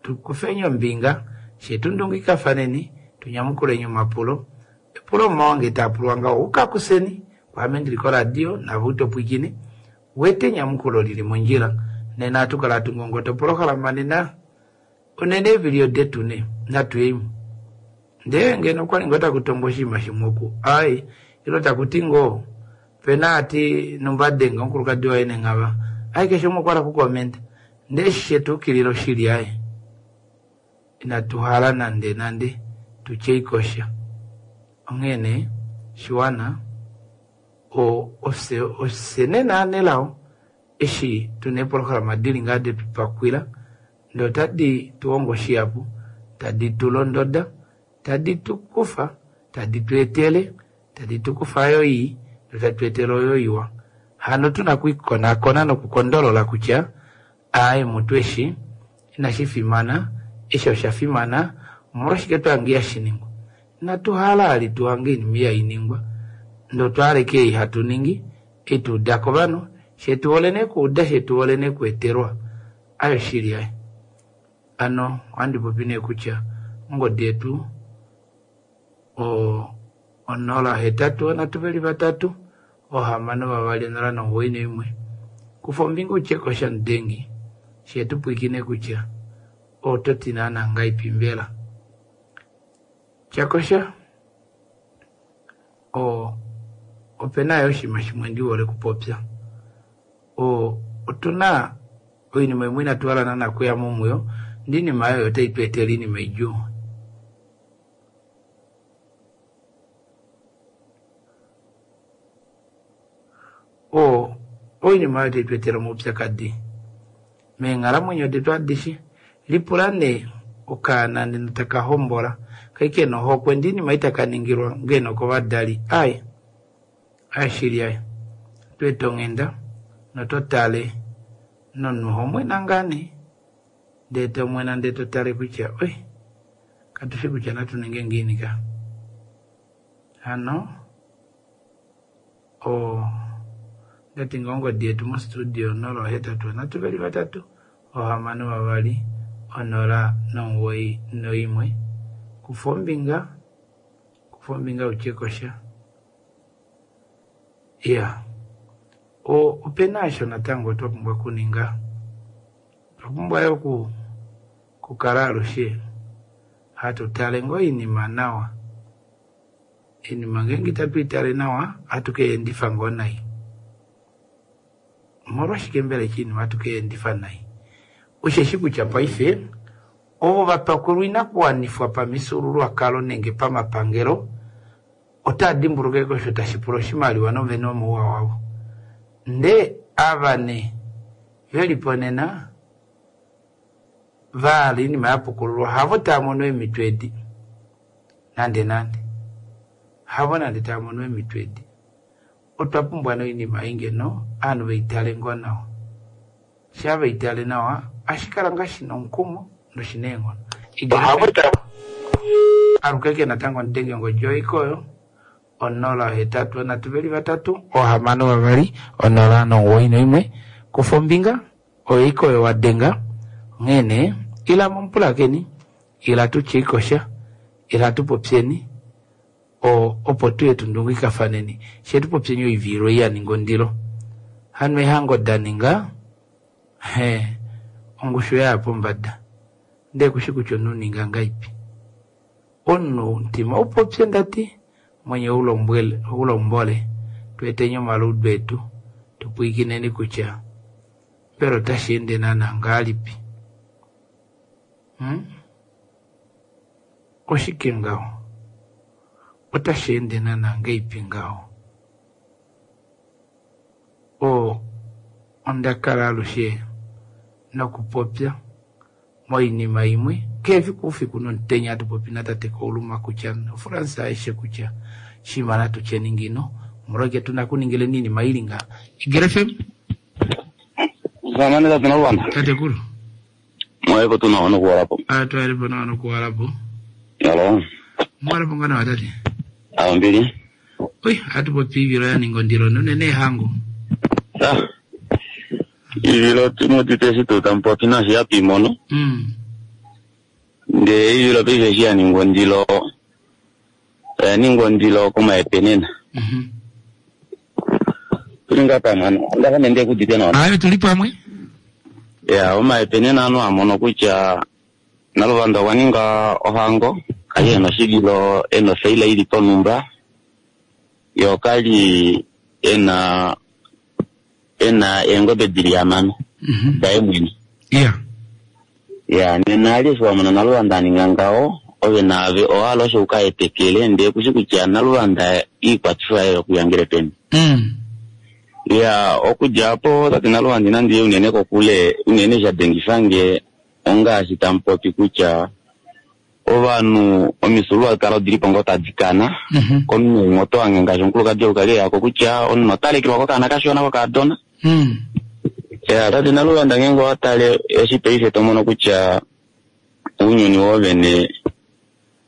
tukufeni ombinga fye tundungikafaneni tunyamukuleni omapulo epulo omawange taapulwa ngaho ukakuseni kwaame ndili koradio nave utopwikine wete enyamukulo lili mondjila nena hatukala hatungongota opolohalama nena unene eevilio detu ne natuyeimo. Ndee ngeno okwali ngoo takutongo oshinima shimwe oku ai ilo takuti ngoo pena ati numba adenga omukulukadi waye nenghava ai keshe umwe okwa hala okukomenta ndee eshi shetuukilila oshili aye inatu hala nande nande tuyemo. tutye ikosha. Onghee nee shiwana ofye ofye nee naanelao eshi tuna eeprograma dili ngaa detu pakwila ndee otadi tu hongo shihapu, tadi tu londoda, tadi tu kufa, tadi tu etele, tadi tu kufa oyo ii notadi tu etele oyo iwa. Hano tuna okwiikonakona nokukondolola kutya aaye mutu eshi inashi fimana, eshi osha fimana, omolwashike twahange ihashi ningwa. Inatu hala vali tuhange oinima ihainingwa ndee otwa hala ashike ei hatu ningi, ei twauda kovanhu, shee tuhole nee okuuda shee tuhole nee okweetelwa. Ayo shili aye. Hano ohandi popi nee kutya ongodi yetu 081 3 6 2 091. Kufa ombinga utye kosha mudengi shee tupwiikine kutya oto ti naana ngahelipi mbela. Tyakosha opena yo oshinima shimwe ndihole okupopya. Otuna oinima imwe inatu hala naana okuyamo muyo ndee oinima oyo otai tu etele oinima idjuu. Oinima oyo otai tu etele omaupyakadi meenghalamwenyo detu adishe. Lipula nee okaana nena taka hombola kai kena ohokwe ndee oinima ei taka ningilwa ngeno kovadali aaye aaye shili aaye otweeta onghenda nototale nomunhu ohomwena ngaa nee ndee tomwena ndee totale kutya oi katushi kutya natu ninge ngiini ka. Hano ondati ngoo ongodi yetu mo studio 081 3 6 2 091. Kufa ombinga, kufa ombinga utye kosha. Iya, opena osho natango twa pumbwa okuninga. Otwa pumbwa yo okukala alushe hatu tale ngoo oinima nawa. Oinima ngeenge itatu itale nawa, ohatu keendifa ngoo nai. Omolwashike mbela eshi oinima hatu keendifa nai? Osheshi kutya paife ovo vapakulwa oinakuwanifwa pamifyuululwakalo nenge pamapangelo otaa dimbuluka osho tashi pula oshimaliwa novene omouwa wavo. Ndee ava nee velipo nena vahala oinima yapukululwa havo taa mono eemhito edi nande nande. Havo nande taa mono eemhito edi. Otwa pumbwa nee oinima ei ngeno ovanhu veitale ngoo nawa. Shaa veitale nawa ohashi kala ngaa shina omukumo noshina eenghono. Alukeke natango mudenge ongodi oyo oyo 081 3 6 2 091. Kufa ombinga oyo oyo wadenga. Onghee nee ila momupulakeni, ila tutye ikosha, ila tupopyeni opo tuye tundungikafaneni shee tupopyeni oivilo ei yaninga ondilo. Hano eehango daninga ongushu yaya pombada ndee kushi kutya omunhu ninga ngahelipi. Omunhu omutima upopye ndati mwenye ulombole tweeteni omaluudu etu tupwiikineni kutya mbela otashi ende naana ngahelipi. Oshike ngaho? Otashi ende naana ngahelipi ngaho? Onda kala alushe nokupopya moinima imwe kehe efiku oufiku nomutenya hatu popi natate Kauluma kutya noFrance aishe kutya shima natu tyeni ngino omolwashike tuna okuningileni oinima ili ngaha. Igele FM. Zamane tate Naluvanda. Tatekulu. Mwaelepo tu nawa nokuwalapo. Twaelepo nawa nokuwalapo. Halo. Mwalapo nga nawa tate. Awo mbili. Oi, hatu popi ivilo ya ninga ondilo nonene ehango. Ivilo timudite eshi tuu tamupopi nashi hatu imono. Ndee ivilo paife eshi ya ningwa ondilo, oya ningwa ondilo komaepenena. Tuli ngaa pamwe ano, onda fa nee ndekudite nawa. Ayo tuli pamwe. Ya, omaepenena ano amono kutya Naluvanda okwa ninga ohango, kali ena oshivilo, ena ofaila ili ponumba, yo kali ena eengobe dili hamano daye mwene. Ya, nena ali eshi wamona Naluvanda aninga ngaho, Ove naave owahala osho uka etekele ndee kushi kutya Naluvanda iikwatifo yaye yokuyangele peni. Ya okudja apo tate Naluvanda inandi ya unene kokule unene sha dengifange ongaashi tamupopi kutya ovanhu omifyuululwakalo odilipo ngoo tadi kana komunhu umwe oto hange ngaashi omukulukadi ou kali eyako kutya omunhu ota lekelwa kokaana kashona kokaadona. Ya tate Naluvanda ngeenge owa tale eshi paife to mono kutya ounyuni woovene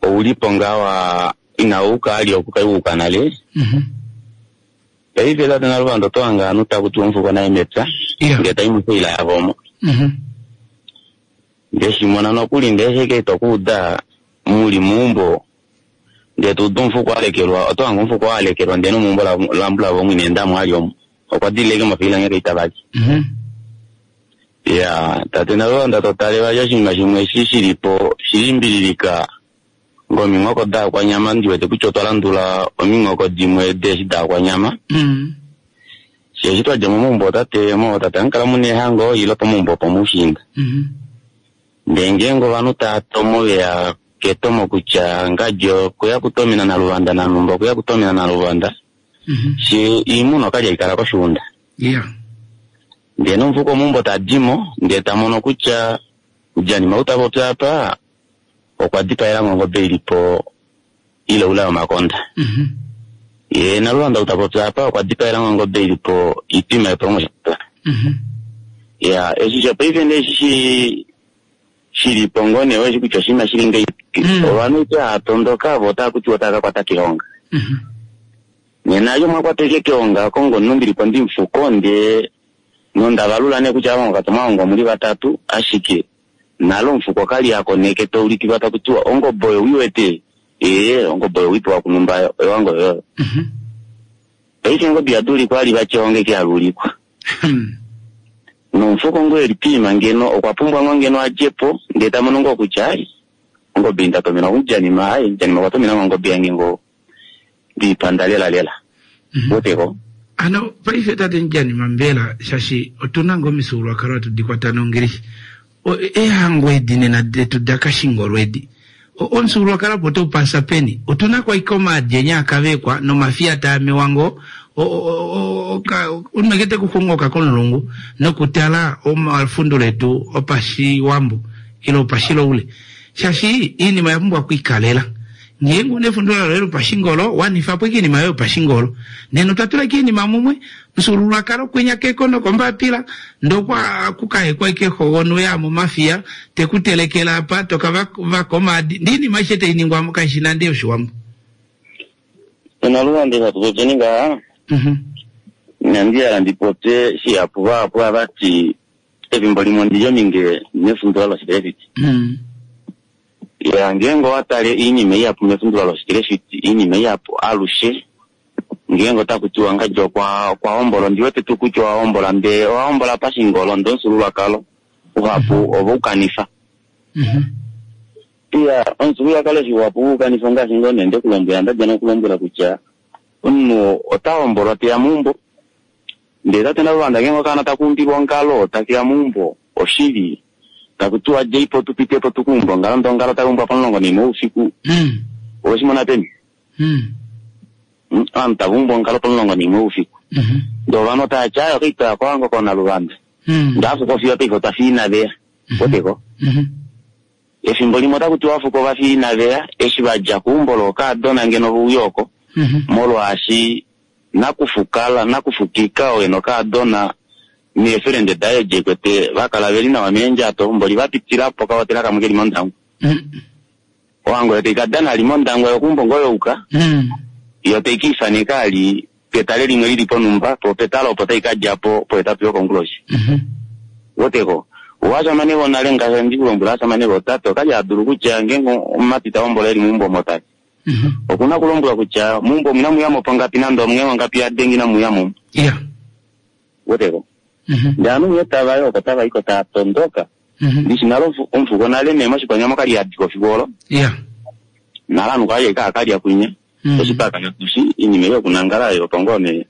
oulipo ngaa wa inau kaali oku kai wuuka nale. Paife tate Naluvanda oto hange ovanhu taku tiwa omufuko naye mepya ndee tai mofaila yavo omo. Ndeshimona nokuli ndee sheke ito kuuda muli meumbo ndee tuudu omufuko alekelwa oto hange omufuko alekelwa ndee nomeumbo lambulavo omo ina endamo ali omo okwa dilile ashike mofaila nghee kaita vali. Ya tate Naluvanda to tale vali oshinima shimwe eshi shilipo shilimbililika ngominghoko daakwanyama ndiwete kutya otwa landula ominghoko dimwe deeshi daakwanyama. Shaashi twadja momaumbo otate mootate amukala muna eehango ile pomaumbo opomushiinda. Ndee ngeenge ovanhu tava tomo veya ketomo kutya ngadi okweya kutomena Naluvanda nanhumba okweya kutomena Naluvanda, shee iimuna okwali haikala koshuunda. Ndee nomufuko meumbo tadimo ndee tamono kutya Janima ou tapopi apa okwa dipaelamo ongobe ilipo ile oule yomakonda. Yee Naluvanda ou tapopi apa okwa dipaelamo ongobe ilipo itwima yopolongo. Ya eshi shopaife nee eshi shilipo ngoo nee oeshi kutya oshinima shili ngahelipi. Ovanhu ite hava tondoka vo otava kutiwa otava ka kwata keonga. Nena yo mwakwata ashike keonga oko ngono ndilipo ndimufuko ndee nonda valula nee kutya ava mwakatwa omuli vatatu ashike nale omufuko kali akoneke taulikilwa taku tiwa ongobe oyo uiwete ee ongobe oyo wipewa kunumba oyowango yoyo. Paife ongobe ihaduulikwa ali vati eonga eke haluulikwa. Nomufuko ngoo eli piima ngeno okwa pumbwa ngoo ngeno adjepo ndee tamono ngoo kutya ai ongobe ei ndatomenwa kumujanima ai mujanima okwa tomena ngoo ongobe yange ngoo ndiipanda lela lela. Weteko? Hano paife tate Mujanima mbela shaashi otuna ngoo omifyuululwakalo hatu di kwata nongilishi. Eehango edi nena detu dakashingolo edi. Omufyuululwakalo opo otau pasa peni? Otuna ko ashike omaadi enya akavekwa nomafiya taa mewa ngoo omunhu eke te ku xungoka komulungu nokutala omafundulo etu opashiwambo ile opashiloule. Shaashi iinima oya pumbwa okwiikalela. Ngeenge una efundula loye lopashingolo, wanifa po ashike oinima yoye yopashingolo. Nena otwa tula ashike oinima mumwe, omufyuululwakalo kwinya keko nokombapila, ndee okwa kukahekwa ashike xogonu ya momafiya, te ku telekele apa, to ka vaka omaadi, ndee oinima aishe tai ningwa mo kaishi nande yoshiwambo. Naluvanda eshi hatu popyeni ngaha, inandi hala ndi popye shihapu vahapu ohava ti efimbo limwe ondi li ominge nefundula loshikelefiti. Ya ngeenge owa tale oinima ihapu mefundula loshikelefiti, oinima ihapu alushe ngeenge otaku tiwa ngadi okwa okwa hombola, ondi wete tuu kutya owa hombola ndee owa hombola pashingolo ndee omufyuululwakalo uhapu ove u kanifa. Iya, omufyuululwakalo eshi uhapu u kanifa ongaashi ngoo nee nde ku lombwela, nda dja nokulombwela kutya omunhu ota hombolwa teya meumbo ndee tate Naluvanda ngeenge okaana taka umbilwa ongalo takeya meumbo oshili taku tiwa djeipo tu pitepo tu ka umbe ongalo ndee ongalo tai umbwa pomulongo naimwe woufiku oweshi mona peni? Ovanhu tava umbu ongalo pomulongo naimwe woufiku ndee ovanhu otava ti aaye okaitwa kohango kooNaluvanda ndee afuko fiyo paife otwa fiya inaveya weteko. Efimbo limwe otaku tiwa afuko ova fiya inaveya eshi va dja keumbo lookaadona ngeno ve uya oko molwaashi nakufukala nakufukika oo ena okaadona neefelende daye edi ekwete va kala veli nawa meendjato mboli va pitilapo okahotela kamwe keli mOndangwa. Ohango yo tai ka dana ali mOndangwa yo keumbo ngoo youka yo tai ka ifaneka ali petale limwe lili ponhumba po petale opo tai ka dja po pohetatu yokonguloshi. Weteko? Ovashamane vonale ngaashi handi ku lombwele ovashamane vootate okali ha dulu kutya ngeenge omumati ta hombola eli meumbo omo tati okuna okulombwelwa kutya meumbo omu inamu yamo pongapi nande omunge mongapi ya denga inamu yamo. Weteko? Ndele ovanhu nghee tava i oko tava i ko tava tondoka. Ndishi nale omufuko nale nee moshikwanyama okali ha diko fiku olo. Nale ovanhu kwali ashike hava kalya kwinya. Eshi paka tushi iinima ei yokunangala oyo opo ngoo nee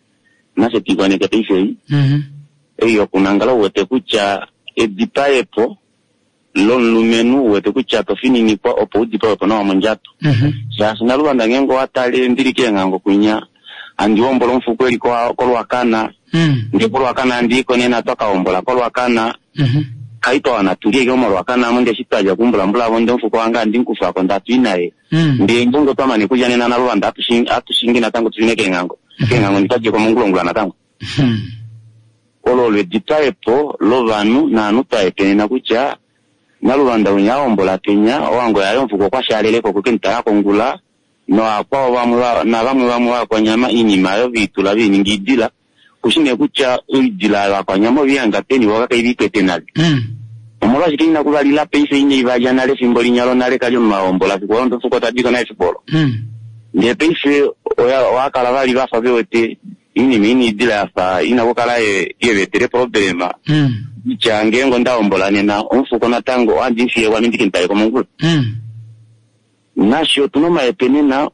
nafye tuikoneke paife ei. Ei yokunangala ou wete kutya edipaepo. lomulumenhu u wete kutya to fininikwa opo u dipawe po nawa mondjato. Shaashi Naluvanda ngeenge owa tale ndili keenghango kwinya handi hombola omufuko eli koLwakana, ndee koLwakana handi i ko nena twa ka hombola koLwakana, kai twa wana tulye ashike moLwakana amo ndee eshi twalya kumbulambula avo ndee omufuko wange handi mu kufa ko ndee hatu i naye. Ndee ngeenge otwa mane kulya nena Naluvanda hatu shingi natango tu shune keenghango, keenghango ndi twa dje ko mongulongula natango. Olo olo edipaepo lovanhu naanhu twa epenena kutya Naluvanda winya a hombola penya, ohango yaye omufuko okwa shaaleleko okwe ke mu tala kongula novakwao vamwe navamwe vamwe vakwanyama oinima oyo ve i tula ve i ninga oidila. Kushi nee kutya oidila oyo vakwanyama ove i hanga peni vo kave i kwete nale. Omolwashike inaku va lila paife inai va lya nale efimbo linya lonale kali omunhu a hombola fiku olo ndee omufuko ta di ko naye efiku olo. Ndee paife oya kala vali vafa ve wete Iinima ina idila ya fa ina okukala ye va etela eproblema kutya ngeenge onda hombola nena omufuko natango ohandi mu fiye kwame ndi ke mu tale komongula. Nafye otu na omaepe nena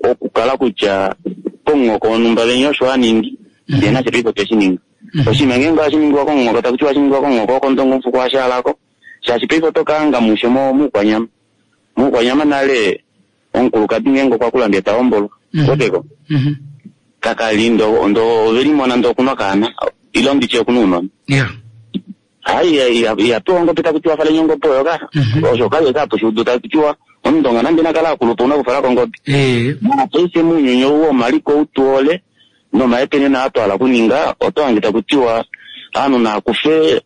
okukala kutya komunghoko wonhumba venya osho a ningi ndee nafye paife otwe shi ninga. Oshinima ngeenge ohashi ningiwa komunghoko taku tiwa ohashi ningiwa komunghoko wokOndonga omufuko oha shaala ko shaashi paife oto ka hanga mushe mOukwanyama. MOukwanyama nale Omukulukadi ngeenge okwa kula ndee ta hombolwa, weteko? Kakali ndo ndo ove limona ndee okuna okaana ile nditye okuna ounona. Hai iha pewa ongobe taku tiwa faleni ongobe oyo ka. Osho kali eka hapu shi udu taku tiwa omundonga nande na kale akulupa ouna kufalako ongobe. Mopaife mounyuni ou womaliko ou tu hole nomaepenena aa twa hala okuninga oto hange taku tiwa ovanhu naa kufe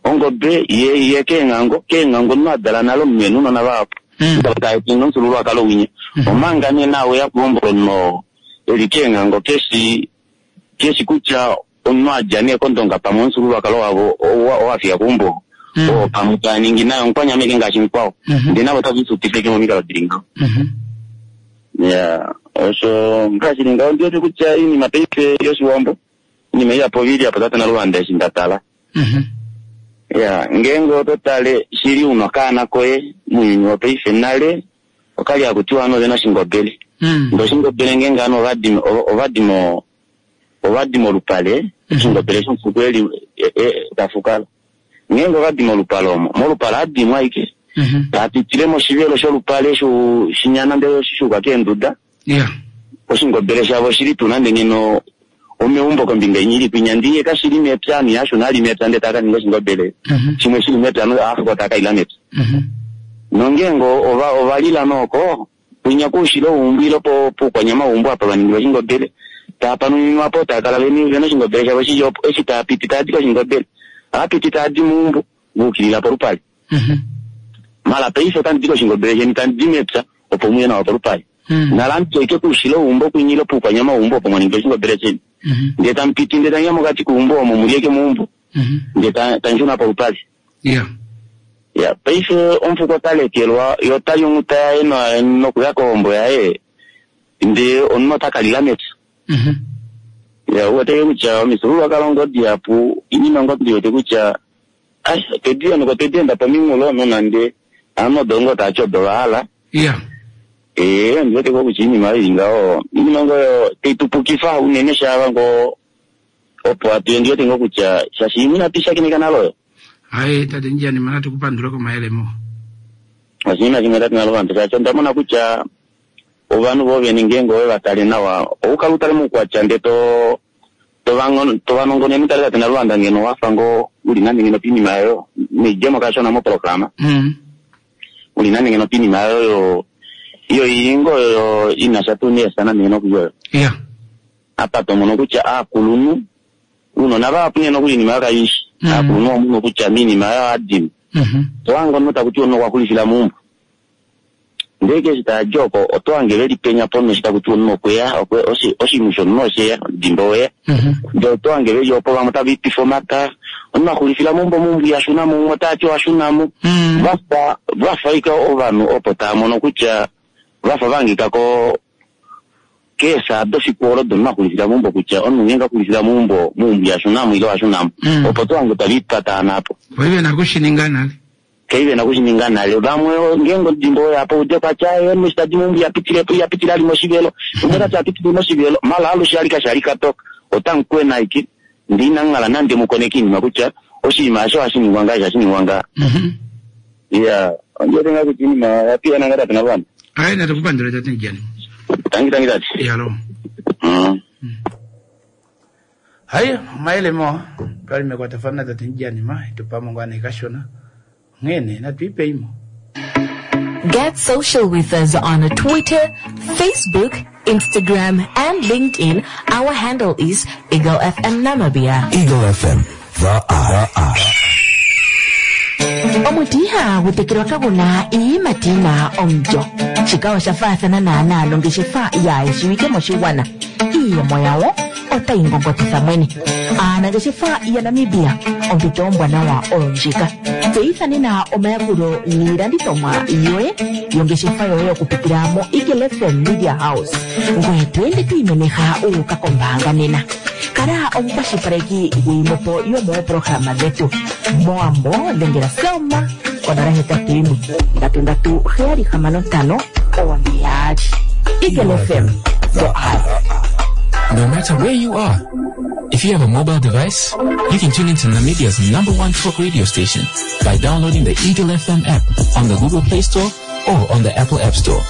Ongobe ye ye keenghango, keenghango omunhu a dala nale omunhu e na ounona vahapu. Ndele ta ningi omufyuululwakalo winya. Omanga nee naau e ya kuhombola omunhu oo e li keenghango keshi keshi kutya omunhu a dja nee kOndonga pamwe omufyuululwakalo wavo owa fiya keumbo oo pamwe taa ningi naye omukwanyama ashike ngaashi mukwao. Ndele navo otave lixupifeke momikalo di li ngaho. Iyaa, osho ngaa shi li ngaho. Ondi wete kutya oinima paife yOshiwambo, oinima ihapu oi li apa Tate Naluvanda eshi nda tala. Ya, ngeenge oto tale shili una okaana koye muuyuni wopaife nale okali haku tiwa ovanhu ovena oshingobele. Ndee oshingobele ngeenge ovanhu ovadi ovadi mo ovadi molupale oshingobele shomufuko eli ta fukala. Ngeenge ovadi molupale omo, molupale ohadimo ashike taa pitile moshivelo sholupale shu shinya nande shuuka keenduda. Oshingobele shavo oshili tuu nande ngeno omeumbo kombinga inya ili kwinya ndee kashili mepya ovanhu ihava shuna vali mepya ndee tava ka ninga oshingobele shimwe shili mepya aafuko tava ka ila mepya. Nongeenge ova ova lila nee oko kwinya koushilo weumbo ile poukwanyama weumbo apa va ningilwa oshingobele tava panuninwa po tava kala vena oshingobele shavo shili opo eshi tava piti tava di koshingobele ohava piti tava di meumbo va ukilila polupale. Mala paife otandi di koshingobele sheni tandi di mepya opo muye nawa polupale. Nala amutu aike koushilo weumbo kwinya ile poukwanyama weumbo opo mwa ningila oshingobele sheni. Ndee tamu piti ndee tamu ya mokati keumbo omo mu li ashike meumbo ndee tamu shuna polupale. Ya, paife omufuko ota lekelwa, ye ota li onghuta yaye nokuya kohombo yaye, ndee omunhu ota ka lila mepya. Ya, ou wete kutya omifyuululwakalo ngoo dihapu, oinima ngoo ndi wete kutya Ai, otwe di henuka, otwe di enda pominghulo, nonande ovanhu odo ngoo tava ti odo va hala. Ee, ondi wete ngoo kutya oinima oyo i li ngaho, oinima ngoo oyo tai tu pukifa unene shaava ngoo opo hatu ya, ondi wete ngoo kutya shaashi imwe inatu i shakeneka nale oyo. Ai, tate Ndjanima, natu ku pandule komayele mawa. Oshinima shimwe tate Naluvanda, shaashi onda mona kutya ovanhu vo vene ngeenge owe va tale nawa, ou kala u tale moukwatya ndee to tovanongononi tale tate Naluvanda ngeno wafa ngoo uli nande ngeno piinima yoyo noidjemo kashona moprograma uli nande ngeno piinima yoyo iyo ili ngoo yoyo inasha tuu neesa nande ngeno kuyoyo apa tomono kutya aakulunhu uunona vahapu nee nokuli iinima yoyo kaishi aakulunhu omono kutya miinima yoyo adima tohange omunhu takuti omunhu okwa xulifila meumbo Ndele eshi tava di oko, oto hange ve li penya ponhu eshi taku tiwa omunhu okwe ya, oshinhu shomunhu oshe ya, omudimba owe ya. Ndele oto hange ve li opo vamwe otava ipifa omata, omunhu a xulifila meumbo meumbo iha shuna mo, umwe ota ti oha shuna mo. Vafa vafa ashike ovanhu opo tava mono kutya vafa va hangika ko keesaa dofiku olo domunhu a xulifila meumbo kutya omunhu ngeenge a xulifila meumbo, meumbo iha shuna mo ile oha shuna mo. Opo to hange tave ipataana apo. Voi ve na okushininga nale. Kai ve na okushininga nale. Vamwe ngeenge omudimba owe ya po ude kwa tya ye omunhu eshi ta di meumbo iha pitile po, iha pitile ali moshivelo. Umwe ota ti ha pitile moshivelo, mala alushe ali kashi ali katoka. Otamu kwena ashike ndee inamu hala nande mu koneke oinima kutya oshinima eshi ohashi ningwa ngaha, eshi ohashi ningwa ngaha. Iya, ondiwete ngaa kutya iinima oya piyana ngaa tate Naluvanda. Aye natukupandula tate Ndjani. Tangi tangi tate. Yalo. Hayi omayele mawa twali mekwatafano natate Ndjanima etupamo ngaa nee kashona onghee nee natu ipeimo. Get social with us on Twitter, Facebook, Instagram, and LinkedIn. Our handle is Eagle FM Namibia. Eagle FM, the eye. Omuti ihagu tekelwa kagu na iiyimati yi na omulyo. Shika osha faathana naanaa nongeshefa yaa shiwike moshigwana. Iiyemo yawo otayi ngongotitha mwene. Aanangeshefa yaNamibia, ompito ombwanawa oyo ndjika. Tseyitha nena omayakulo niilandithomwa yoye yongeshefa yoye okupitila moEagle FM Media House. Ngoye to ende to imemeha wu uka kombaanga nena. Kala omukwashilipaleki gwiimwepo yomoopolohalama dhetu. Mowambo dhengela Selma ko 081 337 2. Eagle FM, the eye. No matter where you are, if you have a mobile device, you can tune into Namibia's number one talk radio station by downloading the Eagle FM app on the Google Play Store or on the Apple App Store.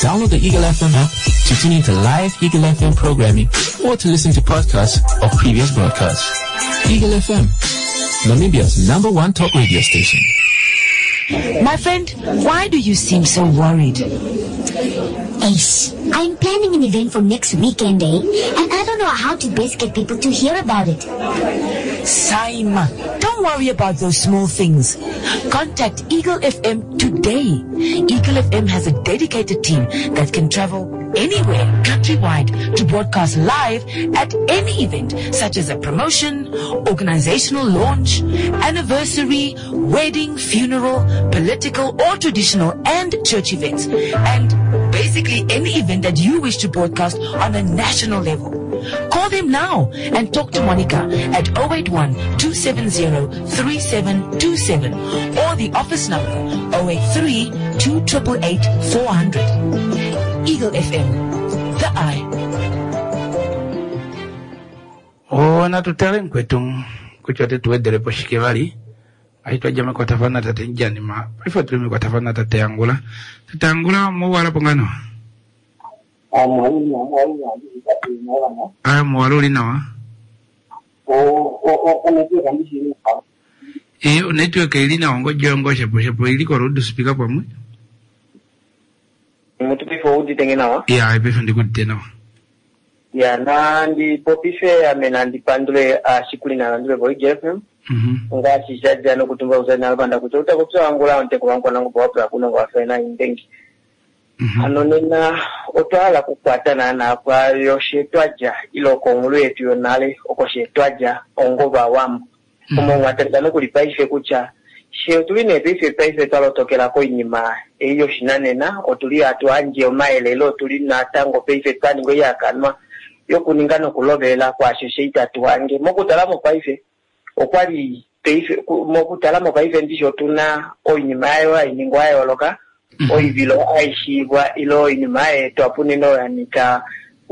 Download the Eagle FM app to tune into live Eagle FM programming or to listen to podcasts of previous broadcasts. Eagle FM, Namibia's number one talk radio station. My friend, why do you seem so worried? Ace, I'm planning an event for next weekend, eh? And I don't know how to best get people to hear about it. Saima, don't worry about those small things. Contact Eagle FM today. Eagle FM has a dedicated team that can travel anywhere countrywide to broadcast live at any event such as a promotion, organizational launch, anniversary, wedding, funeral, political or traditional and church events, and basically any event that you wish to broadcast on a national level. Call them now and talk to Monica at 081 270 3727 or the office number 083 288 400. Eagle FM, the eye. Oh, natu tale mukwetu kutya ote tu wedele po shike vali. Ahi twa dja mekwatafano natate Ndjanima, paife otuli mekwatafano natate Angula. Tate Angula, omwa uhala po ngaa nawa? Aa, muwala uli nawa. E, onetwork ili nawa ongodji yoye ngoo shepo shepo ili ko loud speaker pamwe. Mutu paife oudite nge nawa? Ya, paife ndikudite nawa. Ya, nandi popife ame nandi pandule aashikuli naalanduli voEagle FM. Ngaashi sha dja nokutumbulwa kuza Naluvanda kutya utakopya wangula omuteko wankwanangobe wapula kunongo wafaina indengi. Hano nena otwa hala okukwata naanaa pwaayo she twa dja ile okonghulu yetu yonale oko she twa dja ongovawambo. Omo mwa talika nokuli paife kutya she otuli nee paife paife twa lotokela koinima ei yoshinanena, otuli hatu handje omayele ile otuli natango paife twa ninga oihakanwa yokuninga nokulovelela kwaasho she itatu hange. Mokutala mopaife okwali paife mokutala mopaife ndishi otuna oinima yayo hai ningwa ya yooloka, oivilo hai shiivwa ile oinima ya etwa po unene oyo ya nyika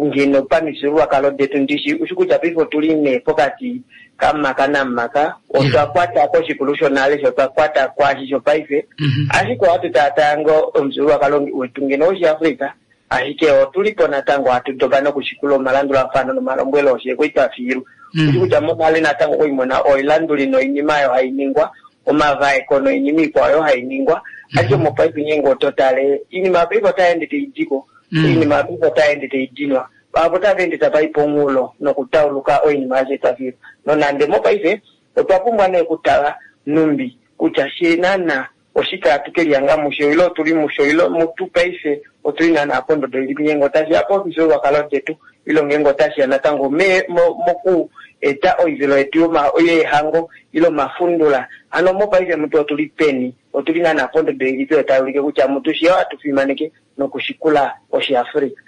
ngeno pamifyuululwakalo detu ndishi ushi kutya paife otuli nee pokati kamumaka namumaka, otwa kwata koshikulu shonale sho twa kwata kwaashi shopaife, ashike ohatu taataya ngoo omufyuululwakalo wetu ngeno wOshiafrika, ashike otuli po natango hatu dopa nokushikula omalandulafano nomalombwelo oshe kwali twa fiilwa. Ushi kutya monale natango okwali muna oilanduli noinima oyo hai ningwa, omavaeko noinima ikwao oyo hai ningwa, ashike mopaife ngeenge oto tale, oinima yopaife otai ende tai di ko, oinima yopaife otai ende tai dinwa, vahapu otava ende tava i pomunghulo nokutauluka oinima aishe twa fiilwa. Nonande mopaife otwa pumbwa nee okutala nhumbi kutya fye naana oshike hatu ke lihanga musho ile otuli musho ile mutu paife otuli naana pondodo ilipi ngeenge otashi ya pomifyuululwakalo detu ile ngeenge otashi ya natango me, mo, moku eta oivilo yetu yoma, yeehango ile omafundula. Hano mopaife mutu otuli peni? Otuli naana pondodo ilipi oyo tai ulike kutya mutu fye ohatu fimaneke nokushikula Oshiafrika?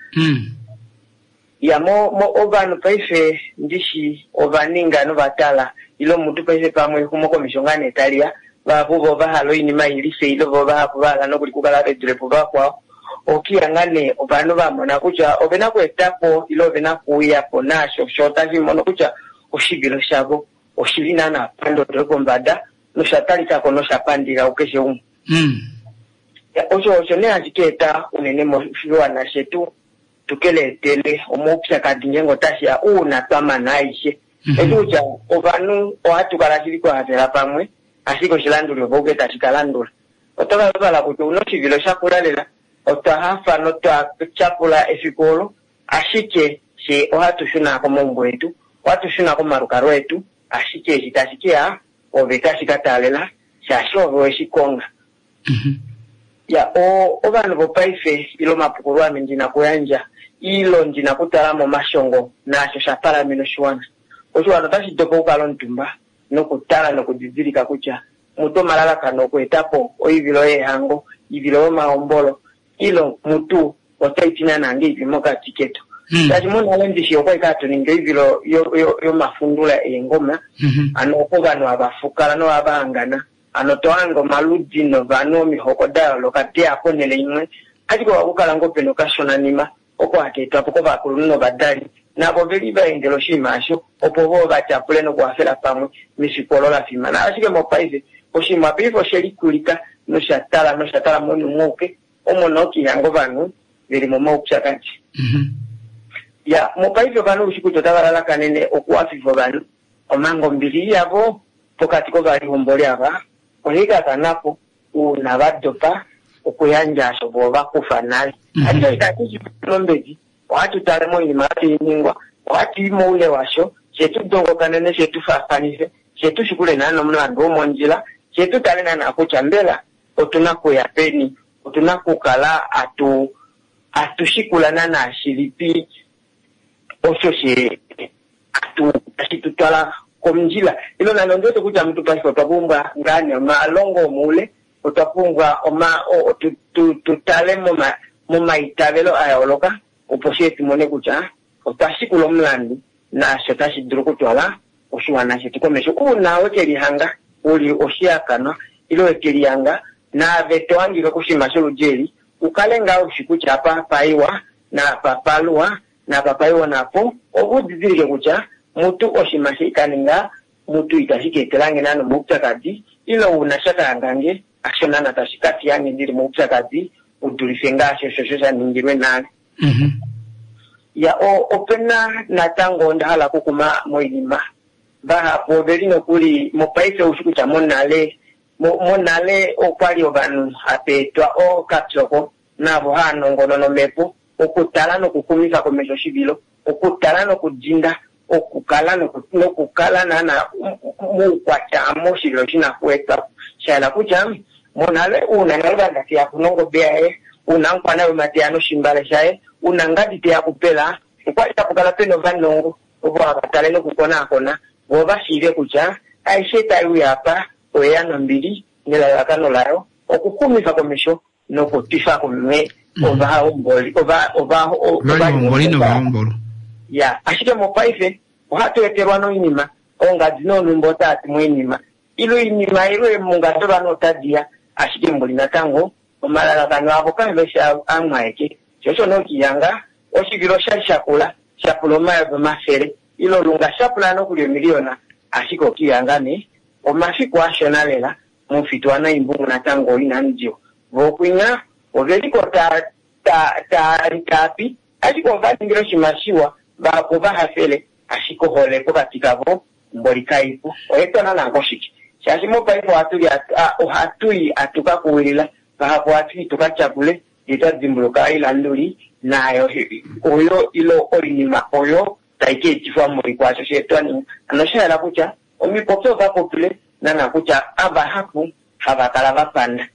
Ya, mo, mo, ovanhu paife ndishi ova ninga nova tala ile omutu paife pamwe exumokomesho ngaa nee tali ya, vahapu vo ova hala oinima i life ile vo vahapu va hala nokuli okukala ve dule po vakwao. Okiya ngaa nee ovanhu va mona kutya ove na okweeta po ile ove na okuuya po naasho sho tashi mono kutya oshivilo shavo oshi li naana pandodo yopombada nosha talika ko nosha pandika kukeshe umwe. Ya, Osho osho nee hashi ka eta unene moshiwana shetu tu ke leetele omaupyakadi ngeenge otashi ya uuna twa mana aishe. Eshi kutya ovanhu ohatu kala shili twa hafela pamwe, ashike oshilanduli opo ke tashi ka landula. Oto ka vala kutya ouna oshivilo shakula lela, otwa hafa notwa tyapula efiku olo, ashike fye ohatu shuna komaumbo etu, ohatu shuna komalukalwa etu, ashike eshi tashi ke ya ove tashi ka taalela shaashi ove weshi konga. Ya, o, ovanhu vopaife ile omapukululo ame ndi na okuyandja ile ndi na okutala momashongo naasho sha palamena oshiwana. Oshiwana otashi dopa okukala omutumba nokutala nokudidilika kutya mutu omalalakano okueta po oivilo yeehango, oivilo yomahombolo ile mutu otai ti naana ngeipi mokati ketu. Shaashi monale ndishi okwali hatu ningi oivilo yomafundula eengoma, ano oko ovanhu hava fukala nohava hangana. Ano to hange omaludi novanhu omihoko da yooloka deya ponhele imwe, ashike ohaku kala ngoo pena okashonanima oko haka etwa po kovakulunhu novadali, navo oveli va endela oshinima osho opo voo va tyapule nokuhafela pamwe mefiku olo la fimana. Ashike mopaife oshinima paife oshe likulika nosha tala nosha tala mounhu auke, omo nookihanga ovanhu veli momaupyakadi. Ya, mopaife ovanhu oushi kutya otava lalakanene okuhafifa ovanhu, omanga ombili yavo pokati kovalihomboli ava ohai ka kana po uuna va dopa okuyandja osho vo va kufa nale. Ashike itatu shi pe ombedi, ohatu tale moinima oyo tai ningwa, ohatu i moule washo, fye tu dongokanene, fye tu faafanife, fye tu shikule naana omulandu womondjila, fye tu tale naana kutya mbela otu na okuya peni, otu na okukala hatu hatu shikula naana shilipi osho she atu tashi tu twala komundjila. Ilo nande ondi wete kutya mutu paife otwa pumbwa ngaa nee omalongo omoule, otwa pumbwa oma o, tu, tu, tu tale moma momaitavelo a yooloka opo fye tu mone kutya otwa shikula omulandu naasho tashi dulu okutwala oshiwana shetu komesho. Uuna we ke lihanga u li oshihakanwa ile we ke lihanga naave to hangika koshinima sholudi eli, u kale ngaa u shi kutya apa paiwa naapa paluwa naapa paiwa napo, ove u didilike kutya mutu oshinima she ka ninga mutu itashi ka etelange naana omaupyakadi ile uuna sha ka hangange hasho naana tashi ka fiyange ndili moupyakadi u dulife ngaashi osho sho sha ningilwe nale. Ya, o, opena natango onda hala okukuma moinima. Vahapu oveli nokuli mopaife oushi kutya monale, mo, monale okwali ovanhu hapa etwa ookapyoko navo haa nongonona omhepo, okutala nokuxumifa komesho oshivilo, okutala nokudinda, okukala noku, nokukala naana moukwatya moshivilo shi na okuetwa po. Sha yela kutya, monale uuna Naluvanda te ya ku nongobe yaye, uuna Mukwanayuma te ya noshimbale shaye, uuna Ngadi te ya kupela, okwa li tapu kala pena ovanongo ovo hava tale nokukonaakona vo va shiive kutya aishe tai uya apa oye ya nombili nelalakano layo okuxumifa komesho nokutwifa kumwe ovahomboli ova ova Ovalihomboli novahombolwa. Ya, ashike mopaife ohatu etelwa noinima, oongadi noonhumba otaa ti moinima, ile oinima ile eemhunga dovanhu otadi ya, ashike mboli natango omalalakano avo kave fi amwe aeke. Sho osho nee okihanga oshivilo oshali shakula, sha pula omayovi omafele, ile olunga sha pula nokuli omiliyona, ashike okihanga nee omafiku ashona lela Momufitu waNaimbungu natango inamu diwa. Vo kwinya ove li ko ta, ta, taa li taa pi, ashike ova ningile oshinima shiwa, vahapu ova hafele, ashike ohole pokati kavo mboli kai po. Oye twa nana koshike? Shaashi mopaife ohatu li, ohatu i atu ka kuwilila, vahapu ohatu i tu ka tyapule, ndee twa dimbuluka oilanduli naayo oyo ile oinima oyo tai ka etifwa mboli kwaasho she twa ninga. Hano osha yela kutya Omipopyo ova popile naana kutya havahapu hava kala va panda.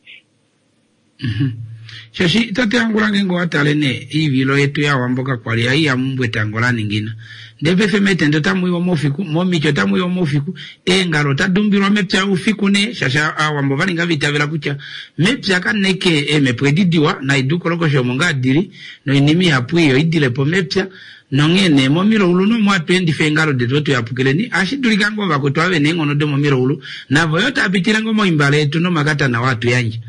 Shaashi tate Angula ngeenge owa tale nee iivilo yetu yaawambo kakwa li hai ya mumbwa etango la ningina. Ndee paife meetenda otamu iwa moufiku, momiti otamu iwa moufiku, eengalo otadi umbilwa mepya oufiku nee shaashi aawambo ova ninga va itavela kutya mepya kaneke eemhepo edi diwa naidi ukolokosho omo ngaa dili noinima ihapu ii oi dile po mepya. Nonghee nee, momilaulu nomo hatu endifa eengalo detu otu yapukileni, ohashi dulika ngoo vakwetu ava ve na eenghono domomilaulu navo yo tava pitile ngoo moimbale yetu nomakatana oo hatu yandje.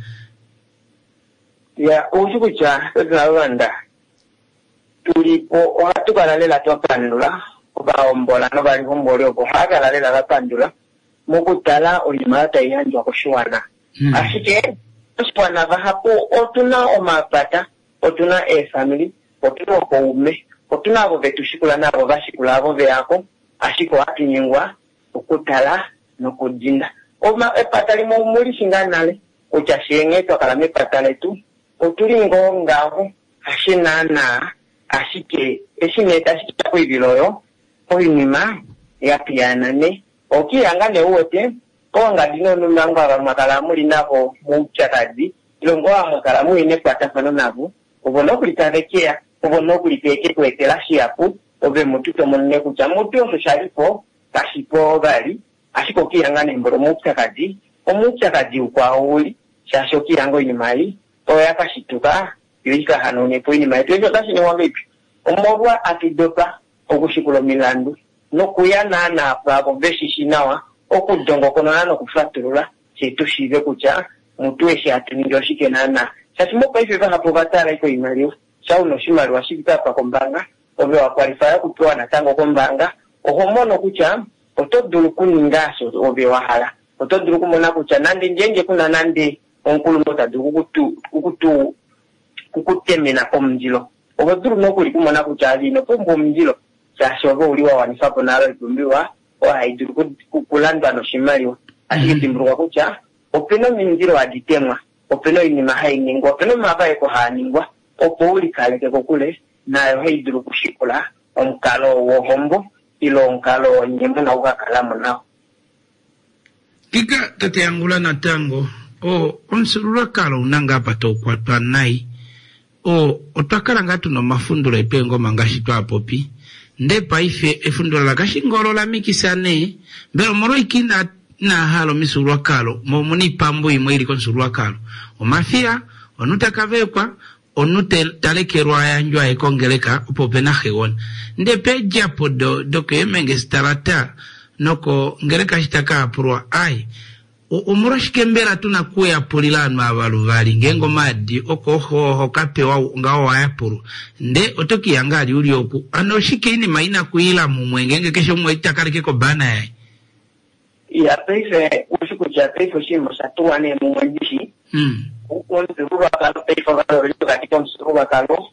Ya, ou shi kutya tate Naluvanda, tu li po ohatu kala lela twa pandula ovahombola novalihomboli ovo ohava kala lela va pandula mokutala oinima oyo tai yandjwa koshiwana. Ashike. Oshiwana vahapu otuna omapata, otuna eefamili, otuna ookaume, otuna avo vetu shikula naavo va shikula avo veyako, ashike ohatu nyengwa okutala nokudinda. Oma, epata limwe omu li shi ngaa nale kutya fyee nghee twa kala mepata letu otuli ngoo ngaho, hashe naanaa, ashike eshi nee tashi ya koivilo oyo, oinima ya piyaana nee. Okiihanga nee u wete, oongadi noonumbango ava mwa kala mu li navo moupyakadi, ile ngoo ava mwa kala mu li nekwatafano navo, ovo nokuli tave ke ya, ovo nokuli tave ke ku etela shihapu, ove mutu to mono nee kutya mutu osho sha li po kashi po vali, ashike okiihanga nee mboli omoupyakadi, omoupyakadi ukwao u li, shaashi okiihanga oinima ei oyo ya ka shituka yo i ka hanaune po oinima yetu. Eshi otashi ningwa ngahelipi? Omolwa atu dopa okushikula omilandu nokuya naanaa pwaavo ve shi shi nawa okudongokonona nokufatulula, fye tu shiive kutya mutu eshi hatu ningi oshike naanaa. Shaashi mopaife vahapu ova tala ashike oimaliwa. Sha u na oshimaliwa shi fike apa kombaanga, ove wa kwalifaya okupewa natango kombaanga, oho mono kutya oto dulu okuninga osho ove wa hala. Oto dulu okumona kutya nande ngeenge ku na nande omukulunhu oo ta dulu oku ku temena omundilo, oho dulu nokuli okumona kutya ove ino pumbwa omundilo shaashi ove ouli wa wanifa po nale oipumbiwa oyo hai dulu okulandwa noshimaliwa. Ashike dimbulukwa kutya ope na omindilo hadi temwa, ope na oinima hai ningwa, ope na omavaeko haa ningwa opo u likaleke kokule naayo hai dulu okushikula omukalo wohombo ile omukalo oo nye mu na oku ka kala mo nao. Ngika tate Angula natango, o, omufyuululwakalo ou na ngaa apa tau kwatwa nai. O, otwa kala ngaa tu na omafundulo etu eengoma ngaashi twa popi. Ndee paife efundulo laKashingolo ola mikisa nee. Mbela omolwaike ina, inaa hala omifyuululwakalo, mo omu na oipambu imwe i li komufyuululwakalo. Omafiya, omunhu ta ka vaekwa, omunhu te, ta lekelwa a yandjwe aye kongeleka opo pe na xegona. Ndee peedjapo do, dokeemengestalata nokongeleka eshi ta ka yapulwa, ai, Omolwashike mbela tu na okuyapulila ovanhu ava luvali? Ngeenge omaadi okooxo oho ka pewa ngaho owa yapulwa, ndee oto ke i hanga ali u li oku. Hano oshike oinima i na okwiila mumwe ngeenge keshe umwe ita kaleke kobana yaye? Iya, paife ou shi kutya paife oshinima osha tulwa nee mumwe ndishi. Omufyuululwakalo paife ovanhu ove li pokati komufyuululwakalo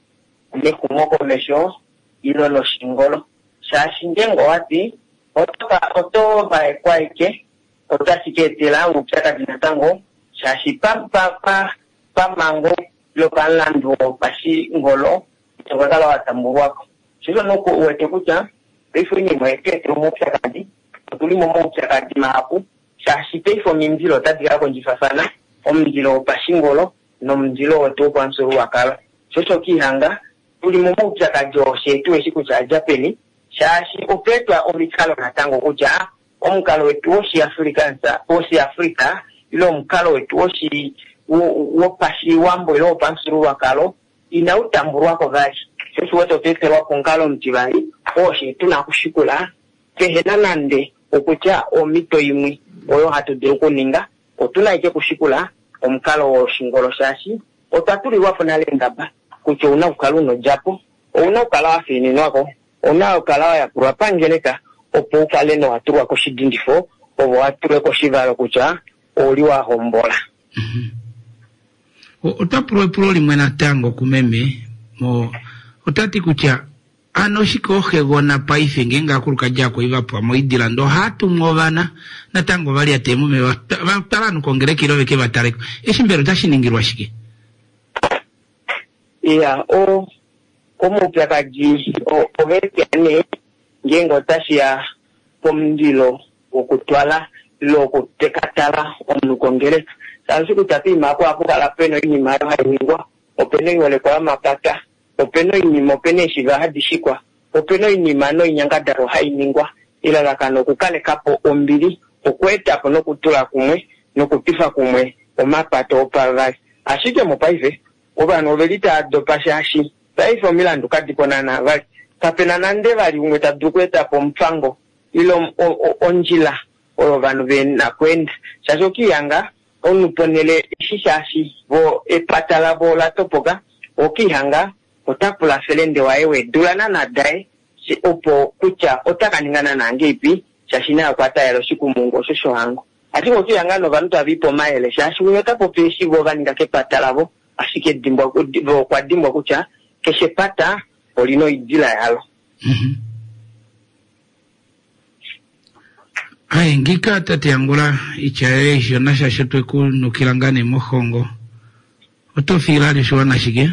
nexumokomesho ile noshingolo. Shaashi ngeenge owa ti oto ka oto vaekwa aike otashi ka etela oupyakadi natango shaashi pa pa pa pamhango ile pamulandu wopashingolo ito ka kala wa tambulwa ko. Sho osho nee u wete kutya paife oinima oye tu etela omaupyakadi, otu li momaupyakadi mahapu shaashi paife omindilo otadi ka kondjifafana, omundilo wopashingolo nomundilo wetu wopamufyuululwakalo. Sho osho kiihanga tu li momaupyakadi oo fyee tuheshi kutya a dja peni shaashi otwa etwa omikalo natango kutya omukalo wetu wOshiafrikaans, wOshiafrika ile omukalo wetu woshi, wopashiwambo ile wopamufyuululwakalo inau tambulwa ko vali. Sho osho u wete otwa etelwa po omukalo omutivali oo fye tu na okushikula pehe na nande okutya omhito imwe oyo hatu dulu okuninga. Otu na ashike okushikula omukalo woshingolo shaashi otwa tulilwa po nale engaba kutya ou na okukala u na odjapo, ou na okukala wa fiininwa ko, ou na okukala wa yapulwa pangeleka opo u kale nowa tulwa koshidindifo ove wa tulwe koshivalo kutya ou li wa hombola. Ota pulwa epulo limwe natango kumeme mo ota ti kutya ano oshike ooxegona paife ngeenge aakulukadi akwai va pwa moidila ndee ohaa tumu ovana natango va lyate momeva va twala ovanhu kongeleka ile veke va taleko eshi mbela otashi ningilwa shike? Iya, o omaupyakadi oge ya nee ngeenge otashi ya pomundilo wokutwala ile wokutekatala omunhu kongeleka. Shaashi kutya poima apo ohapu kala pena oinima oyo hai ningwa, opena oiholekwa yomapata, opena oinima, opena eeshiva hadi shikwa, opena oinima noinyangadalwa hai ningwa. Elalakano okukaleka po ombili, okweeta po nokutula kumwe nokutwifa kumwe omapata opavali. Ashike mopaife Ovanhu ove li tava dopa shaashi paife omilandu kadi po naanaa vali. Kape na nande vali umwe ta dulu okweeta po omufango ile ondjila oyo ovanhu ve na okweenda shaashi okiihanga omunhu ponhele eshi shaashi vo epata lavo ola topoka, okiihanga ota pula felende waye weedula naanaa daye opo kutya ota ka ninga naanaa ngeipi shaashi naye okwa taalela oshikumungu osho shohango. Ashike okiya ngaa novanhu tava ipe omayele shaashi umwe ota popi eshi vo va ninga kepata lavo, ashike dimbwa, vo okwa dimbwa kutya keshe epata olina oidila yalo. Ai, ngika tate Angula, itya yoye ishona shaashi otwe ku nukila ngaa nee mohongo. Oto fiila ali oshiwana shike?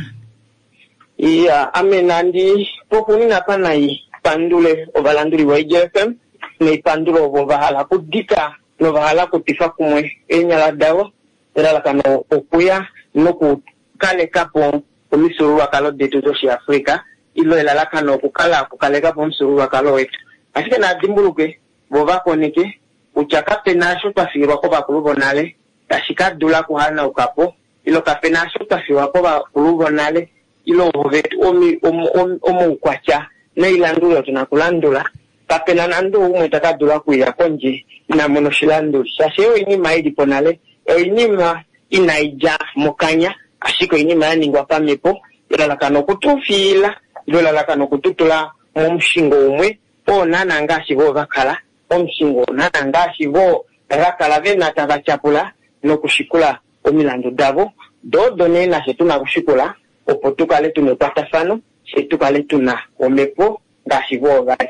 Iya, ame nandi poxuunina apa nai pandule ovalanduli voEagle FM, nai pandule ovo va hala okudika nova hala okutwifa kumwe eenyala davo, elalakano okuya nokukaleka po omifyuululwakalo detu dOshiafrika, ilo elalakano okukala okukaleka po omufyuululwakalo wetu. Ashike naa dimbuluke, vo va koneke, kutya kape na osho twa fiilwa kovakulu vonale tashi ka dula okuhanauka po, ilo kape na osho twa fiilwa kovakulu vonale, ilo ovo vetu omi, om, om, omaukwatya noilanduli oyo tu na okulandula. Kape na nande oumwe ta ka dula okuya kondje ina mona oshilanduli, shaashi ei oinima i li po nale, oinima inai dja mokanya, ashike oinima ya ningwa pamhepo, elalakano oku tu fiila, ile elalakano oku tu tula momushingo umwe oo naanaa ngaashi vo va kala, omushingo oo naanaa ngaashi vo va kala ve na tava tyapula nokushikula omilandu davo, do odo nee nafye tu na okushikula opo tu kale tu na ekwatafano, fye tu kale tu na omhepo ngaashi vo va li.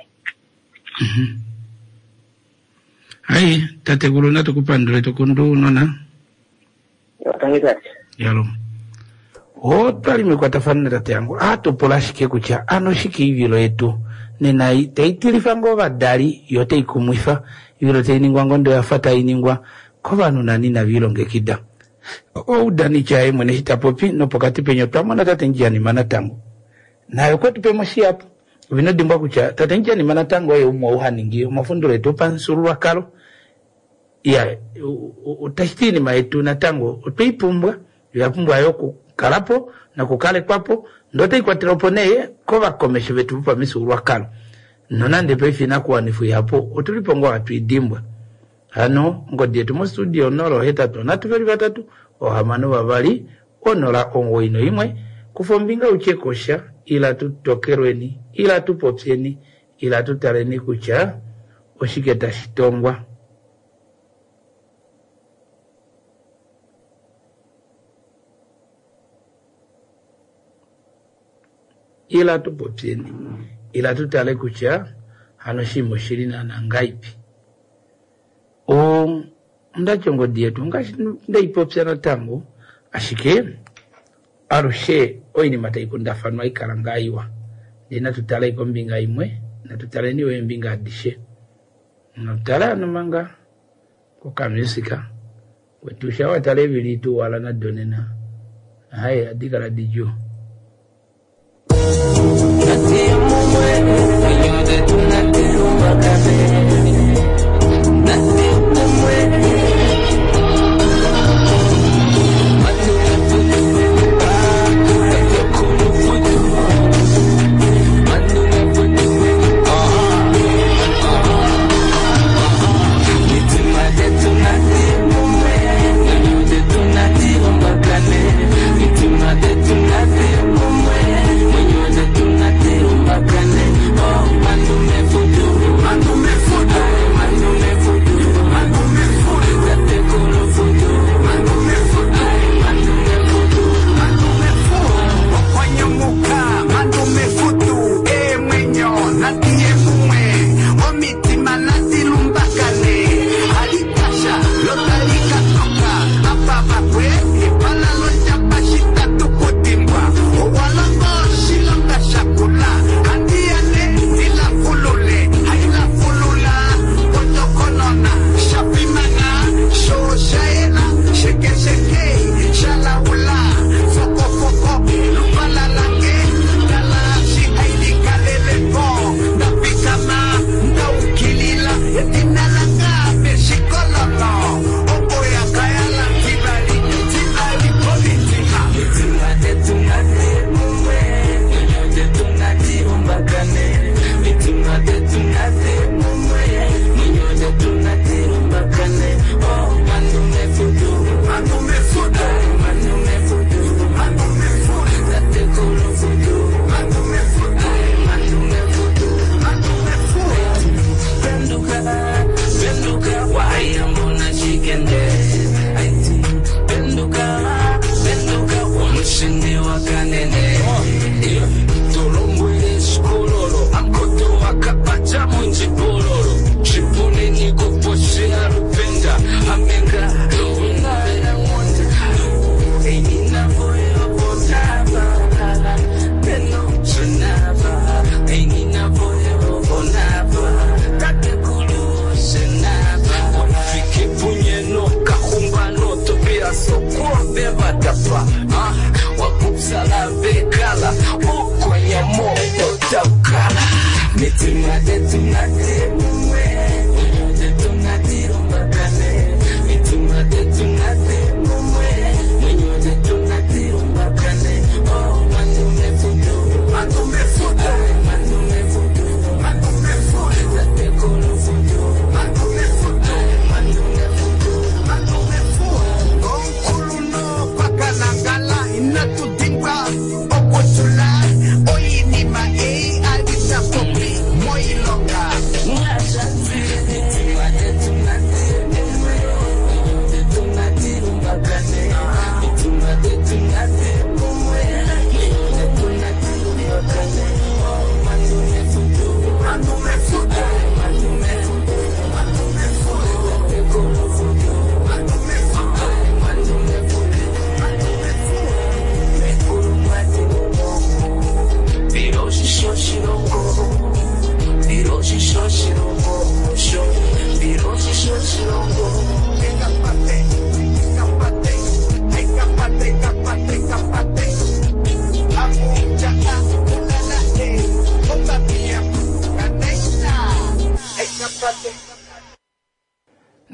Hai, tatekulu natu ku pandule to kundu unona. Tangi tate. Yalo. Otwa li mekwatafano natate yangu a tu pula ashike kutya ano shike oivilo yetu nena tai tilifa ngoo ovadali yo otai kumwifa oivilo tai ningwa ngoo ndee oya fa tai ningwa kovanhu nani inave ilongekida. Oudanitya ye mwene eshi ta popi nopokati penya otwa mona tate Ndjianima natango naye okwe tu pemo shihapu. Ove ino dimbwa kutya tate Ndjianima natango oye umwe ou ha ningi omafundulo etu opamufyuululwakalo. Iya, otashi ti oinima yetu natango otwe i pumbwa, yo oya pumbwa yo okukala po nokukalekwa po, ndee otai kwatelwa po nee kovakomesho vetu vopamifyuululwakalo. Nonande paife oinakuwanifwa ihapu otu li po ngoo hatu i dimbwa. Hano ongodi yetu mostudio 083 362 091. Kufa ombinga u tye ko sha, ila tu tokelweni, ila tu popyeni, ila tu taleni kutya oshike tashi tongwa. Ila tu popyeni, ila tu tale kutya hano oshinima oshili naana ngaipi. O, Onda ti ongodi yetu ongaashi ndei popya natango, ashike alushe oinima tai kundafanwa ikala ngaa iwa. Ndee natu tale kombinga imwe, natu taleni yo eembinga adishe. Natu tale hano manga kokamusika kwetu sha watala eevili tuwala nado nena, haye adi kala didjuu.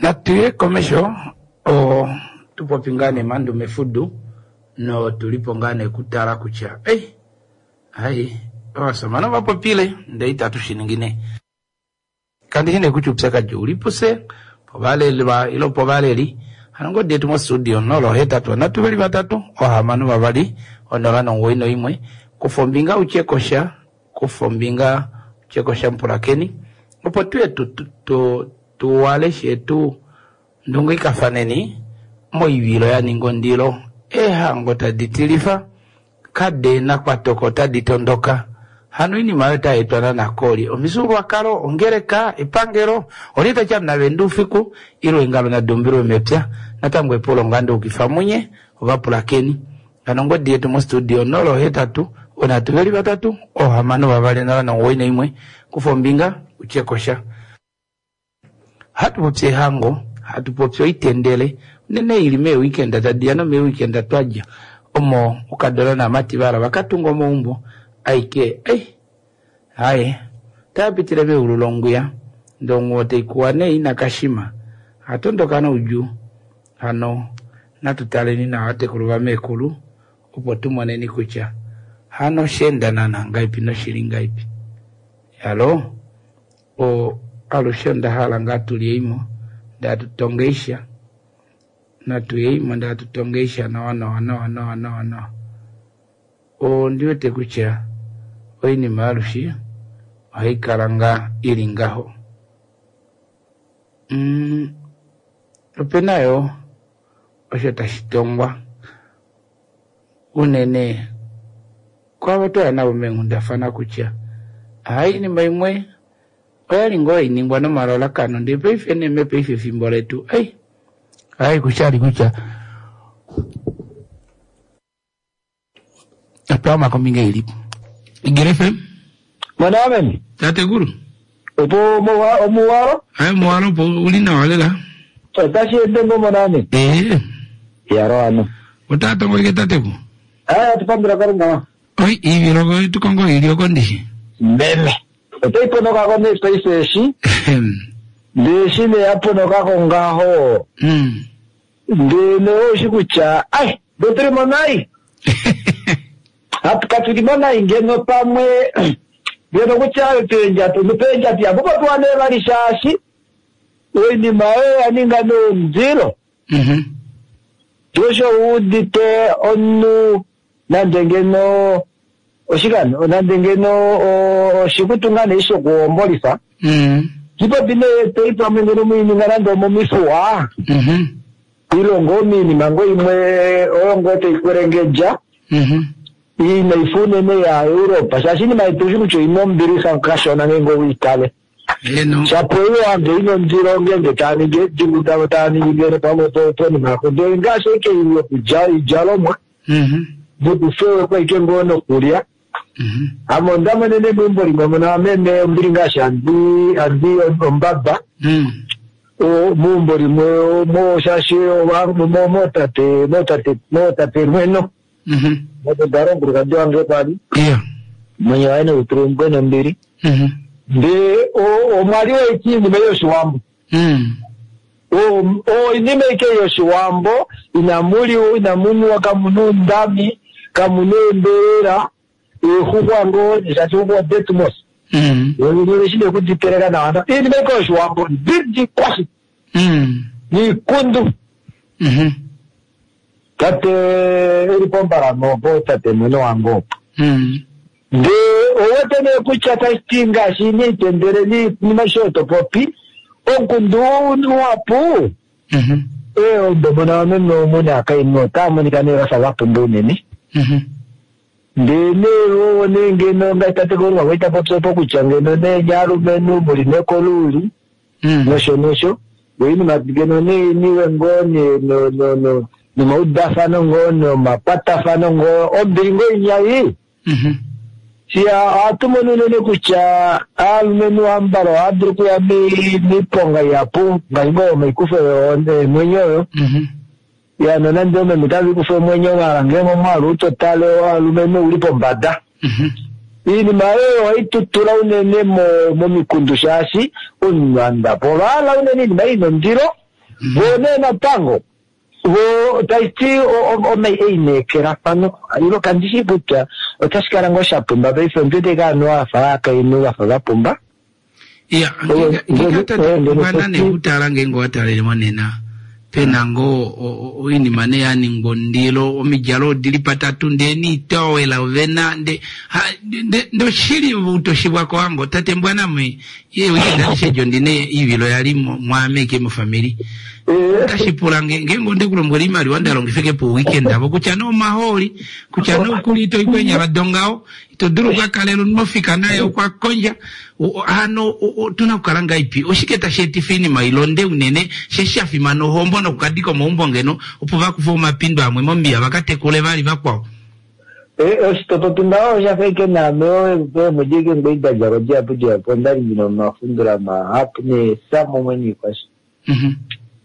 Natuye komesho o tupopi ngaa nee Mandume Fudu no tulipo ngaa nee kutala kutya ei ai ovashamane ovapopile ndee itatu shiningi nee. Kandi shi nee kutya oupyakadi ouli pufye povalelwa ile povaleli. Hano ngodi yetu mostudio 083 3 6 091. Kufa ombinga utye kosha, kufa ombinga utye kosha mupulakeni opo tuye tu tu tuwale shetu ndungikafaneni moivilo ya ninga ondilo eehango tadi tilifa kade nakwatoko tadi tondoka. Hano oinima oyo otai etwa nanakoli omifyuululwakalo, ongeleka, epangelo, olye tatya muna ufiku ile eengalo nadumbilwe mepya. Natango epulo ngaa ndeukifa munye ovapulakeni. Hano ongodi yetu mostudio 083 3 6 091. Kufa ombinga utye kosha. Hatu popi ehango, hatu popi oitendele unene ili meeweekend tadiya nomeeweekend twadja omo okadona naamati vahala vakatunga omaumbo aike ei haye taapitile meulu longwiya ndee onghuwo taikuwa nee ina kashima hatondoka noudjuu. Hano natu taleni nawa vatekulu vameekulu opo tumoneni kutya hano osheenda naana ngahelipi noshili ngahelipi. Halo o alushe onda hala ngaa tulyeimo ndee hatu natuyeimo ndee hatu tongeisha nawa nawa nawa nawa nawa nawa. Ondiwete kutya oinima alushe ohai kala ngaa ili ngaho. Opena yo osho tashi tongwa unene kwavo twaya navo meenghundafana kutya hai oinima imwe oyali ngoo hainingwa nomalalakano ndee paife nee mepaife efimbo letu ei hai kushali kutya otwaama kombinga ilipo. Igele FM. Mwanameni. Tatekulu. Opo omuwalo? Hai omuwalo opo uli nawa lela. Otashi ende ngo mwanameni. Eh. Yaro ano. Otatongo ike tateku. Aya tupandula Kalunga. Oi iviloko tukongo ilioko ndishi. Meme. Otaiponokako nee paife eshi. Ndee eshi nee yaponokako ngaho. Ndee nee oushi kutya ai ndotuli mo nai. Katuli mo nai ngeno pamwe ngeno kutya peendjatu peendjatu ihapu popiwa nee vali shaashi oinima oyo ya ninga noundilo. Osho wuudite omunhu nande ngeno oshikano nande ngeno oshikutu ngaa nee shokuhombolifa. Kipopi nee toi pamwe ngeno muininga nande omomifuwa. Ilongo ominima ngoo imwe oyo ngoo taikwelengedja. Inaifa unene ya Europa shaashi iinima yetu ushi kutya oina ombilixa kashona ngeenge owiitale. Shapo oiwange ina ondilo ngeenge taaningi eedingu davo taaningi ngeno pamwe ponima yako ndele ngaashi ashike yokulya oidjalomwa nokufewekwa ashike ngoo nokulya. Ame onda monene meumbo limwe muno meme ombili ngaashi handi ombaba. Meumbo limwe mo shaashi mootate mootate mootate mweno. Motodala omukulukadi wange kwali. Mwenye waye noutulumbwe nombili. Ndee omwa li waiki iinima yoshiwambo. Oinima ike yoshiwambo inamuliwa inamunuwa kamuna oundami kamuna eembelela eexuxwa ngoo shaashi xuxwa odetu mos. Eshi nee kuditeleka nawa iinima ike yoshiwambo ndidi kwashi. Niikundu. Tate eli pombalamo opo tate mwene wange opo. Ndee owete nee kutya tashiti ngaashi niitendele niinima osho topopi omukundu uhapu eombe mona wameme omu naakainhu otaa monika nee vafa vapumba unene. Ndee nee oo nee ngeno ngaashi tate Kalunga kwali tapopi opo kutya ngeno nee nye aalumenhu muli nekoluuli nosho nosho oinima ngeno nee niwe ngoo nee nomaudafano ngoo nomakwatafano ngoo ombili ngoo inyai. Siya ohatu mono unene kutya aalumenhu ambala ohaya dulu okuya miiponga ihapu ngaashi ngoo omaikufo eemwenyo oyo. Ya nonande oomeme otava ikufa omwenyo maala ngeenge omwaalu utotale waalumenhu ouli pombada. Iinima oyo ohayi tutula unene momikundu shaashi omunhu anda po ovahala unene iinima ina ondilo. Vo nee natango vo tashi ti eineekelafano ilo kandi shii kutya otashi kala ngoo sha pumba paife ondi wete ike ovanhu vafa ovakainhu vafa va pumba. Ya, ngeenge tate Mbwana nee kutala ngeenge owa talele monena pe na ngoo oinima nee ya ningwa ondilo, omidjalo odi li patatu ndee niitowela ove na nde nde oshili utoshibwa kowango tate Mbwana me ye weekend adishe edi ondi na oivilo ya li mwaame ike mofamili otashi pula nge ngeenge onde ku lombwela oimaliwa nda longifa ike po weekend avo kutya nee omahooli kutya nee okuli ito i keenyala dongaho ito dulu oku ka kalela omunhu ofika naye okwa kondja hano otu na okukala ngaipi oshike tashi etifa oinima ilonde unene she sha fimana ohombo nokukadika omaumbo ngeno opo va kufe omapindo amwe mombiya va ka tekule vali vakwao Eh, oshitopopi ngaho osha fa ike naame eemwedi ike ngwei da dja ko dihapu dihapu onda li ndi na omafundula mahapu neesa mumwe niikwasha.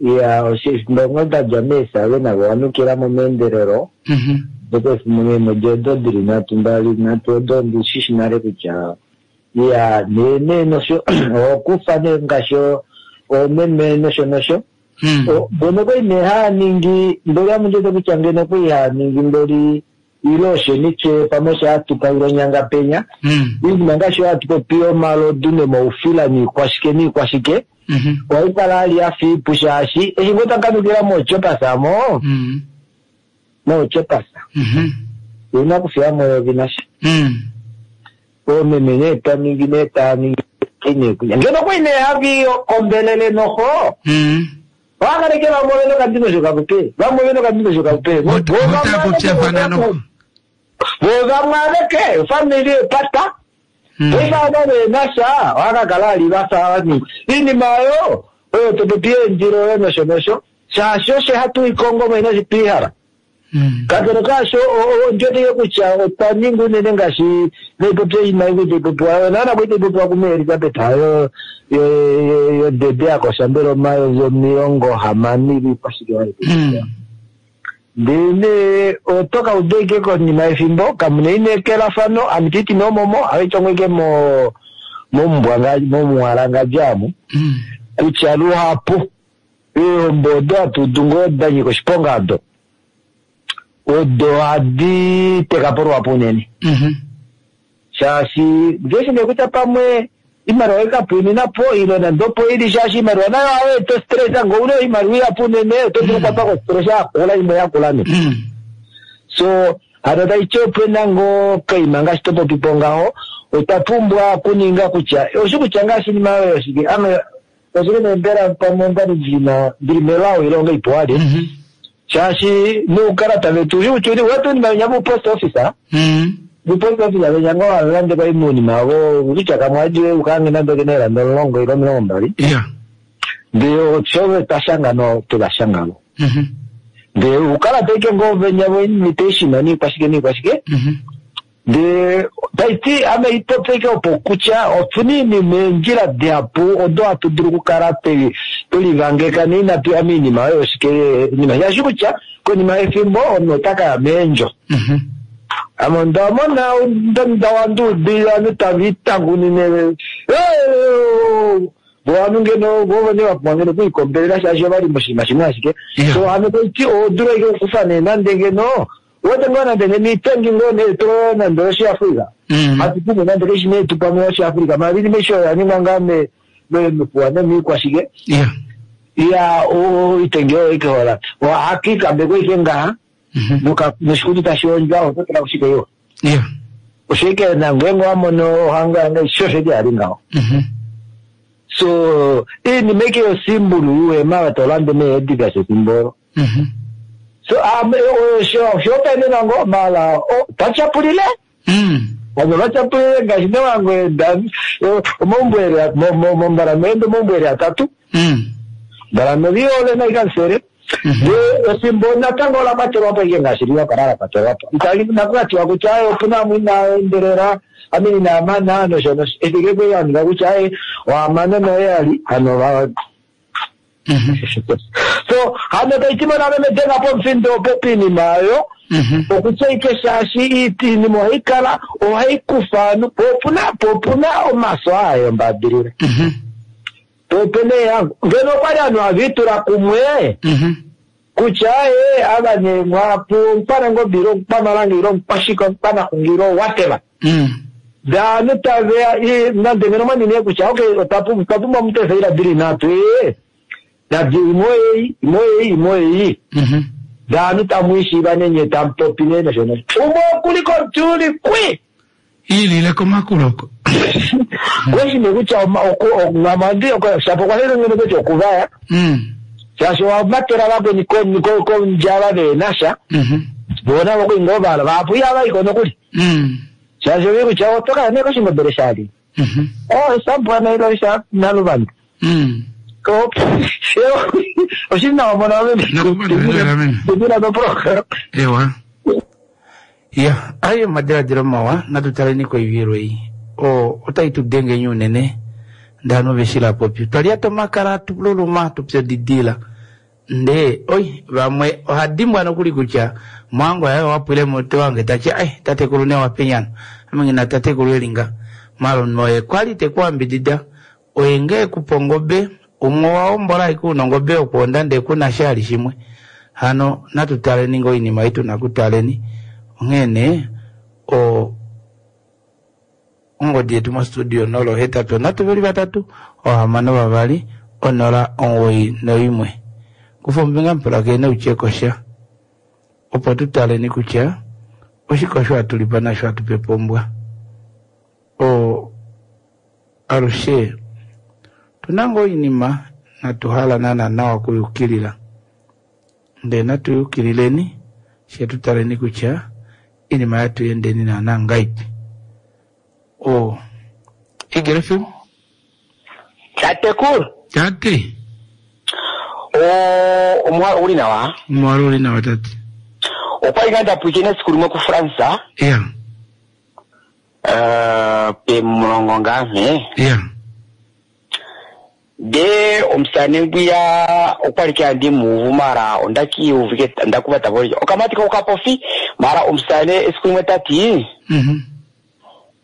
Iya, oshifimbo ngoo nda dja meesale navo wa nukila mo meendelelo. Ndele efimbo meemwedi odo di li nhatu, mbali, nhatu odo ondi shi shi nale kutya iya, nee nee nosho okufa nee ngaashi oomeme nosho nosho. Mbono kwali nee haa ningi mboli ame ondi wete kutya ngeno kwali haa ningi mboli ile osho nitye pamwe osho hatu paula onyanga penya. Iinima ngaashi oyo hatu popi yomalodu nomaufila niikwashike niikwashike. Ohayi kala ali ya fa iipu shaashi eshi ngoo ta kanukila moochopas mo, moochopas ouna okufiya mo eyovi nasha. Oomeme nee ta ningi nee taa ningi nee kunya. Ngeno okwali nee havi kombelele noho, ohava kala ike vamwe ovena okandingosho kavo pe, vamwe ovena okandingosho kavo pe. Vo vamwe aveke, ofamili epata. Paife ava ve na sha ohava ka kala ali va fa vani iinima oyo oyo to popi yeendilo oyo nosho nosho shaashi osho hatu i kongo mo inashi tu i hala. Kakele kaasho ondi wete ike kutya otwa ninga unene ngaashi tai popi oinima ei tai popiwa oyo naana kwali tai popiwa kume Elizabeth yo yodede ya kosha mbela omayovi 60 ile ikwashike ya li tai popiwa. Ndele nee oto ka uda ike konima yefimbo, kamu na eineekelafano, ame te ti nee omomo, ame tongo ike mo, momumbwanga, momuwalangandja amu, kutya luhapu eehombo odo hatu udu ngoo da nyika oshiponga odo, odo ohadi teka po luhapu unene. Shaashi ngeshi nee kutya pamwe iimaliwa oyi ka pwiinina po ile nande opo ili shaashi iimaliwa nayo ohayi eta ostress ngee ouna oimaliwa ihapu unene oto dulu okukwatwa kostress yakula imwe yakula nee. So hano taiti opena ngoo kaima ngaashi to popipo ngaho otwa pumbwa okuninga kutya oshi kutya ngaashi inima oyo oshike ame oshike nee mbela pamwe ondali ndina ndili melao ile onga ipuwali shaashi noukalata vetu ushi kutya uli wete oinima venya vu post office vu post office venya ngoo hava kwali muunima vo kutya kamwe adi ukange nande okena eelanda 10 ile 20 ndee osho twa shanga no twe va shanga vo ndee uukalata ike ngoo venya vo invitation niikwashike niikwashike ndee taiti ame ipopye ike opo kutya otuna iinima eendjila dihapu odo hatu dulu okukala twelivangeka noinatu ya miinima oyo oshike inima shaashi kutya konima yefimbo omunhu ota ka ya meendjo. Ame onda mona nda wanduudilila ovanhu tava itangunine vo ovanhu ngeno vo vene va pumbwa ngeno okwiikombelela shaashi ova li moshinima shimwe ashike. So hano taiti oho dulu ashike okukufa nee nande ngeno uwete ngoo nande ngeno itengi ngoo nee to nande oshiAfrika. Hatu pumbwa nande keshi nee tu pamwe oshiAfrika maala iinima aishe oyo ya ningwa ngaa mefuwa nomiikwashike. Iya oitengi oyo ike hola ohatu ike ngaha noshikutu tashi hondjwa oto tula kushike iwa. Osho ike nangenge wa mono ohango yange sho osho ike yali ngaho. So iinima ike yosimbulu yuuhema to lande meedigas efimbo olo. So oshihopaenenwa ngoo maala twa tyapulile avo vatyapulile ngaashi newango omaumbo mombalamende omaumbo eli atatu mbalame viole naikansere ndee efimbo natango ola kwatelwa po ike ngaashi liwa kala la kwatelwa po itali nakukatiwa kutya aye opuna amwe inaa endelela ame inaa mana nosho nosho efike kweli aninga kutya aye ohamana noye ali hano va so hano taiti mona meme denga pomufindo opo piinima oyo okutya ike shaashi iinima ohayi kala ohayi kufa ovanhu po opuna omaso aa yombadilila. Po nee ngeno okwali ovanhu have itula kumwe kutya ee ava nee mwapu omukwanangobe ile omukwamalanga ile omukwashike omukwanaxungi ile whatever. Ndee ovanhu taveya nande ngeno mwa nee kutya okay otwa pumbwa omuntu eefaila dili nhatu ee nadi imwe oyeyi imwe oyeyi imwe oyeyi. Ndee ovanhu tamwiishiiva nee nyee tamupopi nee nosho nosho. Umwe okuli komutyuuli kwi! Iilile komakulo oko. Kweshi nee kutya shapo okwa fele ngeno kutya okuvaya. Shaashi owa matela vakweni kondjala veena sha. Voo navo okuli ngoo vahala vahapu ihava iko nokuli. Shaashi ovi kutya oto kaya nee koshingobele shali. Oh, shabwana ilo sha naluvanda. Oshili nawa mona ove. Tumina no program. Ewa. Ya, aye omadiladilo mawa, natu taleni koivilo ei. O, otai tu denge nyi unene, ndano veshila popi. Twa lyata omakala, tu luluma, tu pyodidila. Ndee, oi, vamwe oha dimbwa nokuli kutya mwango yaye owa pwile mutwe wange ta ti, ai, tatekulu ne wa penyano. Ame nghi na tatekulu eli nga. Malume oye kwali te ku ambidida, oye nge e ku pa ongobe, umwe owa hombola ashike una ongobe yokwoonda ndee ku na sha ali shimwe. Hano natu taleni ngoo oinima ei tu na kutaleni. Onghee nee, o, Ongodi yetu mostudio 083 662 091. Kufa ombinga mupulakene utye ko sha opo tu taleni kutya oshike osho hatu lipa nasho hatu pepa ombwa. O alushe tu na ngoo oinima natu hala naana nawa okuyukilila ndee natu yukilileni fye tu taleni kutya Inima yatu yendeni naana ngaipi. O. Eagle FM. Tatekulu. Tate. O, omuhalo uli nawa. Omuhalo uli nawa tate. Okwali ngaa nda pwiikina esiku limwe kuFrance. Yeah. Pemulongo ngaa mhe. Yeah. Ndee omusane ngwiya okwali ke andi muuvu mara onda ki uvike nda kuva ta voli okamati ko kapofi mara omusane esiku limwe tati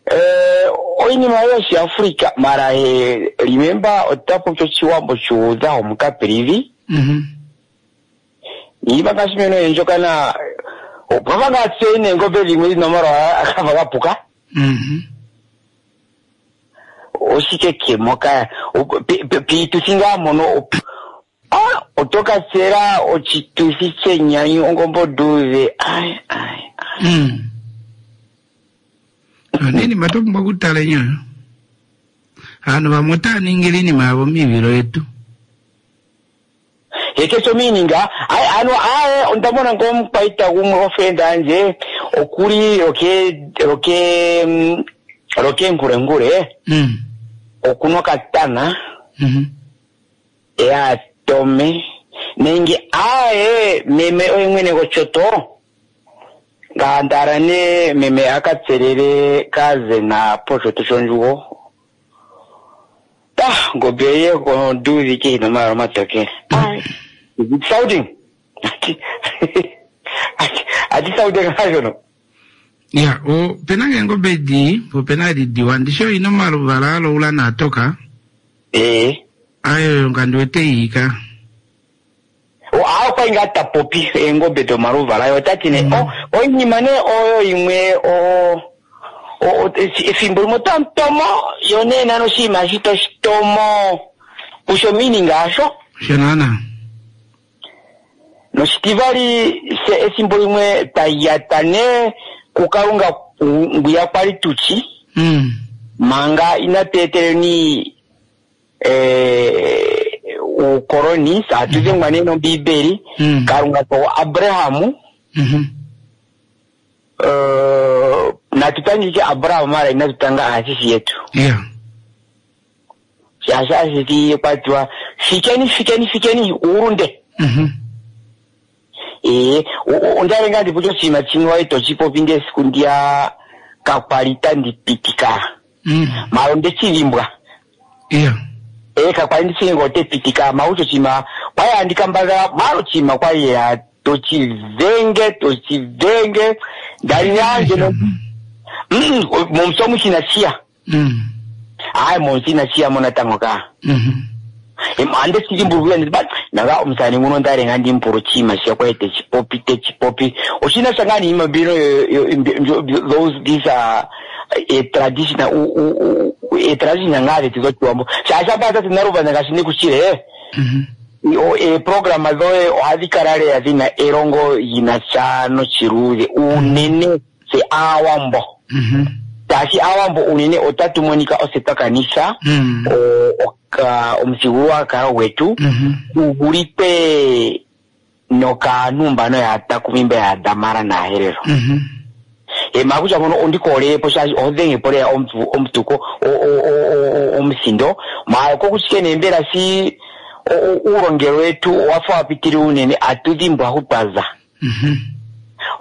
eh, oinima yoshi Africa mara he remember ota popi oshiwambo shuudha omukapilivi niima ngaashi meno yendjokana opwava ngaa tse neengobe dhimwe dhina omalwaala akafa ga puka. Oshike ke moka piituthi ngaa mono ah, oto ka tsela oshituthi chenyanyu ongombe onduudhe ai ai Iinima twa pumbwa okutala enyoyo. Aantu vamwe otaya ningile iinima yavo miivilo yetu. Heke sho miininga ai ano ae onda mona ngo omukwaita gumwe gofriend yandje okuli roke roke roke ngurengure okuna okatana ya tome nenge ae meme oye mwene gochoto ngandara ne meme aka tselele kazena pochoto shondjugo Ta, ngombe ye onduudhi ke ina omayala omatokele. Is it sounding? Ati sounding ngaa Ya, opena ngeengobe dii, po opena edi diwa. Ndishi oyo ina omaluvala aloula naatoka? Ee. Ayo oyo nga ndi wete ii ka. A okwali ngaa ta popi eengobe domaluvala, ye ota ti nee, o, oinima nee oyo imwe o, o, efimbo limwe otamu tomo, yo nee nani oshinima eshi toshi tomo kusho meaning yasho. Osho naana. Noshitivali, fye efimbo limwe twa yata nee kuKalunga ngwiya kwali tutshi, manga inatu eteleni eh, uukoloni atu dhengwa nee nombiibeli kalunga ko abraham eh, natu tangike abraham mara inatu tanga aasisi yetu Yeah. shaashi aasisi kwa tiwa fikeni fikeni fikeni uurunde ee ondali ngaa ndi oshinima shimwe wali toshi popi ndee esiku ndiya kakwali tandi pitika mara onde shi dhimbwa Yeah. ee kakwali ndi shi ngee ote pitika mara osho oshinima kwali handi kambadhala mara oshinima kwali ya toshi dhenge toshi dhenge ndali ngaa ngeno momutse omu shina shiya aye momutse ina shiya mo natango kaa. Ande sidimbulukile nditi ba nanga omusani nguno ndale nga ndimpula oshinima shiya kwali techipopi techipopi oshina sha ngaa niinima mbino those these are a traditional a traditional ngaa dhetu dhochiwambo shaashi apa tate Naluvanda ngaashi ndikushile eeprograma dhoye ohadhi kala lela dhina elongo lyina sha nochiluudhe unene tse aawambo shaashi aawambo unene otatu monika ose twa kanitha omuthigululwakalo gwetu gu vulithe nokaantu mbano yaatakumi mba yaadamara naaherero. Ema kutya mpono ondi koolele po shaashi oho dhenge po lela omutuko omuthindo maala kokushike nee mbela shi uulongelwe wetu owa fa wa pitilila unene atu dhimbwa hu twa za.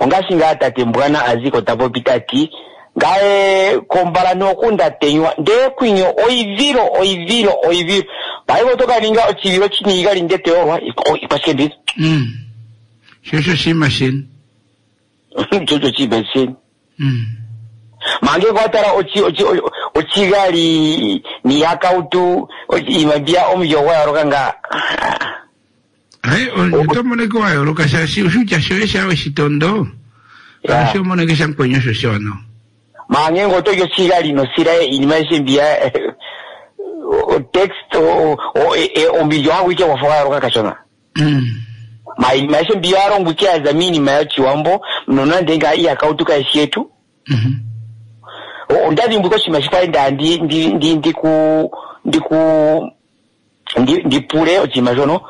Ongaashi ngaa tate Mbwana a zi ko ta popi ta ti, Ngaye kombala noku nda tenywa ndee kwinyo oivilo, oivilo, oivilo. Paife oto ka ninga ochivilo chini igali nde te yorwa, ikwashike mbizo? Sho osho oshinima sheni. Sho osho oshinima sheni. Mange kwa tala ochi, ochi, ochigali niihakautu, iinima mbiya omulyo gwa yooloka ngaa. Ai, oto moneke wa yooloka shaashi oshutya shoye sha weshitondo alushe omoneke shamukweni osho shiwanawa. Maa ngenge oto li oshigali nosilaye iinima aishe mbiya text omulyo hagu ike gwafa gwa yooloka kashona. Maa iinima aishe mbiya oya longwa ike yaza miinima yochiwambo nonande ngaa iihakautu kayishi yetu. Onda dhimbulukwa oshinima shi kwali nda ndi ndi ndi ndiku ndiku ndi ndipule oshinima shono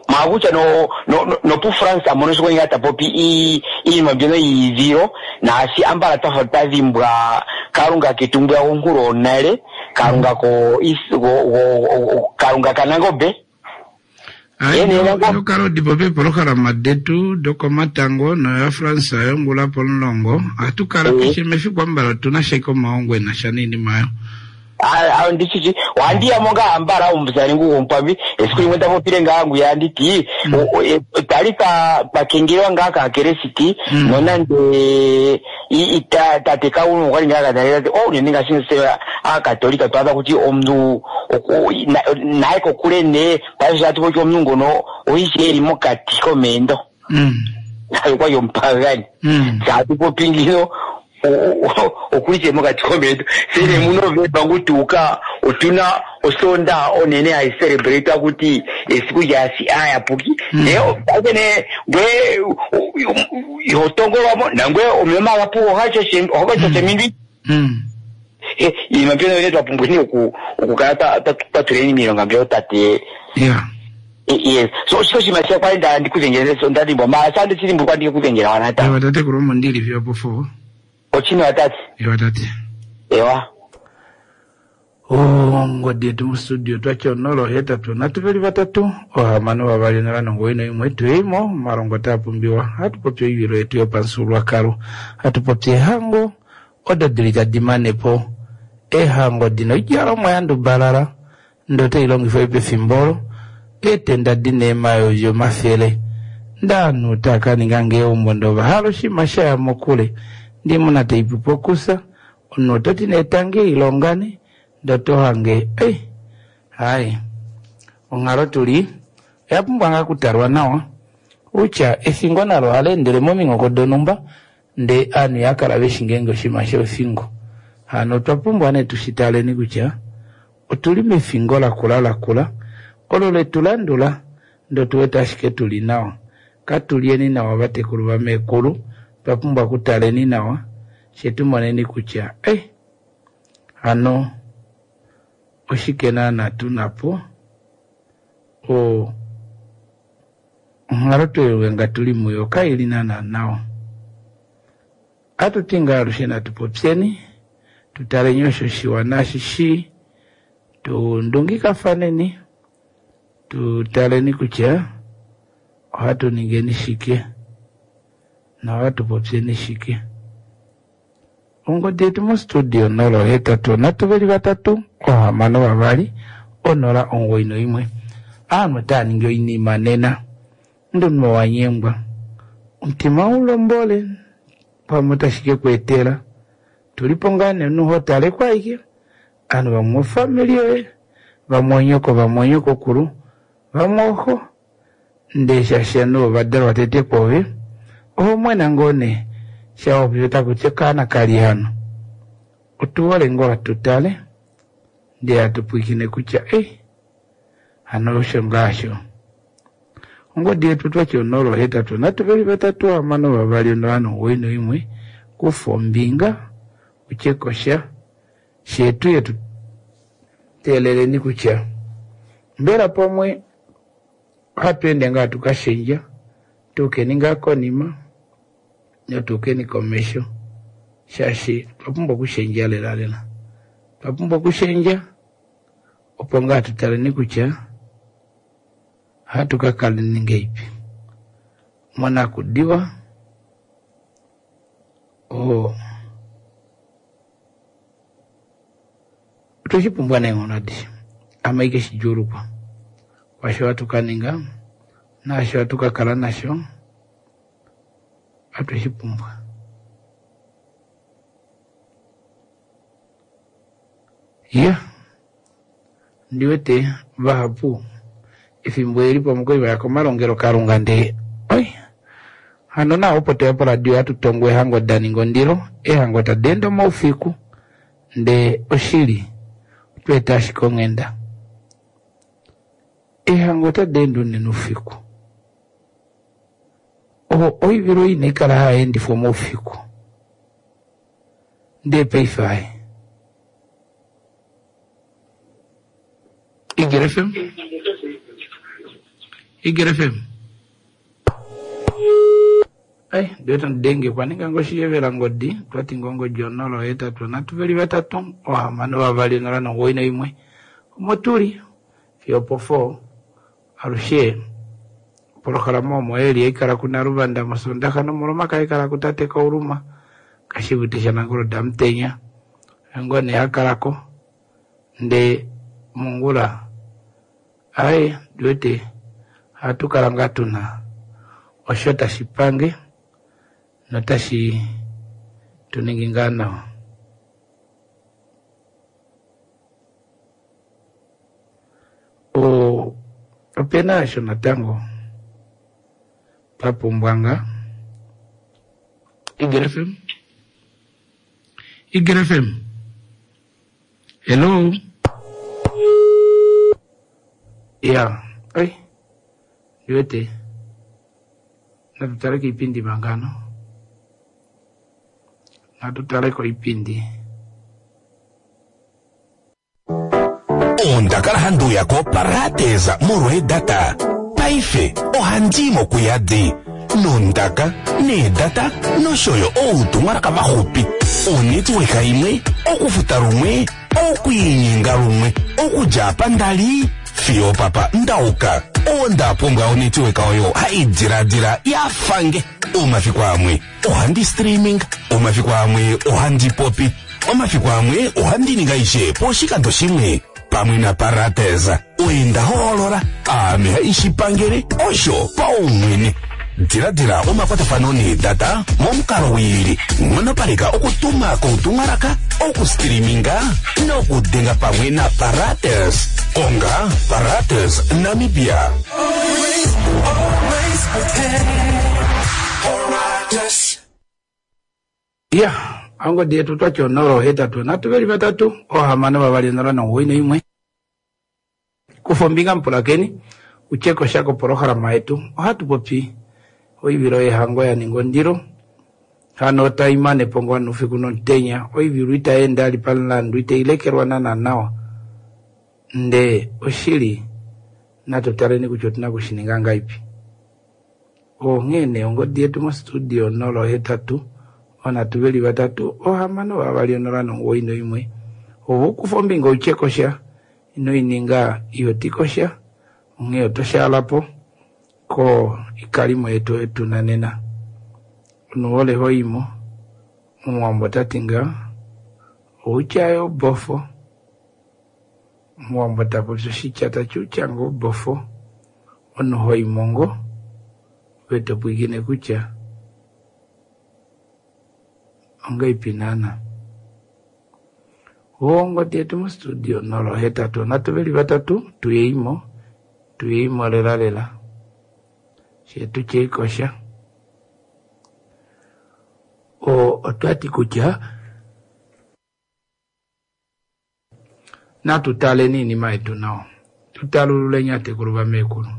maa kutya no no no nopu France mono sho ngaa ta popi iinima mbyono yiidhilo naashi ambala twafa twa dhimbwa Kalunga ketu ngwiya gonkulu onale Kalunga ko go go Kalunga kaNangombe. Ai, ino kala u di popi eepolohalama detu dokomatango noyaFrance yongula pomulongo. Ohatu kala keshe mefiku ambala otu na sha ike omahongo e na sha noinima oyo. Ondi shi shi, ohandi ya mo ngaa ambala omusale ngu gwomukwambi. Esiku limwe nda popile ngaa ngwiya andi ti, otwa li twa kengelelwa ngaa kaakelesiti, nonande tate Kauluma okwa li ngaa ka tati, oh, unene ngaashi tse aakatolika twa adha kutya omuntu naye kokule ne, paife sho tatu popi omuntu ngono oishi eli mokati komeendo. Naye okwali omupagani. Tse atu popi ngino okuli tse mokati komeendo. Tse ne muNovemba ngu tuuka otuna osoondaha onene hayi celebrate kuti esiku lyaasi aayapuki. Ne paife ne ngwe iho tongolwamo nangwe omeya omagapu ohaga shasha mindwi. Iinima mbyono yene twa pumbweni okukala twa tuleni miilonga mbyono tate. Yes. So oshike oshinima sha kwali nda ndi kudhengele so nda dhimbwa maala sha ndi shi dhimbulukwa ndi ke kudhengela wana ta. Ewa tatekulu omo ndili fiyo opo four. Ochini tate. Ewa tate. Ewa. Ongodi yetu mustudio twatya 0 8 3 2 6 2 0 9 1 tuyeimo omalongo taa pumbiwa hatu popi oivilo yetu yopamufyuululwakalo hatu popi ehango odo dili tadi mane po eehango dina oidjalomwa ya ndubalala ndee otai longifwa pefimbo olo eetenda dina eemayovi omafele ndee ovanhu otava ka ninga ngee eumbo ndee ova hala oshinima sha ya mokule ndee oimuna taipu pokusa omunhu oto ti nee tangi ilongani ndee oto hange ei hai onghalo tuli oya pumbwa ngaa okutalwa nawa kutya efingo nalo ohali endele mominghoko donhumba ndee ovanhu ihava kala veshi ngeenge oshinima shefingo hano otwa pumbwa nee tushi taleni kutya otuli mefingo lakula lakula olo letu landula ndee otu wete ashike tuli nawa katulyeni nawa vatekulu vameekulu otwa pumbwa okutaleni nawa fye tumoneni kutya eh hano oshike naana tuna po o onghalo tweluwenga tuli muyo kaili naana nawa atuti ngaa alushe natu popyeni tutaleni osho shiwa naashi shii tu ndungikafaneni tu taleni kutya ohatu ningeni shike nohatu popyeni shike. Ongodi yetu mostudio 0 8 3 2 6 2 0 9 1. Ovanhu otava ningi oinima nena nduno wa nyengwa omutima u lombole pamwe otashi ke ku etela tuli po ngaa nee omunhu ho tale ko ashike ovanhu vamwe ofamili yoye. Vamwe onyoko, vamwe onyokokulu, vamwe oxo. Ndee shaashi ovanhu ova dalwa tete kwoove, oho mwena ngoo nee sha wapopi otaku ti okaana kali hano. Otu hole ngoo hatu tale ndee hatu pwilikine kutya ei hano osho ngaa sho. Ongodi yetu twati 0 8 3 2 6 2 0 9 1 kufa ombinga utye kosha shee tuye tu teeleleni kutya mbela pamwe ohatu ende ngaa tuka shendja tuukeni ngaa konima notuukeni komesho shaashi otwa pumbwa okushendja lela lela. Otwa pumbwa okushendja opo ngaa tu taleni kutya ohatu ka kaleni ngeipi monakudiwa oo otwe shi pumbwa neenghono adishe ame ike shi djuulukwa kwaasho hatu ka ninga naasho hatu ka kala nasho otwe shi pumbwa. Ya, ndi wete vahapu efimbo eli pamwe kwali vaya komalongelokalunga ndee oi hano nawa opo toya poradio hatu tongo eehango da ninga ondilo, eehango tadi ende omaufiku ndee oshili otwa eta ashike onghenda. Eehango otadi ende unene oufiku. Oivilo inai kala hai endifwa omaufiku ndee paife ai. Eagle FM? Eagle FM? Ai, ndiwete ndenge kwaninga ngoshiyevela ngodi twati ngongodi 0 8 3 2 6 2 0 9 1 omo tuli fiyo opo 4 alushe opolohalama omo eli haikala kunaluvanda mosondaxa nomolomaka haikala kutate Kauluma kashivute shanangolo damutenya ngo nee hakalako ndee mongula aye ndiwete ohatu kala ngaa tuna osho tashi pange notashi tu ningi ngaa nawa. Opena osho natango twa pumbwa ngaa. Eagle FM? Eagle FM? Hello? Ya, ai, ndiwete natu tale koipindi mangano. Natu tale koipindi. Onda kala handi uya koParadesa molwa eedata. Paife ohandi i mokuyadi nondaka, needata nosho yo outumwalaka vaxupi. Onetworka imwe, okufuta lumwe, okwiinyenga lumwe, okudja apa nda li fiyo opapa nda uka. Onda pumbwa onetworka oyo hai diladila ya fange. Omafiku amwe ohandi streaming, omafiku amwe ohandi popi, omafiku amwe ohandi ningi aishe poshikando shimwe. Pamwe naParates, oye nda hoolola, aame haishi pangele osho paumwene. Diladila omakwatafano needata momukalo wiili, nghonopaleka okutuma koutumwalaka, okustreaminga nokudenga pamwe naParates. Konga Parates Namibia. Ya, ongodi yetu twati 0 8 3 2 6 2 0 9 1 Kufa ombinga mupulakeni utye kosha kopolohalama yetu. Ohatu popi oivilo yehango ya ninga ondilo hano otai mane po ngoo noufiku nomutenya. Oivilo itai ende ali pamulandu, itai lekelwa naana nawa. Ndee oshili natu taleni kutya otuna okushininga ngahelipi. Onghee nee ongodi yetu mostudio 0 8 3 2 6 2 0 9 1 Ove ukufa ombinga utye kosha, ino ininga ihoti kosha, onghee oto shaala po ko ikalimo yetu oyo tuna nena. Omunhu wole hoimo, omuwambo ota ti ngaa, outya yo obofo. Omuwambo ta popi oshitya tati outya ngoo obofo. Omunhu hoimo ngoo, ove to pwilikine kutya ongaipi naana. Ongodi yetu mostudio 083 veli vatatu tuyeimo tuyeimo lela lela shetu cheikosha. Otwati kutya natu taleni iinima yetu nawa, tutalululeni atekulu vamekulu.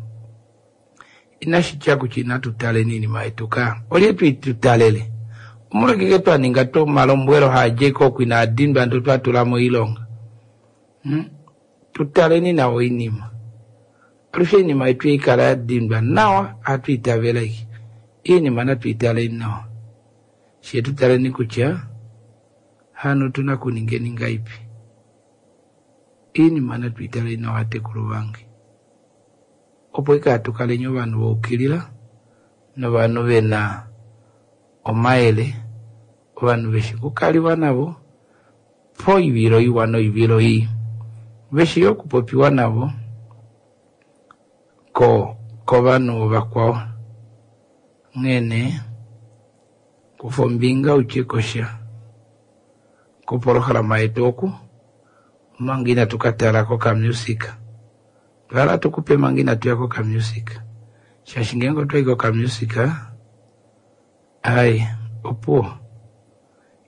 Inashi tya kutya inatu taleni iinima yetu ka olye tuitutalele omolwekeke twaninga to omalombwelo haadjeko oku inaadindwa ndo twatula moilonga. Tutaleni nawa oinima alushe iinima yetu ikala yadindwa nawa hatu itavela iki iinima natu italeni nawa she tutaleni kutya hano tuna kuningeni ngaipi iinima natu italeni nawa atekulu vange opo ikala tukaleni ovanhu voukilila novanhu vena omayele ovanhu veshi kukaliwa navo poivilo iwa noivilo ii veshi okupopiwa navo kovanhu vakwao nghene kufa ombinga utye kosha kopolohalama yetu oku omanga inatu katala kokamusic twala tukupe manga inatu ya kokamusic shaashi ngeenge otwai kokamusic ai opuwo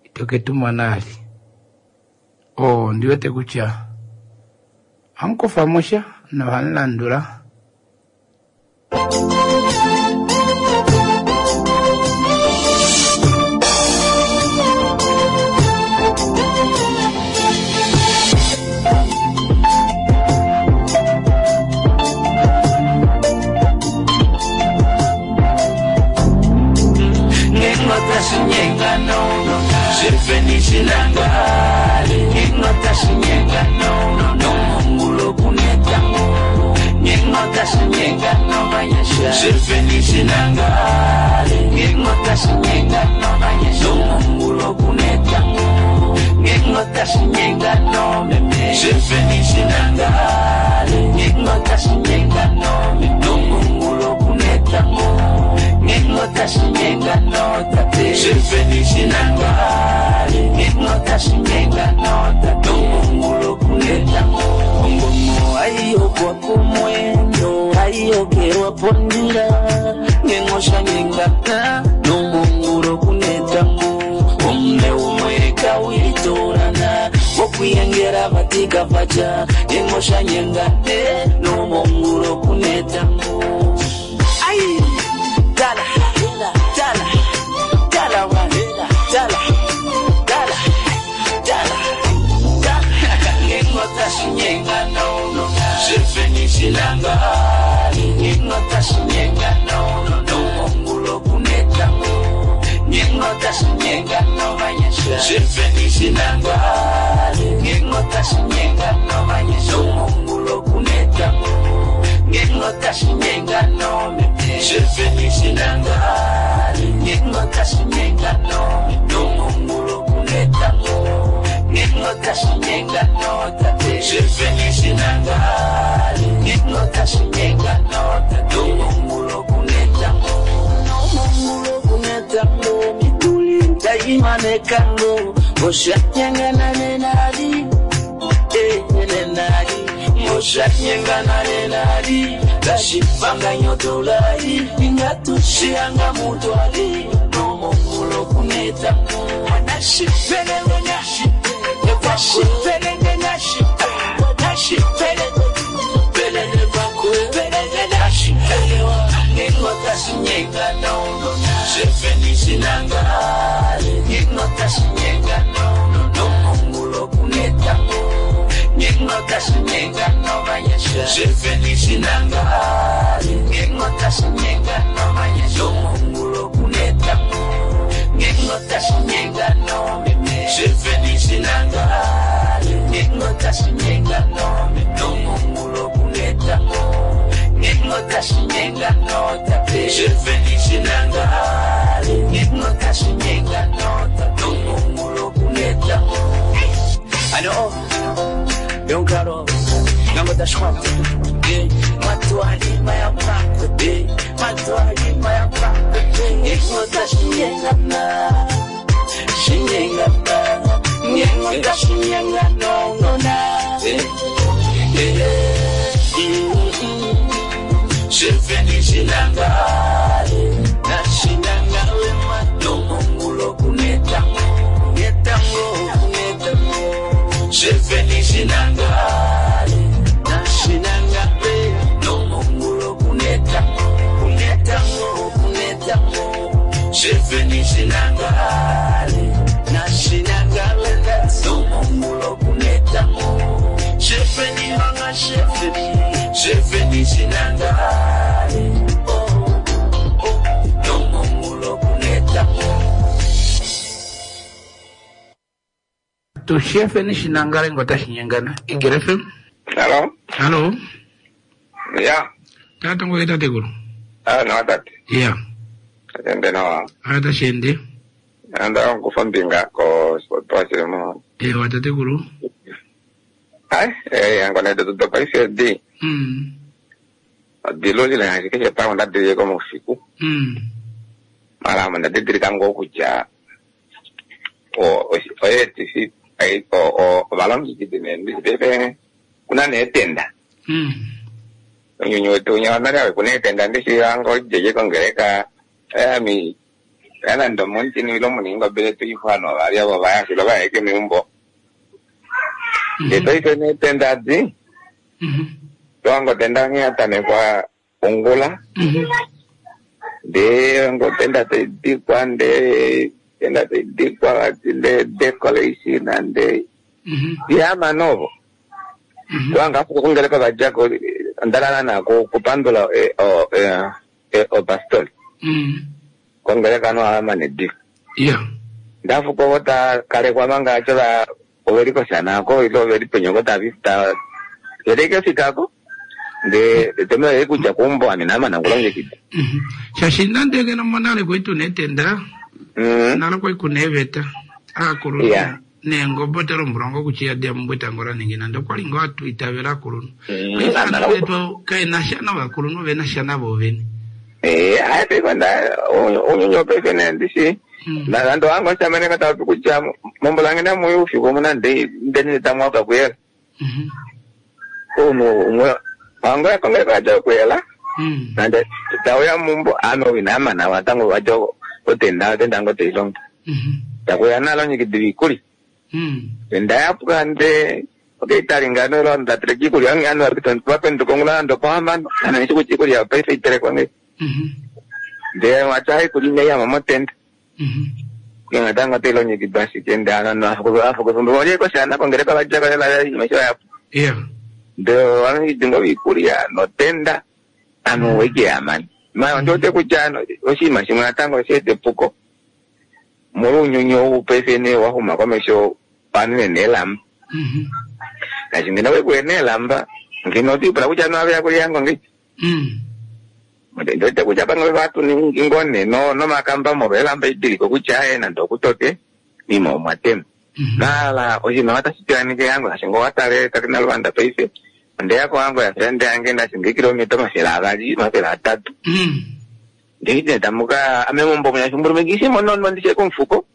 itoke tumona ali ndiwete kutya hamukufa mosha nohamulandula. Nyengo tashinyenga nounona Shefeni shinangale Nashinangale matongongulo kunetango Netango kunetango Shefeni shinangale Nashinangale Nongongulo kunetango Kunetango kunetango Shefeni shinangale Nashinangale Nongongulo kunetango Shefeni manga shefeni Shefeni shinangale Oh oh Nongongulo kunetango Tu shefeni shinangale ngotashinyengana. Eagle FM. Hello. Hello. Ya. Tata ngoye tatekulu. Ah, nawa tate. Yeah. Ende nawa. Ata shende. Anda nkufa mbinga ko sport mo. Ewa tatekulu. Ai, eh angona de tudo paife di. Dilolile ashike keshe pamwe ndadilile moufiku. Mara ame ndadidilika ngoo kutya oyeetifi ovalongekidi nee paife kuna neetenda. Onyunyu wetu unya wanale awe kuna eetenda ndishianga ojeje kongeleka ami yanande omuntini ilo muningo tuifano vali avo vayashilo vayeke miumbo. Ndee paife neetenda adi toanga otenda nghee yatamekwa ongula ndee ngotenda taidikwa ndee tenda taidikwa vati ndee decoration ndee yamana ovo toanga afu kongeleka vadjako ondalala nako kupandula opastori kongeleka no amane dika Yeah. ndafuko vo takalekwa manga acho va oveli koshanako ilo oveli penyoko tavita veleke fikako nde temele kutya kumbo ame namana kulongekida. Shashi nande ngeno monale kwetu netenda. Nalo kwai kuneveta. Akulunhu. Yeah. Neengobo telombulongo kuchiya dia mumbwetango ningina ndokwali ngo atu itavela akulunhu. Paife vetu kaena sha novakulunhu vena sha navo vene. Eh, ai paife nda unyunyu paife ne ndishi. Nando wangu shamene kata kutya mombola ngene muyu ufiku muna ndi ndeni tamwaka kuyela. Uno umwe wangu yakongeleka aja kuyela. Nande tauya mumbo ame winamana watango wajo otenda otenda ngo teilonga. Takuya nalo nyikidi vikuli. Enda yapuka nde okay taringano ilo ndatereka ikulya ange anu vapenduka ongula ando pahambano ana nishi kuti ikulya paife iterekwa nge. Nde wacha ikulya ineyama motenda. Kungatanga teilongekidwa ashike nde ananu afukusumbu olye koshana kongeleka vajako lela imesho yapo. Yeah. Nde walongekidi ngo ikulya notenda anu weke yamani. Ma ndote kutya ano oshinima shimwe natango osheeta epuko. Molwa uunyuni ou paife nee wahuma komesho panene neelamba. Ngaashi ngeno wekuye neelamba ngeno otiipula kutya ano aveya kulya ngo ngechi. Ndote kutya pamwe vatuningi ngoo nee nomakamba molwa elamba idiliko kutya aye nande okutoke mima omwa tema. Nala oshinima otashi piyanike yango ngaashi ngoo watale tate naluvanda paife ondeya kowango yafrende yange ngaashi ngeekilomita 200 300. Ndikiti tamuka ame mumbo munya shumburumikisi monono ndishe komufuko.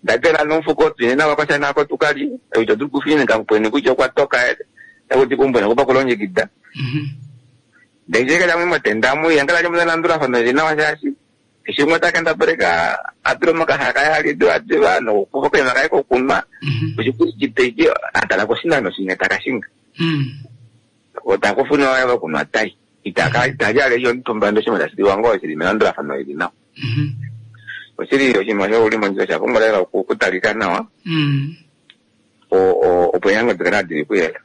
Ndatela nomufuko twine navakwashana ako tukali ito tuli kufinika mpweni kutya okwatoka ekuti kumbwena kupa kulongekida. Ndecheka chamwe motenda muya ngala chamwe landulafano linawa shashi. Shimwe takenda pereka atiro makahaka yali ativa nokufa kwema kaiko kunwa. Kuchikuri chiteche atala kusina noshinga takashinga. Otakufuna wava kunwa tai. Itaka itajale iyo ntumba ndo shimwe tashiliwa ngo shili melandulafano ili nawa. Oshili oshinima shoulimo ndjo shapumbwa lela okutalika nawa. Opo yango tikala dili kuyela.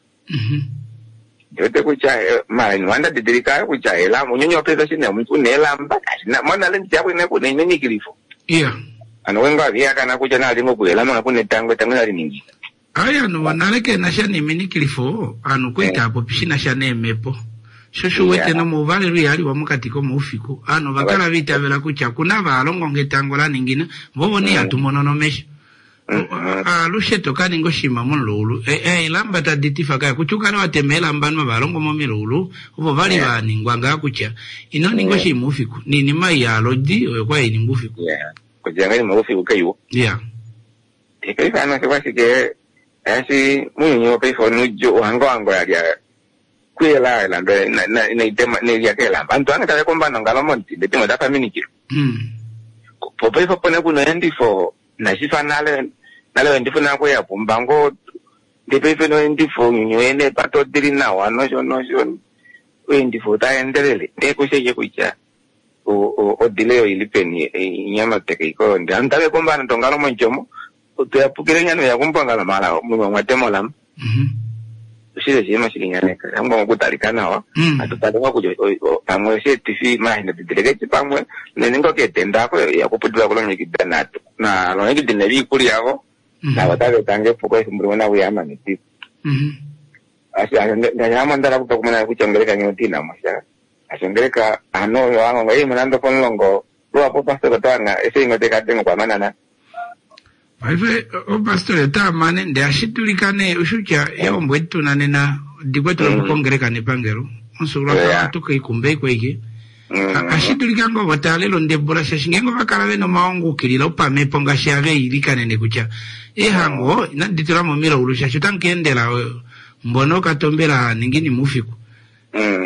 Ndiwete kutya mara niwanda didilika kutya elamba unyonyi wapesa shine omuntu une elamba kashina mona le ndichako ine kune inenyikilifo. Yeah. Ano wengo aviyakana kutya nalingo kuyela manga kune tango tango nali Aya anu wanale kena sha neminikilifo anu kwita apo pishina sha nemepo. Shosho wete no muvale luyali wa mukati komoufiku anu vakala vitavela kutya kuna valongo ngetango la ningina vovo ni atumono nomesho. Alushe tokaninga oshima mululu elamba taditifa kaya kutya ukale watema elamba nwa valongo momilulu ovo vali vaningwa ngaa kutya ino ninga oshima ufiku ninima yalodi oyo kwa ininga ufiku. Kutya ngani maufiku kaiwo. Yeah. Paife ano shikwashike ashi muuyuni wopaife onuudju ohango wango ya lya kuyela elamba inaitema kelamba antu ange tave komba nongalo momuti ndee timwe dapaminikilo po paife opo nee kuna oendifo inashifa nale nale oendifo nako ya pumba ngoo ndee paife noendifo ounyuni wene eepate odili nawa nosho nosho oendifo otaendelele ndee kusheke kutya odile oili peni inyamateka iko ndee antu tave komba nande ongalo mondjomo tuyapukile nyana uyakumba ongalo mala mwatema olamba oshili oshinima shili nyaneka shapumbwa okutalika nawa atu tale ngoo kutya pamwe osheetifi mashi didilike eci pamwe unene ngoo keetenda ako yakuputula kulongekida natu nalongekide neviikulya yavo navo otava eta epuko efimbo limwe nakuyaama netiko ndanyama ndala kupa kumona kutya ongeleka ngeno tiinamo sha ashi ongeleka ano wangongo ei nande opomulongo luhapu pastor otawanga eseingo tekadenga okwamanana. Paife opastori otaa mane ndee ashi dulika nee ushutya eombo edi tuna nena odi kwetele kongeleka nepangelo omufyuululwakalo ohatu kaikumba ike ashi dulika ngoo vo taalela ondebula shaashi ngeenge ovakala vena omahongo ukilila opamhepo ngaashi ave ilikanene kutya eehango inadi tula momilaulu shaashi otamu ka endela mbono okatombela ningini moufiku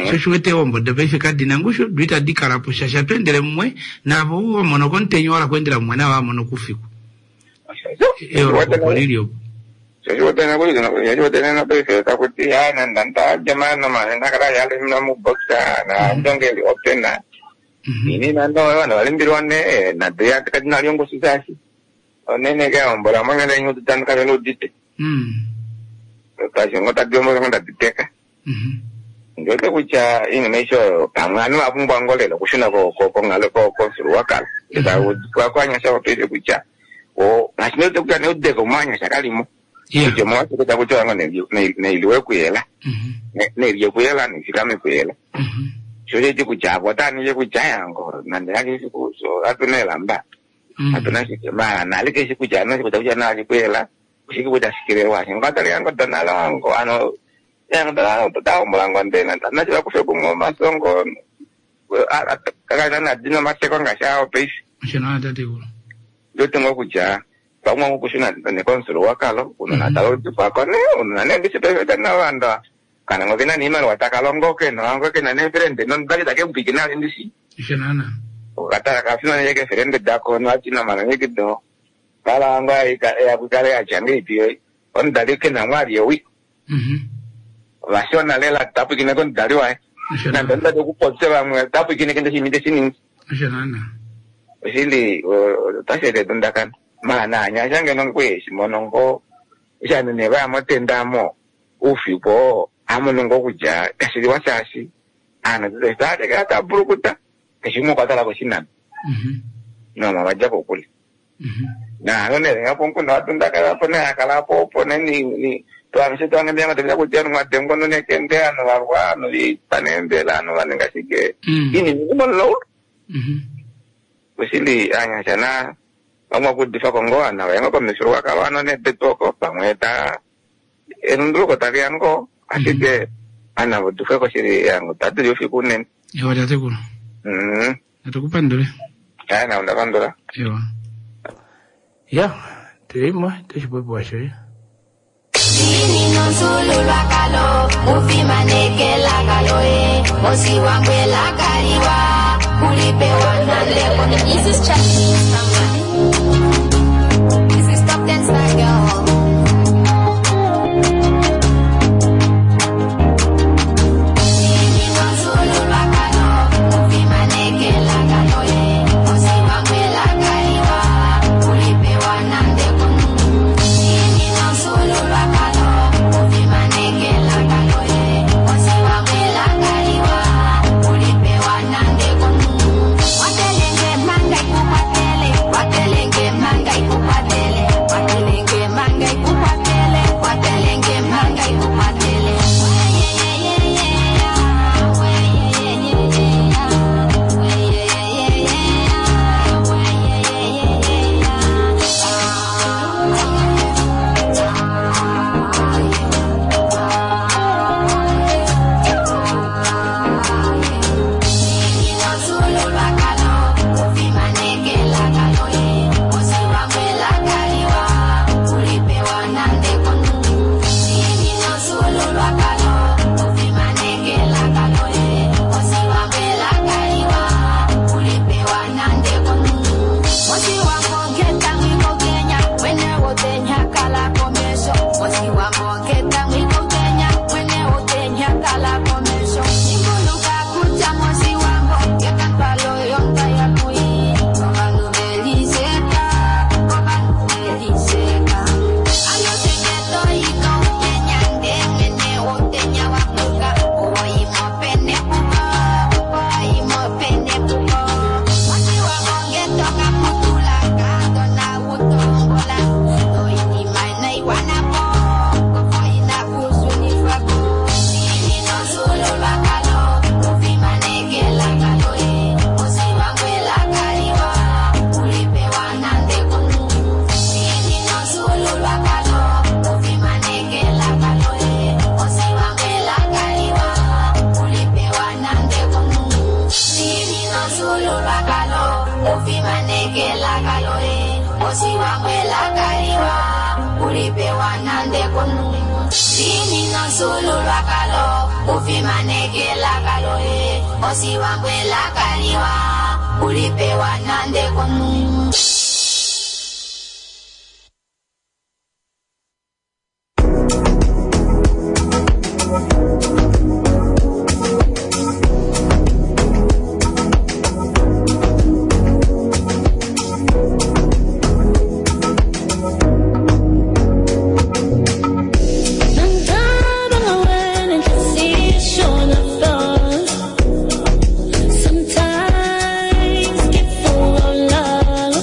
sho shiwete eehombo dopaife kadina ngushu do itadi kalapo shaashi atu endele mumwe naavo wamono komutenya wala kuendela mumwe navo wamono koufiku eyooloko opo lili opo. Shoshiwetenakuli paife takuti ha nanda ntajamano nakala yalimna muboxa na ndongeli opena ini nando vana valimbilwa ne nado kadina lyongosu sashi onene keombola mongele nyutu tanu kavela udite kashingo tadiombola ndaditeka ndiwete kutya iinima isho pamwe anu vapumbwa ngo lela okushuna konghalo komufyuululwakalo kwanyasha paife kutya ngaashi ndiwete kutya neudeko mwanyasha kalimo kutya omolwashike takuti wango neiliwe kuyela neilye kuyela neifikame kuyela sho sheti kutya apo otaninge kutya yango nande yakeshi so atuna elamba atuna shike mara nali keshi kutya ano shikuta kutya nali kuyela ushike kutya shikilelwa shingo atali yango donala wango ano yango taombola ngo ndena nachila kufe kumwe omasongo kakana nadina omateko ngaashi awo paife Osho tatekulu. Ndiwete ngoo kutya pamwe okushuna nekomufyuululwakalo unona taludipwako ne unona ne ndishi paife tana vanda kana ngo kena niimaliwa takalongo kena wango kena neefelende nondaki takemupiki nale ndishi Osho naana. okatala kafimaneke keefelende dako noatina malongekido kala wango yakukale yatya ngeipi omudali kena mwali ewi vashona lela tapwikine komudali waye nande omudali okupopya vamwe tapwikine kende shimi teshiningi Osho naana. Oshili otashi eta edundakano mala naanyasha ngeno kweshimono ngo oshanhu ne vaya motenda mo oufiku oo amono ngoo kutya kashiliwa shaashi aanhu tatekela tabulukuta keshe umwe okwa tala koshinano noma vadja kokule naano nelenga pomukunda wadundakana po neakala po opo neni twamishe twange tevila kutya mwadengwa nonekende anu varwa anu vipaneembela anu vaninga shike inini kumololaulu oshili anyasha na vamwe okudifako ngoo ana vayenga komifyuululwakalo ano nebetwoko pamwe ta elunduluko taliya ngoo ashike ana vodufweko shili yango tatuli ufiku unene. Ewa tatekulu. Natukupandule. Aya na undapandula. Ewa. Ya, tulimo toshipopiwa shoye. Nomsululwakalo ufimaneke lakalo e osiwangwe lakaliwa kulipewa nandeko. This is Chinese someone. This is Top 10 Star Girl. komunhu. Diinina omufyuululwakalo, ufimaneke elaka loye, Oshiwambo elaka liwa, kulipewa nande komunhu. Sometimes get full of love.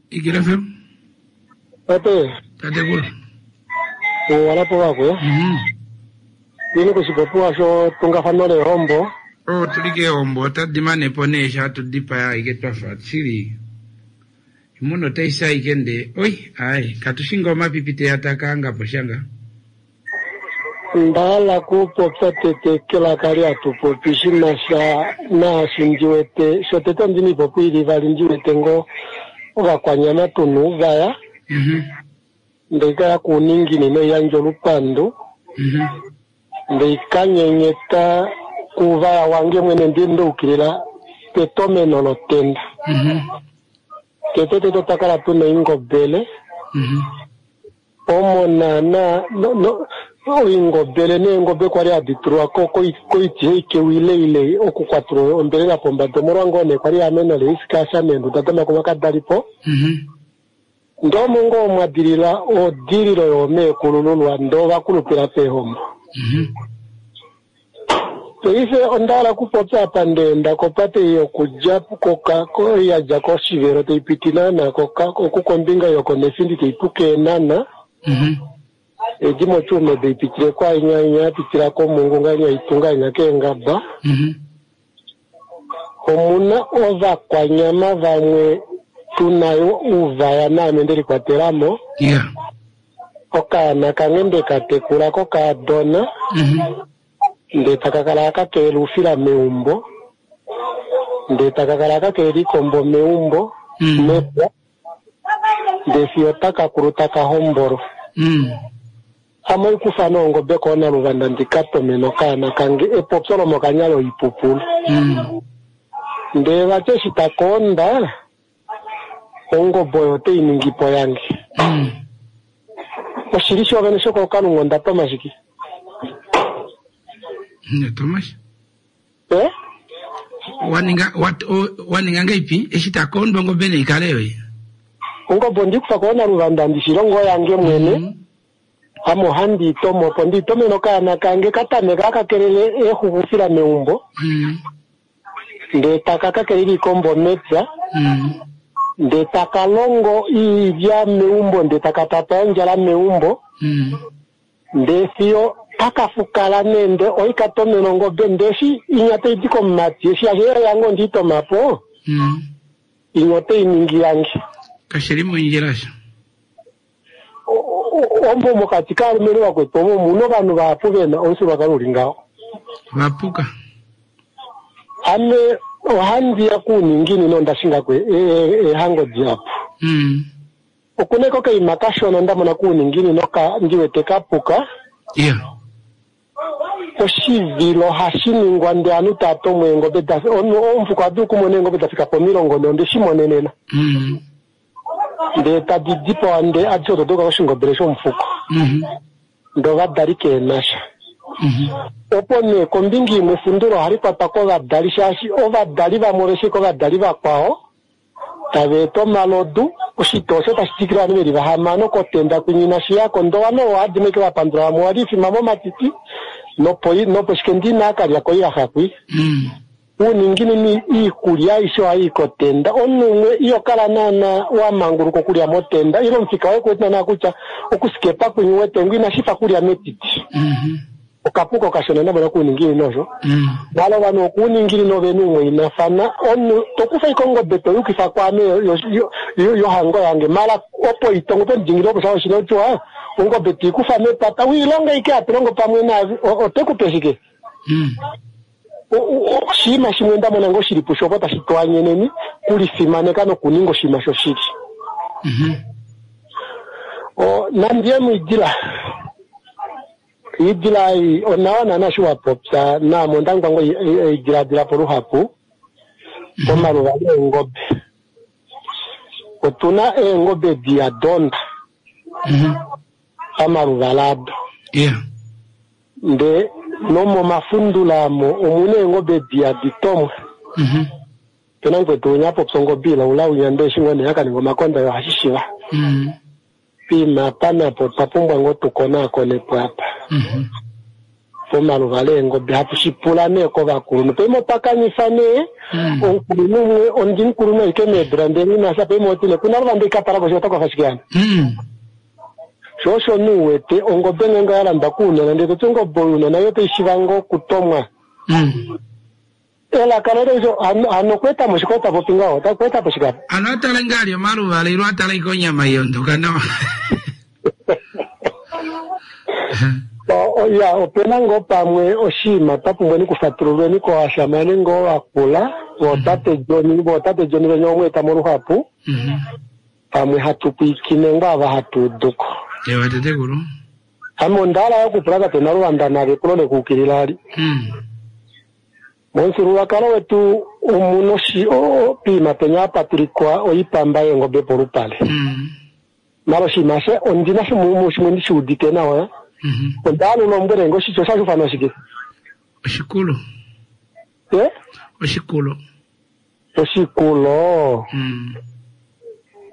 Igila FM. Tate. Tatekulu. Walapo wakwe. Ini koshipopiwa sho tungafano lehombo. Oh, tuli kehombo otadi manepo nee sha tudipaya aike twafa shili. Imuno otaisa aike nde oi ai katushinga omapipi teya takaangapo shanga. Ndahala kupopya tete kelaka lyatupopi shina sha naashi ndi wete shotete ondina ipopi ili vali ndi wete ngo ovakwanyama tuna ouvaya ndee kaya kuuninginino iyandje olupandu ndee kanyenyeta kuuvaya wange mwene ndi ndeukilila petomeno lotenda. Tete tete otwa kala tuna oingobele omo naana oingobele neengobe kwali hadi tulwa koiti eikeu okukwatula ombelela pombada omolwa ngoo nee kwali eameno leisikasha meenduda domakuma kadalipo. Ndee omo ngoo mwa dilila odililo yoomeekulululwa ndee ovakulupila peehombo. Paife onda hala okupopya apa ndeenda kopate ei yokudja ei ya dja kOshivelo tai piti naana oku kombinga yokoNefindi tai puka Eenhana. Edi moTsumeb tai pitile kwaainya inya ya pitila kOmungu ngainya itunga inya keengaba. Omuna ovakwanyama vamwe tuna yo ouvaya naame nde likwatela mo. Okaana kange nde ka tekula kokaadona. Ndee taka kala haka kelela oufila meumbo, ndee taka kala haka kelela iikombo meumbo, mepya, ndee fiyo taka kulu taka hombolwa. Ame oikufa nee ongobe koonaluvanda ndi ka tomene okaana kange epopyo lomokanya loipupulu. Ndee vati eshi taka onda, ongobe oyo ote i ningi po yange. Oshili shoovene shokookalunga onda toma shike? Thomas? Eh? Waninga waninga ngeipi eshi ta kondwa ongobe nei kale yoye? Ongobe ondi kufa ko naluvanda ndi shilongo yange mwene. Ame ohandi i tomo opo ndi tomene okaana kange ka tameka aka kelele eexuxufila meumbo. Ndee taka ka kelele iikombo mepya. Ndee taka longo iilya meumbo ndee taka tata ondjala meumbo. Ndee fiyo taka fukala nee nde oika tomena ongobe ndee eshi inya tai di komumati eshi yasho yo yange ondi toma po inya otai ningi yange. Kashi li mondjila sho. Omo mokati kaalumenhu vakwetu omo omuna ovanhu vahapu vena omufyuululwakalo uli ngaho. Vapuka. Ame ohandi ya kuuninginino onda shinga ko eehango dihapu. Okuna ashike okaima kashona nda mona kuuninginino ka ndi wete ka puka. Oshivilo hashi ningwa ndee ovanhu tava tomwa eengobe da omufuko oha dulu okumona eengobe da fika pomilongo nhee onde shi monenena. Ndee tadi dipawa ndee adishe odo da yuka koshingobele shomufuko. Ndee ovadali keenasha. Opo nee kombinga imwe efundulo ohali kwatwa kovadali shaashi ovadali vamwe ove shii kovadali vakwao. Tava eta omalodu, oshitoo osho tashi twikile ovanhu ve li vahamano kotenda kwinya inashi ya ko. Ndee ovanhu ovo ohadi meke va pandula vamwe owa li ifima momatiti nopo nopo shike ndee inaa ka lya koilaxa kwi. Uuninginini iikulya aishe ohayi i kotenda. Omunhu umwe iho kala naana wa manguluka okulya motenda ile omufika woye ku wete naana kutya okusikepa kwinya u wete ngo inashi fa kulya metiti. Okapuka okashona nda mona kuuninginino osho. Maala ovanhu vokuuninginino ovena oumwainafana. Omunhu to kufa ashike ongobe to yukifa kwaame yohango yange. Maala opo itongo pomudingililo opo sha oshina otiwa ongobe to i kufa mepata u i longe ashike hatu longo pamwe naave ote ku pe shike? Oshinima shimwe nda mona ngoo shili pusho opo tashi tu anyeneni kulifimaneka nokuninga oshinima shoshili. Nandi ye muidila. Iidila ei onawa naana eshi wa popya naame onda ngwa ngoo ei diladila po luhapu pomaluva leengobe. Otuna eengobe di ya donda pamaluvala ado. Nde nomomafundula amo omuna eengobe di hadi tomwa. Opena mukwetu winya a popya ongobe ilaula winya ndee eshi ngoo nee ya ka ninga omakonda yo ohashi shiva. Piima apa napo otwa pumbwa ngoo tu konaakonepo apa pomaluvala eengobe hatu shi pula nee kovakulunhu. Paife otwa kanifa nee omukulunhu umwe, ondimukulunhu ashike meedula ndee nghi sha paife oti nee kuna luvanda ika tala ko ota kwafa shike hano. Sho osho nee u wete ongobe ngeenge oya landwa kounona ndee toti ongobe ounona yo otai shiva ngoo okutomwa. Elaka loye osho hano hano okweeta mo shike ota popi ngaho ota okweeta po shike apa. Ano atale ngaa ali omaluvala ilo atale ike onyama iondoka nawa. Ya, opena ngoo pamwe oshinima twa pumbweni okufatululweni kovashamane ngoo vakula, vootate John, vootate John venya omweeta moluhapu, pamwe hatu pwiikine ngoo ava hatu uduko. Ewa tatekulu. Ame onda hala yo okupula tate Naluvanda nalo epulo lekuukilila ali. Momufyuululwakalo wetu omuna oshi, poima penya hapa tulikwa oipamba yeengobe polupale. Mala oshinima she ondina shimwe shimwe ndi shi udite nawa. Onda hala u lombwele nge oshitya oshashi ufanwa shike? Oshikulo. Eh? Oshikulo. Oshikulo.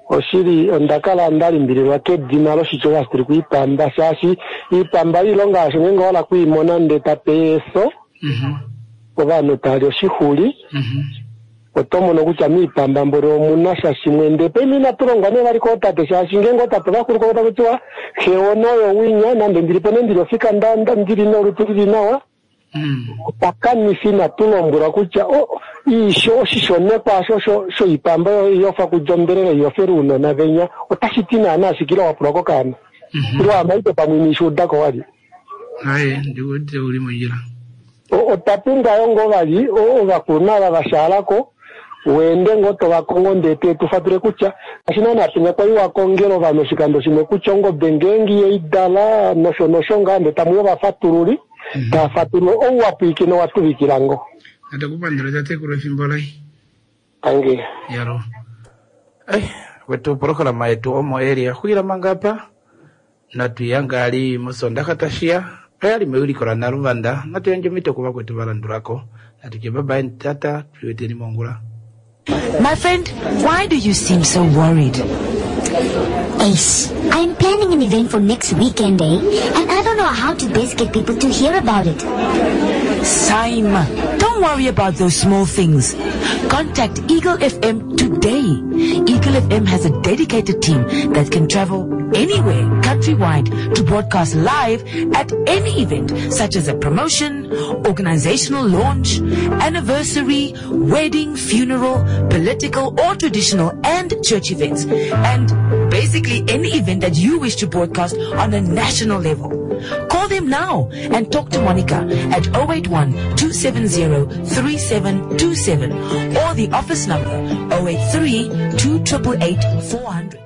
Oshili onda kala nda limbililwa kedina loshitya osho hashi tulikwa oipamba shaashi oipamba oilonga yasho ngeenge owa hala okwiimona ndee tape eso ovanhu tali oshixuli oto mono kutya miipamba mboli omuna sha shimwe ndee paife inatu longwa nee vali kootate shaashi ngeenge ootate ovakuluko otaku tiwa xe wona oyo winya nande ndili po nee ndili ofika nda, nda, ndili nolutu lili nawa otwa kanifa inatu lombwelwa kutya o, iisho oshishonekwa asho sho shoipamba oyo iyofa kulya ombelela iyofela uunona venya otashi ti naana shike ile wapulwa kokaana ile wamaite pamwe inishi udako wali. Aye, ndiwete uli mondjila. Otwa pumbwa yo ngoo vali ovakulunhu ava va shaala ko, weende ngoo to va kongo ndee te tu fatule kutya, ngaashi naana penya kwali wa kongela ovanhu oshikando shimwe kutya ongobe ngeenge iha i dala nosho nosho ngaa ndee tamu ya ovafatululi, tava fatulula ou wa pwiikina owa tuvikila ngoo. Natu ku pandule tatekulu efimbo lai. Tangi. Yalo. Ai, wetu opolohalama yetu omo eli ya xulila manga apa. Natu ya ngaali mOsoondaxa tashi ya, oya li mewiliko laNaluvanda. Natu yandje omhito kuvakwetu va landula ko. Natu tye bye-bye tata, tuliweteni mongula. My friend, why do you seem so worried? Ace, I'm planning an event for next weekend, eh? And I don't know how to best get people to hear about it. Saima, don't worry about those small things. Contact Eagle FM today. Eagle FM has a dedicated team that can travel anywhere countrywide to broadcast live at any event, such as a promotion, organizational launch, anniversary, wedding, funeral, political or traditional and church events, and basically any event that you wish to broadcast on a national level. Call them now and talk to Monica at 081 270 3727 or the office number 083 2888 400.